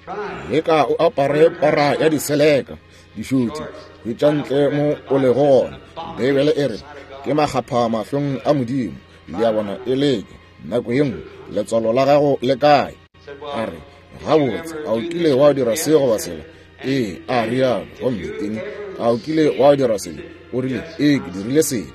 Leka o apare para ya diseleka, dišutsi, hwetša ntle mo o lego gona. Beibele e re ke makgapha mahlong a Modimo. Le a bona, e leke nako ye nngwe. Letswalo la gago le kae? A re, Gabotse, a o kile wa dira se goba sela? Ee, a rialo. Gomme eng? A o kile wa dira se? O rile, Ee, ke dirile sebe.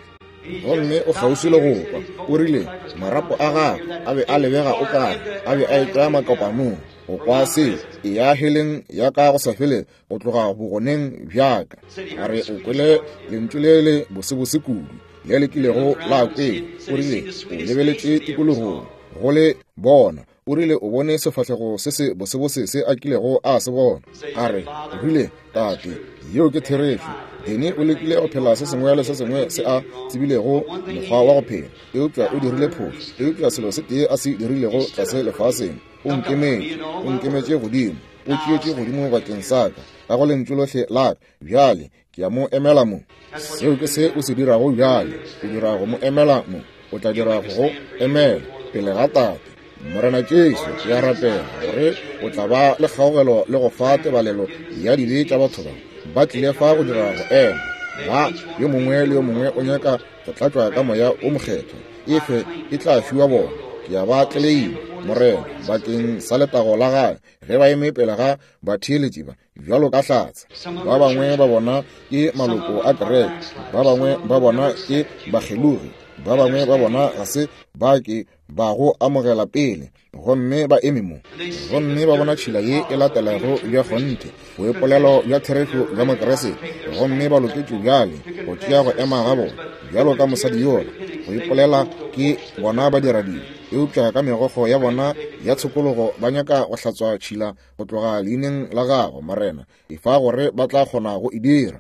Gomme o kgauswi le go kwa. O rile, Marapo a gagwe a be a lebega o kare a be a etšwa makopanong. Go kwa seo, eya heleng ya ka go sa felego, go tloga bogoneng bja ka. A re, O kwele lentšu le le bosebose kudu le le kilego la kwele. O rile, O lebeletše tikologong go le bona. O rile o bone sefahlego se se bosebose se a kilego a se bona. A re, o rile, Tate, yeo ke therešo. Danny o lekile go phela se sengwe le se sengwe se a tsebilego mokgwa wa go phela, eupša o dirile phošo. Eupša selo se tee a se dirilego tlase lefaseng, o nkemetše, o nkemetše godimo, o tšeetše godimo bakeng sa ka, ka go lentšu lohle la ka. Bjale ke a mo emela mo. Seo ke se o se dirago bjale. O dira go mo emela mo. O tla dira go go emela pele ga Tate. Morena Jesu, ke a rapela gore o tla ba le kgaogelo le go fa tebalelo ya dibe tša batho ba. Ba tlile fa go dira go ema. Ba, yo mongwe le yo mongwe o nyaka go tlatšwa ka Moya wo Mokgethwa. Efe e tla fiwa bona. Ke a ba tleleima, Morena, bakeng sa letago la Gagwe, ge ba eme pele ga batheeletši ba. bjalo ka hlatse. Ba bangwe ba bona ke maloko a kereke, ba bangwe ba bona ke bakgelogi, ba bangwe ba bona ga se ba ke ba go amogela pele, gomme ba eme mo gomme ba bona tšhila ye e latelago bja kgonthe, boipolelo bja therešo bja Mokriste, gomme ba loketšwe bjale go tšea go ema ga bona bjalo ka mosadi yola go ipolela ke bona badiradibe, eupša ka megokgo ya bona ya tshokologo ba nyaka go hlatswa tšhila go tloga leineng la gago, Morena, efa gore ba tla kgona go e dira.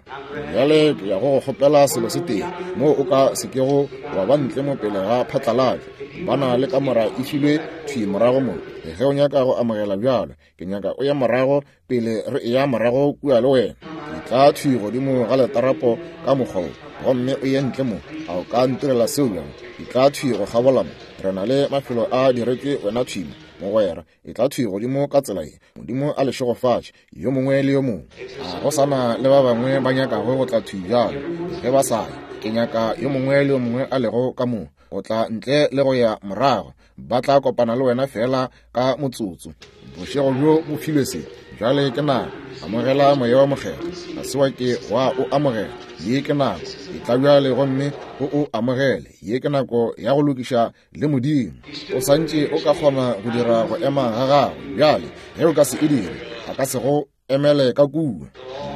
Bjale ke ya go go kgopela selo se tee, moo o ka se kego wa ba ntle mo pele ga phatlalatšo. Ba na le kamora e filwe thwi morago mo. Ge o nyaka go amogela bjalo, ke nyaka o ye morago pele re eya morago kua le wena. Ke tla thwi godimo ga letarapo ka mokgwa wo, gomme o ye ntle mo. A o ka ntirela seo bjang? Ke tla thwi go kgabola mo. Re na le mafelo a diretšwe wena thwi mo. Mogwera, etla thwi godimo ka tsela ye. Modimo a le šegofatše, yo mongwe le yo mongwe. A go sa na le ba bangwe ba nyakago go tla thwi bjalo? Ge ba sa ye, ke nyaka yo mongwe le yo mongwe a lego ka mo go tla ntle le go ya morago. Ba tla kopana le wena feela ka motsotso. Bošego bjo bo filwe se. Bjale ke nako. Amogela Moya wa Mokgethwa. Ga se wa ke wa o amogela. Ye ke nako. Etla bjale gomme o o amogele. Ye ke nako ya go lokiša le Modimo. O sa ntše o ka kgona go dira go ema ga gago bjale. Ge o ka se e dire, a ka se go emele ka kua.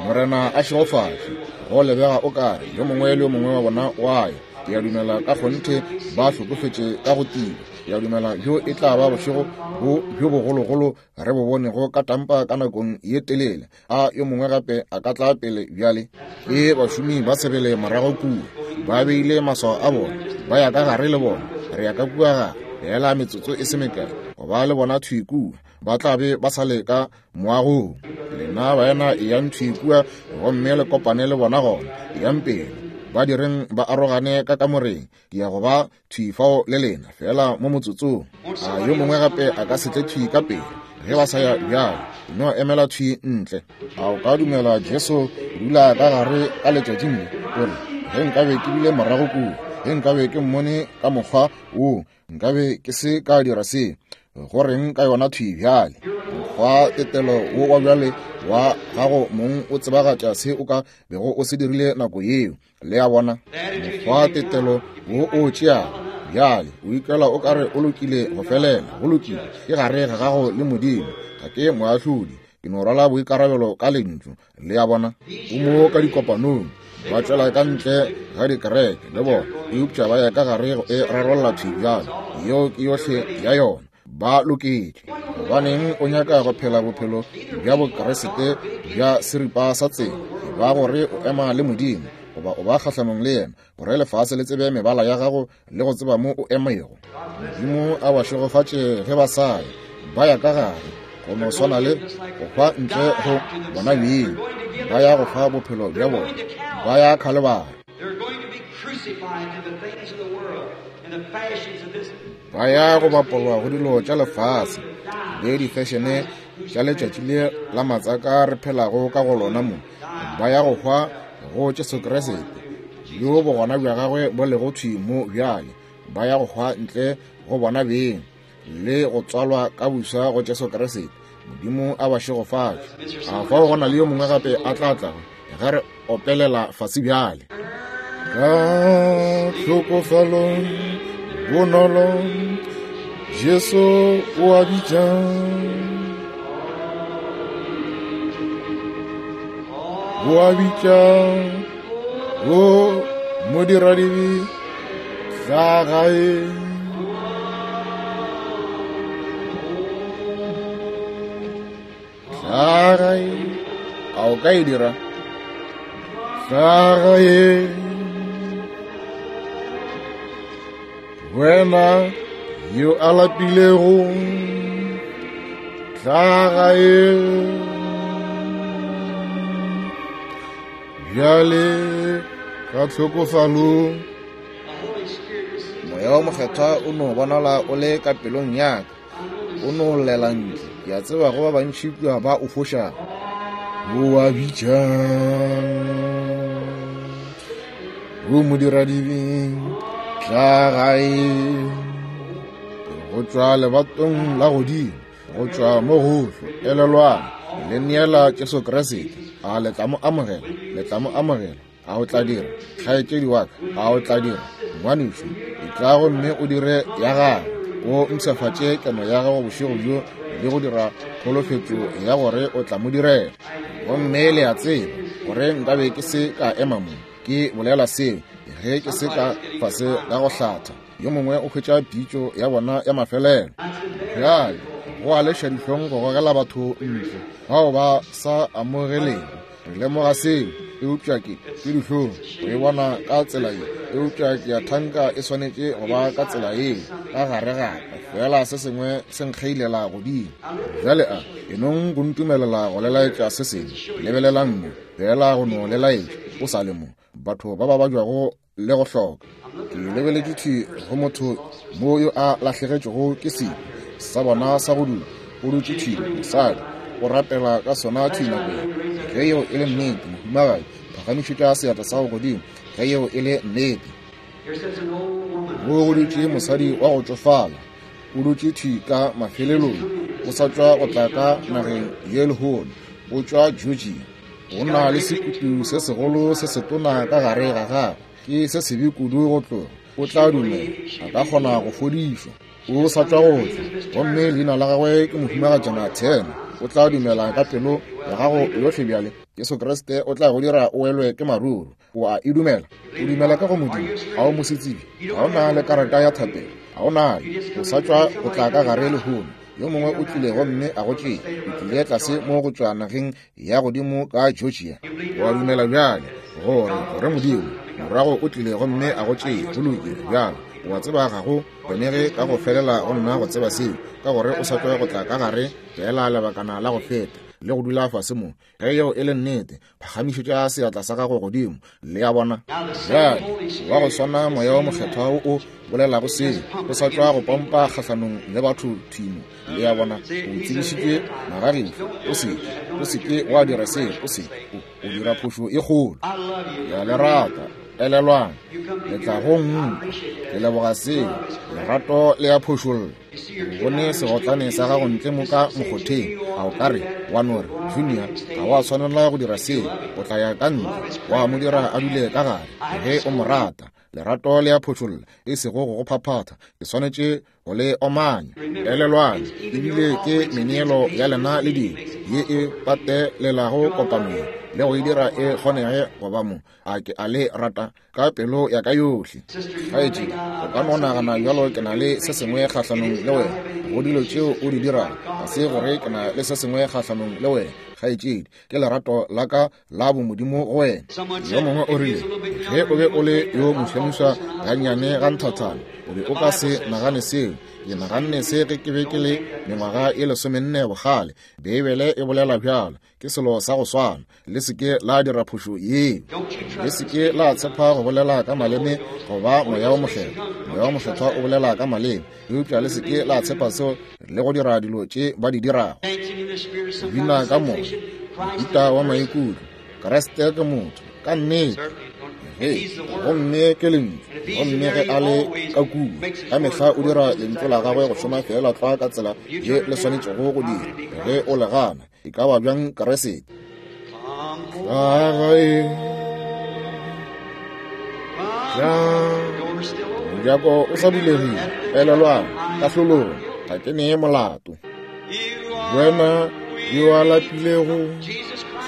Morena a šegofatše. Go lebega o kare yo mongwe le yo mongwe wa bona wa ya. Ke a dumela ka kgonthe ba hlokofetše ka go tiba. Ke a dumela bjo e tla ba bošego bo bjo bogologolo re bo bonego ka Tampa ka nakong ye telele. A yo mongwe gape a ka tla pele bjale? Ke bašomi ba sebele morago kua. Ba beile maswao a bona. Ba ya ka gare le bona. Re ya ka kua gare. Feela metsotso e se mekae go ba le bona thwi kua. Ba tla be ba sa le ka moagong. Lena baena eyang thwi kua gomme le kopane le bona gona. Eyang pele. Ba direng ba arogane ka kamoreng. Ke ya go ba thwi fao le lena feela mo motsotsong. A yo mongwe gape a ka se tle thwi ka pele ge ba sa ya bjalo? No emela thwi ntle. A o ka dumela Jesu dula ka gare ka letšatšing le? O re, ge nkabe ke bile morago kua, ge nkabe ke mmone ka mokgwa wo, nkabe ke se ka dira se. Go reng ka yona thwi bjale? Mokgwa tetelo wo wa bjale wa gago mong o tsebagatša se o ka bego o se dirile nako yeo. Le a bona? Mokgwa tetelo wo o tšeago bjale, o ikwela o ka re o lokile go felela. Go lokile, ke gare ga gago le Modimo. Ga ke moahlodi, ke no rwala boikarabelo ka Lentšu. Le a bona? O mo ka dikopanong, ba tšwela ka ntle ga dikereke le bona, eupša ba ya ka gare go e rarolla thwi bjalo. Yeo ke yohle ya yona. Ba loketše. Gobaneng o nyaka go phela bophelo bja Bokriste bja seripa sa tsela? E ba gore o ema le Modimo goba o ba kgahlanong le yena, gore lefase le tsebe mebala ya gago le go tseba mo o emego. Modimo a ba šegofatše ge ba sa ya, ba ya ka gare go no swana le go hwa ntle go bona beng. Ba ya go hwa bophelo bja bona, ba ya Khalibari. Ba ya go bapolwa go dilo tša lefase le difešene tša letšatši le la matsaka re phelago ka go lona mo. Ba ya go hwa go Jesu Kriste, yo bogona bja gagwe bo lego thwi mo bjale. Ba ya go hwa ntle go bona beng le go tswalwa ka buswa go Jesu Kriste. Modimo a ba šegofatše. A fao go na le yo mongwe gape a tla tlago ge re opelela fase bjale? Ka tlhokofalo bonolo Jesu o a bitša. O a bitša o modiradibe tla gae. Tla gae. A o ka e dira? Tla gae. Wena yo a lapilego, tla gae. Bjale ka tlhokofalo. Moya o Mokgethwa o no bonala o le ka pelong ya ka, o no llela ntle. Ke a tseba go ba bantši kua ba o fošago. O a bitša, o modiradibe, tla gae. Go tšwa lebatong la godimo, go tšwa mo gohle, elelwang, le neela Jesu Kriste. A le tla mo amogela? Le tla mo amogela? A o tla dira, kgaetšedi wa ka? A o tla dira, ngwanešu? Etla gomme o dire ya gago, o mpshafatše keno ya gago bošego bjo le go dira kholofetšo ya gore o tla mo direla. Gomme le a tseba gore nkabe ke se ka ema mo ke bolela seo ge ke se ka fase ga go hlatha. Yo mongwe o hwetša pitšo ya bona ya mafelelo. Bjale go a leša dihlong go gogela batho ntle bao ba sa amogelego. Re lemoga seo, eupša ke, ke dihlong go e bona ka tsela ye, eupša ke a thanka e swanetše go ba ka tsela yeo ka gare gape, feela se sengwe se nkgeilela godimo. Bjale a e nong go ntumelela go le laetša se sengwe. Lebelelang mo, feela go no le laetša, o sa le mo, batho ba ba babjago le go hloka. Ke lebeletše thwi go motho mo yo a lahlegetšwego ke sebe. sa bona sa go dula. O dutše thwi, mosadi, o rapela ka sona thwi nako ye. Ge yeo e le nnete, mohumagadi, phagamišetša seatla sa go godimo, ge yeo e le nnete. Mo go dutše mosadi wa go tšofala, o dutše thwi ka mafelelong, o sa tšwa go tla ka nageng ye lehono, o tšwa Georgia. O na le sekutu se segolo se setona ka gare ga gagwe, ke se sebe kudu go tloga. O tla dumela, a ka kgona go fodišwa. O sa tšwa go tla, gomme leina la gagwe ke Mohumagatšana Turner. O tla dumela ka pelo ya gago yohle bjale. Jesu Kriste o tla go dira o welwe ke maruru. O a e dumela? O dumela ka go Modimo? Ga o mosetsebje? Ga o na le karata ya thapelo? Ga o nayo? O sa tšwa go tla ka gare lehono. Yo mongwe o tlile gomme a go tšea. O tlile tlase mo go tšwa nageng ya godimo ka Georgia. O a dumela bjale gore gore Modimo morago o tlile gomme a go tšea. Go lokile bjale. O a tseba ga go kgonege ka go felela go nna go tseba seo, ka gore o sa tšwa go tla ka gare feela lebakana la go feta le go dula fase mo. Ge yeo e le nnete, phagamišetša seatla sa gago godimo. Le a bona? Bjale, wa go swana Moya wo Mokgethwa wo o bolelago seo, o sa tšwa go pompa kgahlanong le batho thwi mo. Le a bona? O tsebišitšwe magagešo. O se ke, o se ke wa dira seo. O se, o, o dira phošo e kgolo. Ke a le rata. Elelwang, le tla go nkwa. Ke leboga seo. Lerato le a phošolla. O bone segotlane sa gago ntle mo ka mokgotheng, a o ka re, wa no re, Junior, ga wa swanela go dira seo, o tla ya ka ntle, wa mo dira a dule ka gare, ge o mo rata. Lerato le a phošolla, e sego go go phaphatha. Ke swanetše go le omanya. Elelwang, ebile ke meneelo ya lena le dilo ye e patelelago kopanong le go e dira e kgonege go ba mo. A ke a le rata ka pelo ya ka yohle. Kgaetšedi, o ka no nagana bjalo ke na le se sengwe kgahlanong le wena go dilo tšeo o di dirago. Ga se gore ke na le se sengwe kgahlanong le wena, kgaetšedi, ke lerato la ka la bomodimo go wena. Yo mongwe o rile, ge o be o le yo mošwamiswa gannyane ga nthathana, o be o ka se nagane seo. Ke naganne se ge ke be ke le mengwaga e 14 bokgale. Beibele e bolela bjalo. Ke selo sa go swana. Le se ke la dira phošo yeo. Le se ke la tshepa go bolela ka maleme goba Moya wo Mokgethwa. Moya wo Mokgethwa o bolela ka maleme, eupša le se ke la tshepa seo le go dira dilo tše ba di dirago. Bina ka moya, mohuta wa maikutlo. Kriste ke motho, ka nnete. Ge, gomme ke Lentšu, gomme ge a le ka kua, ka mehla o dira Lentšu la gagwe go šoma feela tlwa ka tsela ye le swanetšego go dira. Ge o le gana, e ka ba bjang Keresete? Tla gae, tla. Mojako o sa bulegile. Elelwang, kahlolong, ga ke nee molato. Wena yo a lapilego,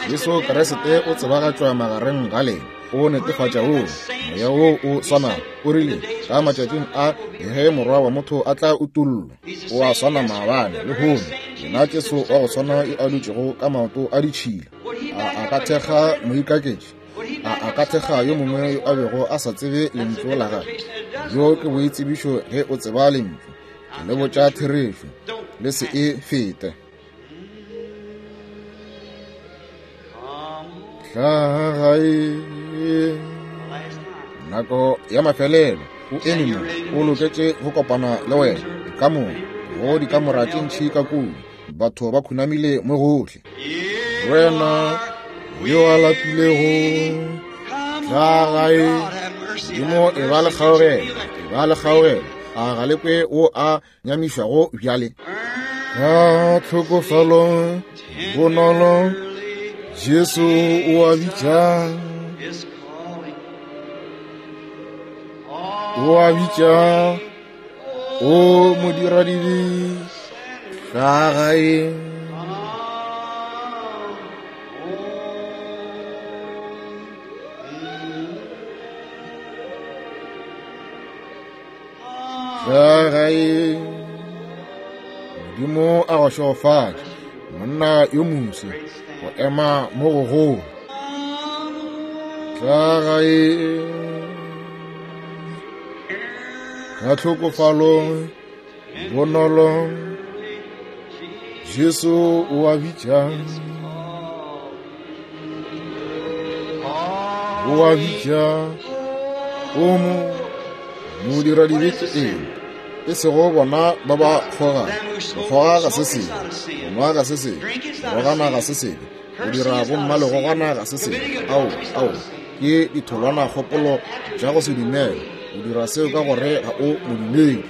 Jesu Kriste o tsebagatšwa magareng ga lena. O netefatša woo moya wo o swanago o rile ka matšatšing a ge Morwa wa motho a tla utollwa. O a swana maabane lehono, yena Jesu wa go swana yo a dutšego ka maoto a ditšhila. A a ka thekga moikaketši? A a ka thekga yo mongwe yo a bego a sa tsebe lentšu la gagwe? Bjo ke boitsebišo ge o tseba lentšu. Ke le botša therešo, le se e fete. Tla gae. Nako ya mafelelo, o eme mo, o loketše go kopana le wena. Dikamora, go dikamora tše ntši ka kua, batho ba khunamile mo gohle. Wena yo a lapilego, tla gae. Modimo e ba le kgaogelo, e ba le kgaogelo. A ga le kwe wo a nyamišwago bjale? Ka tlhokofalo bonolo, Jesu o a bitša, o a bitša, o modiradibe, tla gae. Tla gae. Modimo a go šegofatše, monna yo moswi, go ema mo gogolo. Tla gae. Ka tlhokofalo bonolo, Jesu o a bitša, o a bitša, o mo modiradibe ke eng? E sego bona ba ba kgoga. Go kgoga ga se sebe, go nwa ga se sebe, go rogana ga se sebe, go dira bomma le gogana ga se sebe. Ao, ao, ke ditholwana kgopolo tša go se dumele. O dira seo ka gore ga o modumedi.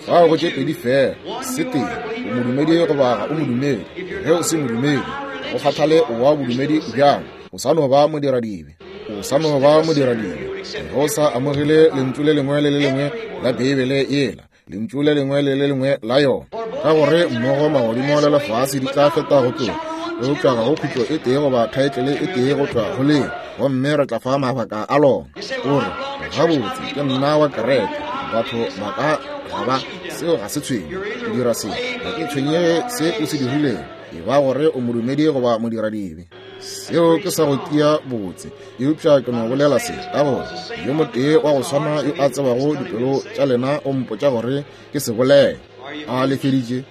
Fao go tše pedi fela, se tee, o modumedi goba ga o modumedi. Ge o se modumedi, go kgathale o wa bodumedi bjang, o sa no ba modiradibe. O sa no ba modiradibe. Ge o sa amogele lentšu le lengwe le le lengwe la Beibele yela, lentšu le lengwe le le lengwe la yona, ka gore mmogo magodimo le lefase di tla feta go tloga, eupša ga go khutlo e tee goba thaetlele e tee go tšwa go leo, gomme re tla fa mabaka a lona. O re, Gabotse, ke nna wa kereke. Batho ba ka ga ba, seo ga se tshwenye. O dira se, ga ke tshwenyege se o se dirilego, e ba gore o modumedi goba modiradibe. Seo ke sa go tia botse, eupša ke no bolela se ka gore yo motee wa go swana yo a tsebago dipelo tša lena o mpotša gore ke se bolele. A le feditše?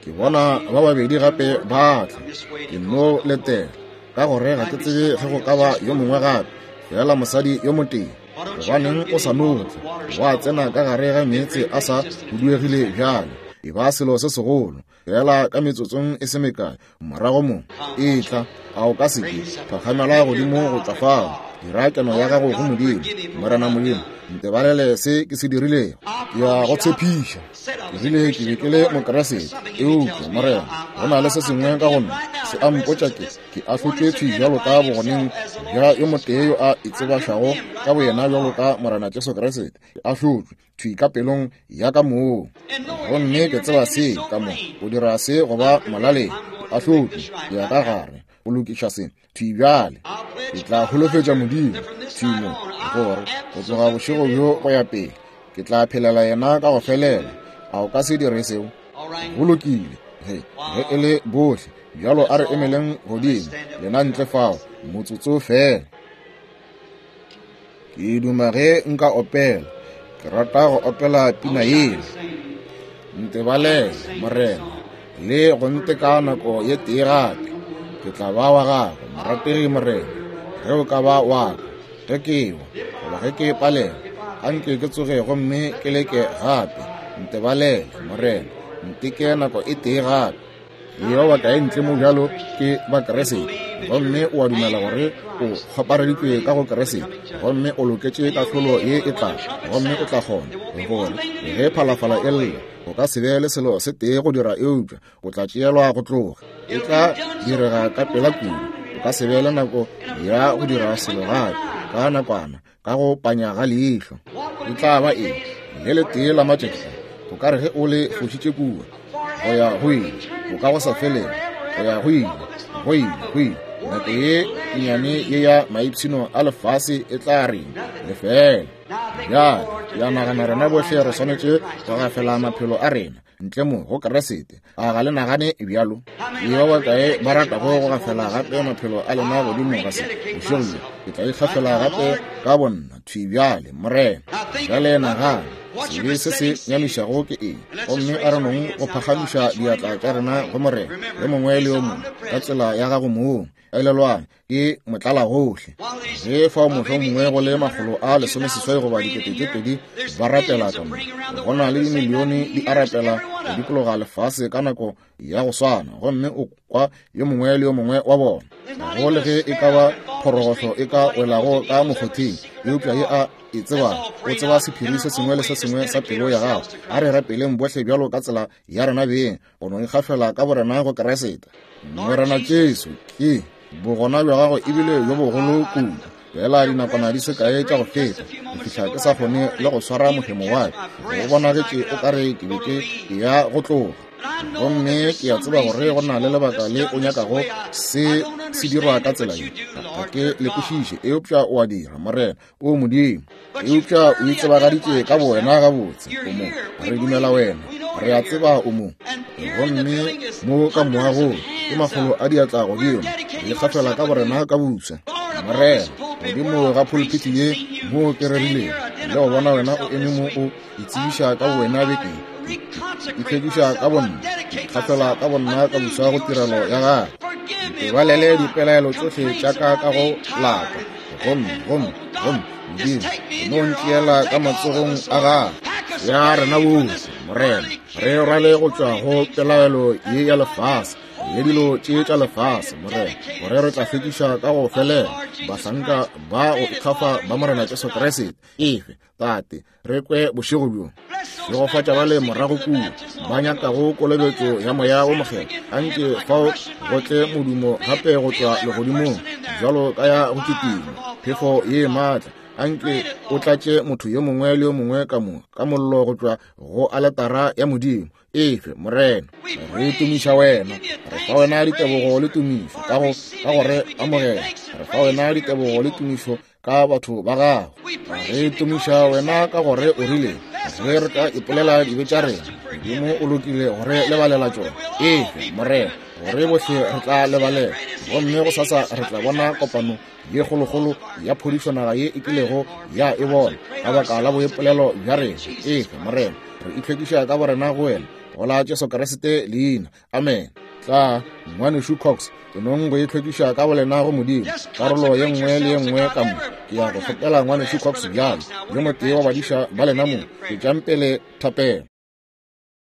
Ke bona ba babedi gape ba tla. Ke no letela, ka gore ga ke tsebe ge go ka ba yo mongwe gape, fela mosadi yo motee. Gobaneng o sa no tla wa tsena ka gare ga meetse a sa huduegile bjalo? E ba selo se segolo. Fela ka metsotsong e se mekae morago mo, etla, a o ka se ke phakgamela godimo go tšwa fao. Dira keno ya gago go Modimo. Morena Modimo, ntebalele se ke se dirilego. Ke ya go tshepiša. Ke rile ke be ke le Mokeresete, eupša, Morena, go na le se sengwe ka go nna se a mpotša ke ke ahlotšwe thwi bjalo ka bogoneng bja yo motee yo a itsebašago ka boyena bjalo ka Morena Jesu Kriste. Ke ahlotšwe thwi ka pelong ya ka moo, gomme ke tseba se ka mo o dira se go ba molaleng. Ke ahlotšwe, ke ya ka gare go lokiša se thwi bjale. Ke tla holofetša Modimo thwi mo gore go tloga bošego bjo go ya pele ke tla phelela yena ka go felela. A o ka se dire seo? Go lokile. Ge ge e le bohle bjalo, a re emeleng godimo lena ntle fao motsotso fela. Ke duma ge nka opela. Ke rata go opela pina yela. Ntebalele, Morena, le go nteka nako ye tee gape. Ke tla ba wa gago, morategi Morena, ge o ka ba wa ka. Ge ke wa, goba ge ke palela, a nke ke tsoge gomme ke leke gape. Ntebalele, Morena, nteke nako e tee gape. Yo ba kae ntle mo bjalo ke Bakeresete, gomme o a dumela gore o kgopareditšwe ka go Keresete, gomme o loketše kahlolo ye e tlago, gomme o tla kgona gore ge phalafala e lla, o ka se be le selo se tee go dira eupša o tla tšeelwa go tloga. E tla direga ka pela kudu, o ka se be le nako ya go dira selo gape ka nakwana, ka go panya ga leihlo. E tla ba eng? Le letee la matšatši a, o ka re ge o le fošitše kua, go ya go ile, o ka go sa felego, go ya go ile, go ile, go ile. Nako ye nnyane ye ya maipshino a lefase e tla reng? Lefeela. Bjale, ke a nagana rena bohle re swanetše go gafela maphelo a rena ntle mo go Keresete. A ga le nagane bjalo? Ke ba bakae ba ratago go gafela gape maphelo a lena godimo ga se bošego bjo? Ke tla ikgafela gape ka bonna thwi bjale, Morena. Bjale nagana, sebe se se nyamišago ke eng? Gomme a re nong go phagamiša diatla tša rena go Morena, yo mongwe le yo mongwe ka tsela ya gago mong. Elelwang, ke motlalagohle. Ge fao mohlomongwe go le 160 goba 2000 ba rapela ka mo, go na le dimilione di a rapela go dikologa lefase ka nako ya go swana, gomme o kwa yo mongwe le yo mongwe wa bona. Go le ge e ka ba phorogohlo e ka welago ka mokgotheng, eupša ye a e tseba, o tseba sephiri se sengwe le se sengwe sa pelo ya gago. A re rapeleng bohle bjalo ka tsela ya rena beng, go no ikgafela ka borena go Keresete. Morena Jesu, ke bogona bja gago ebile bjo bogolo kudu. Fela dinakwana di se kae tša go feta, go fihla ke sa kgone le go swara mohemo wa ka. Go bonagetše o ka re ke be ke eya go tloga. Gomme ke a tseba gore go na le lebaka le o nyakago se se dirwa ka tsela ye. Ga ke le kwešiše, eupša o a dira, Morena, o Modimo. Eupša o itsebagaditše ka bowena gabotse. O mo, re dumela wena, re a tseba o mo. Gomme mo ka moagong ke makgolo a diatla godimo, re ikgafela ka borena ka bopša, Morena, godimo ga pulpiti ye mo ke rerilego, le go bona wena o eme mo o itsebiša ka bowena beke ye. Ke itlhwekiša ka bonna, ke ikgafela ka bonna ka bopša go tirelo ya gago. Ntebalele dipelaelo tšohle tša ka ka go lapa. Gomme, gomme, gomme, Modimo, no ntšeela ka matsogong a gago. Ya rena bohle. Morena, re rwale go tšwa go pelaelo ye ya lefase le dilo tše tša lefase, Morena, gore re tla hlwekiša ka go felela bahlanka ba go ikgafa ba Morena Jesu Kriste. Efe, Tate, re kwe bošego bjo. Šegofatša ba le morago kua ba nyakago kolobetšo ya Moya wo Mokgethwa. Anke fao go tle modumo gape go tšwa legodimong, bjalo ka ya go kitima phefo ye maatla. Anke o tlatše motho yo mongwe le yo mongwe ka mo ka mollo go tšwa go aletara ya Modimo. Efe, Morena, re tumiša wena. Re fa wena ditebogo le tumišo ka go ka go re amogela. Re fa wena ditebogo le tumišo ka batho ba gago. Re tumiša wena ka gore o rile ge re ka ipolela dibe tša rena, Modimo o lokile go re lebalela tšona. Efe, Morena, gore bohle re tla lebalela. Gomme gosasa re tla bona kopano ye kgolokgolo ya phodišo naga ye e kilego ya e bona ka baka la boipolelo bja rena. Efe, Morena, re itlhwekiša ka borena go wena, go la Jesu Kriste leina. Amen. Tla, Ngwanešu Cox, ke nong go itlhwekiša ka bolena go Modimo, karolo ye nngwe le ye nngwe ka mo. Ke ya go kgopela Ngwanešu Cox bjalo, yo motee wa badiša ba lena mo, tšwetšang pele thapelo.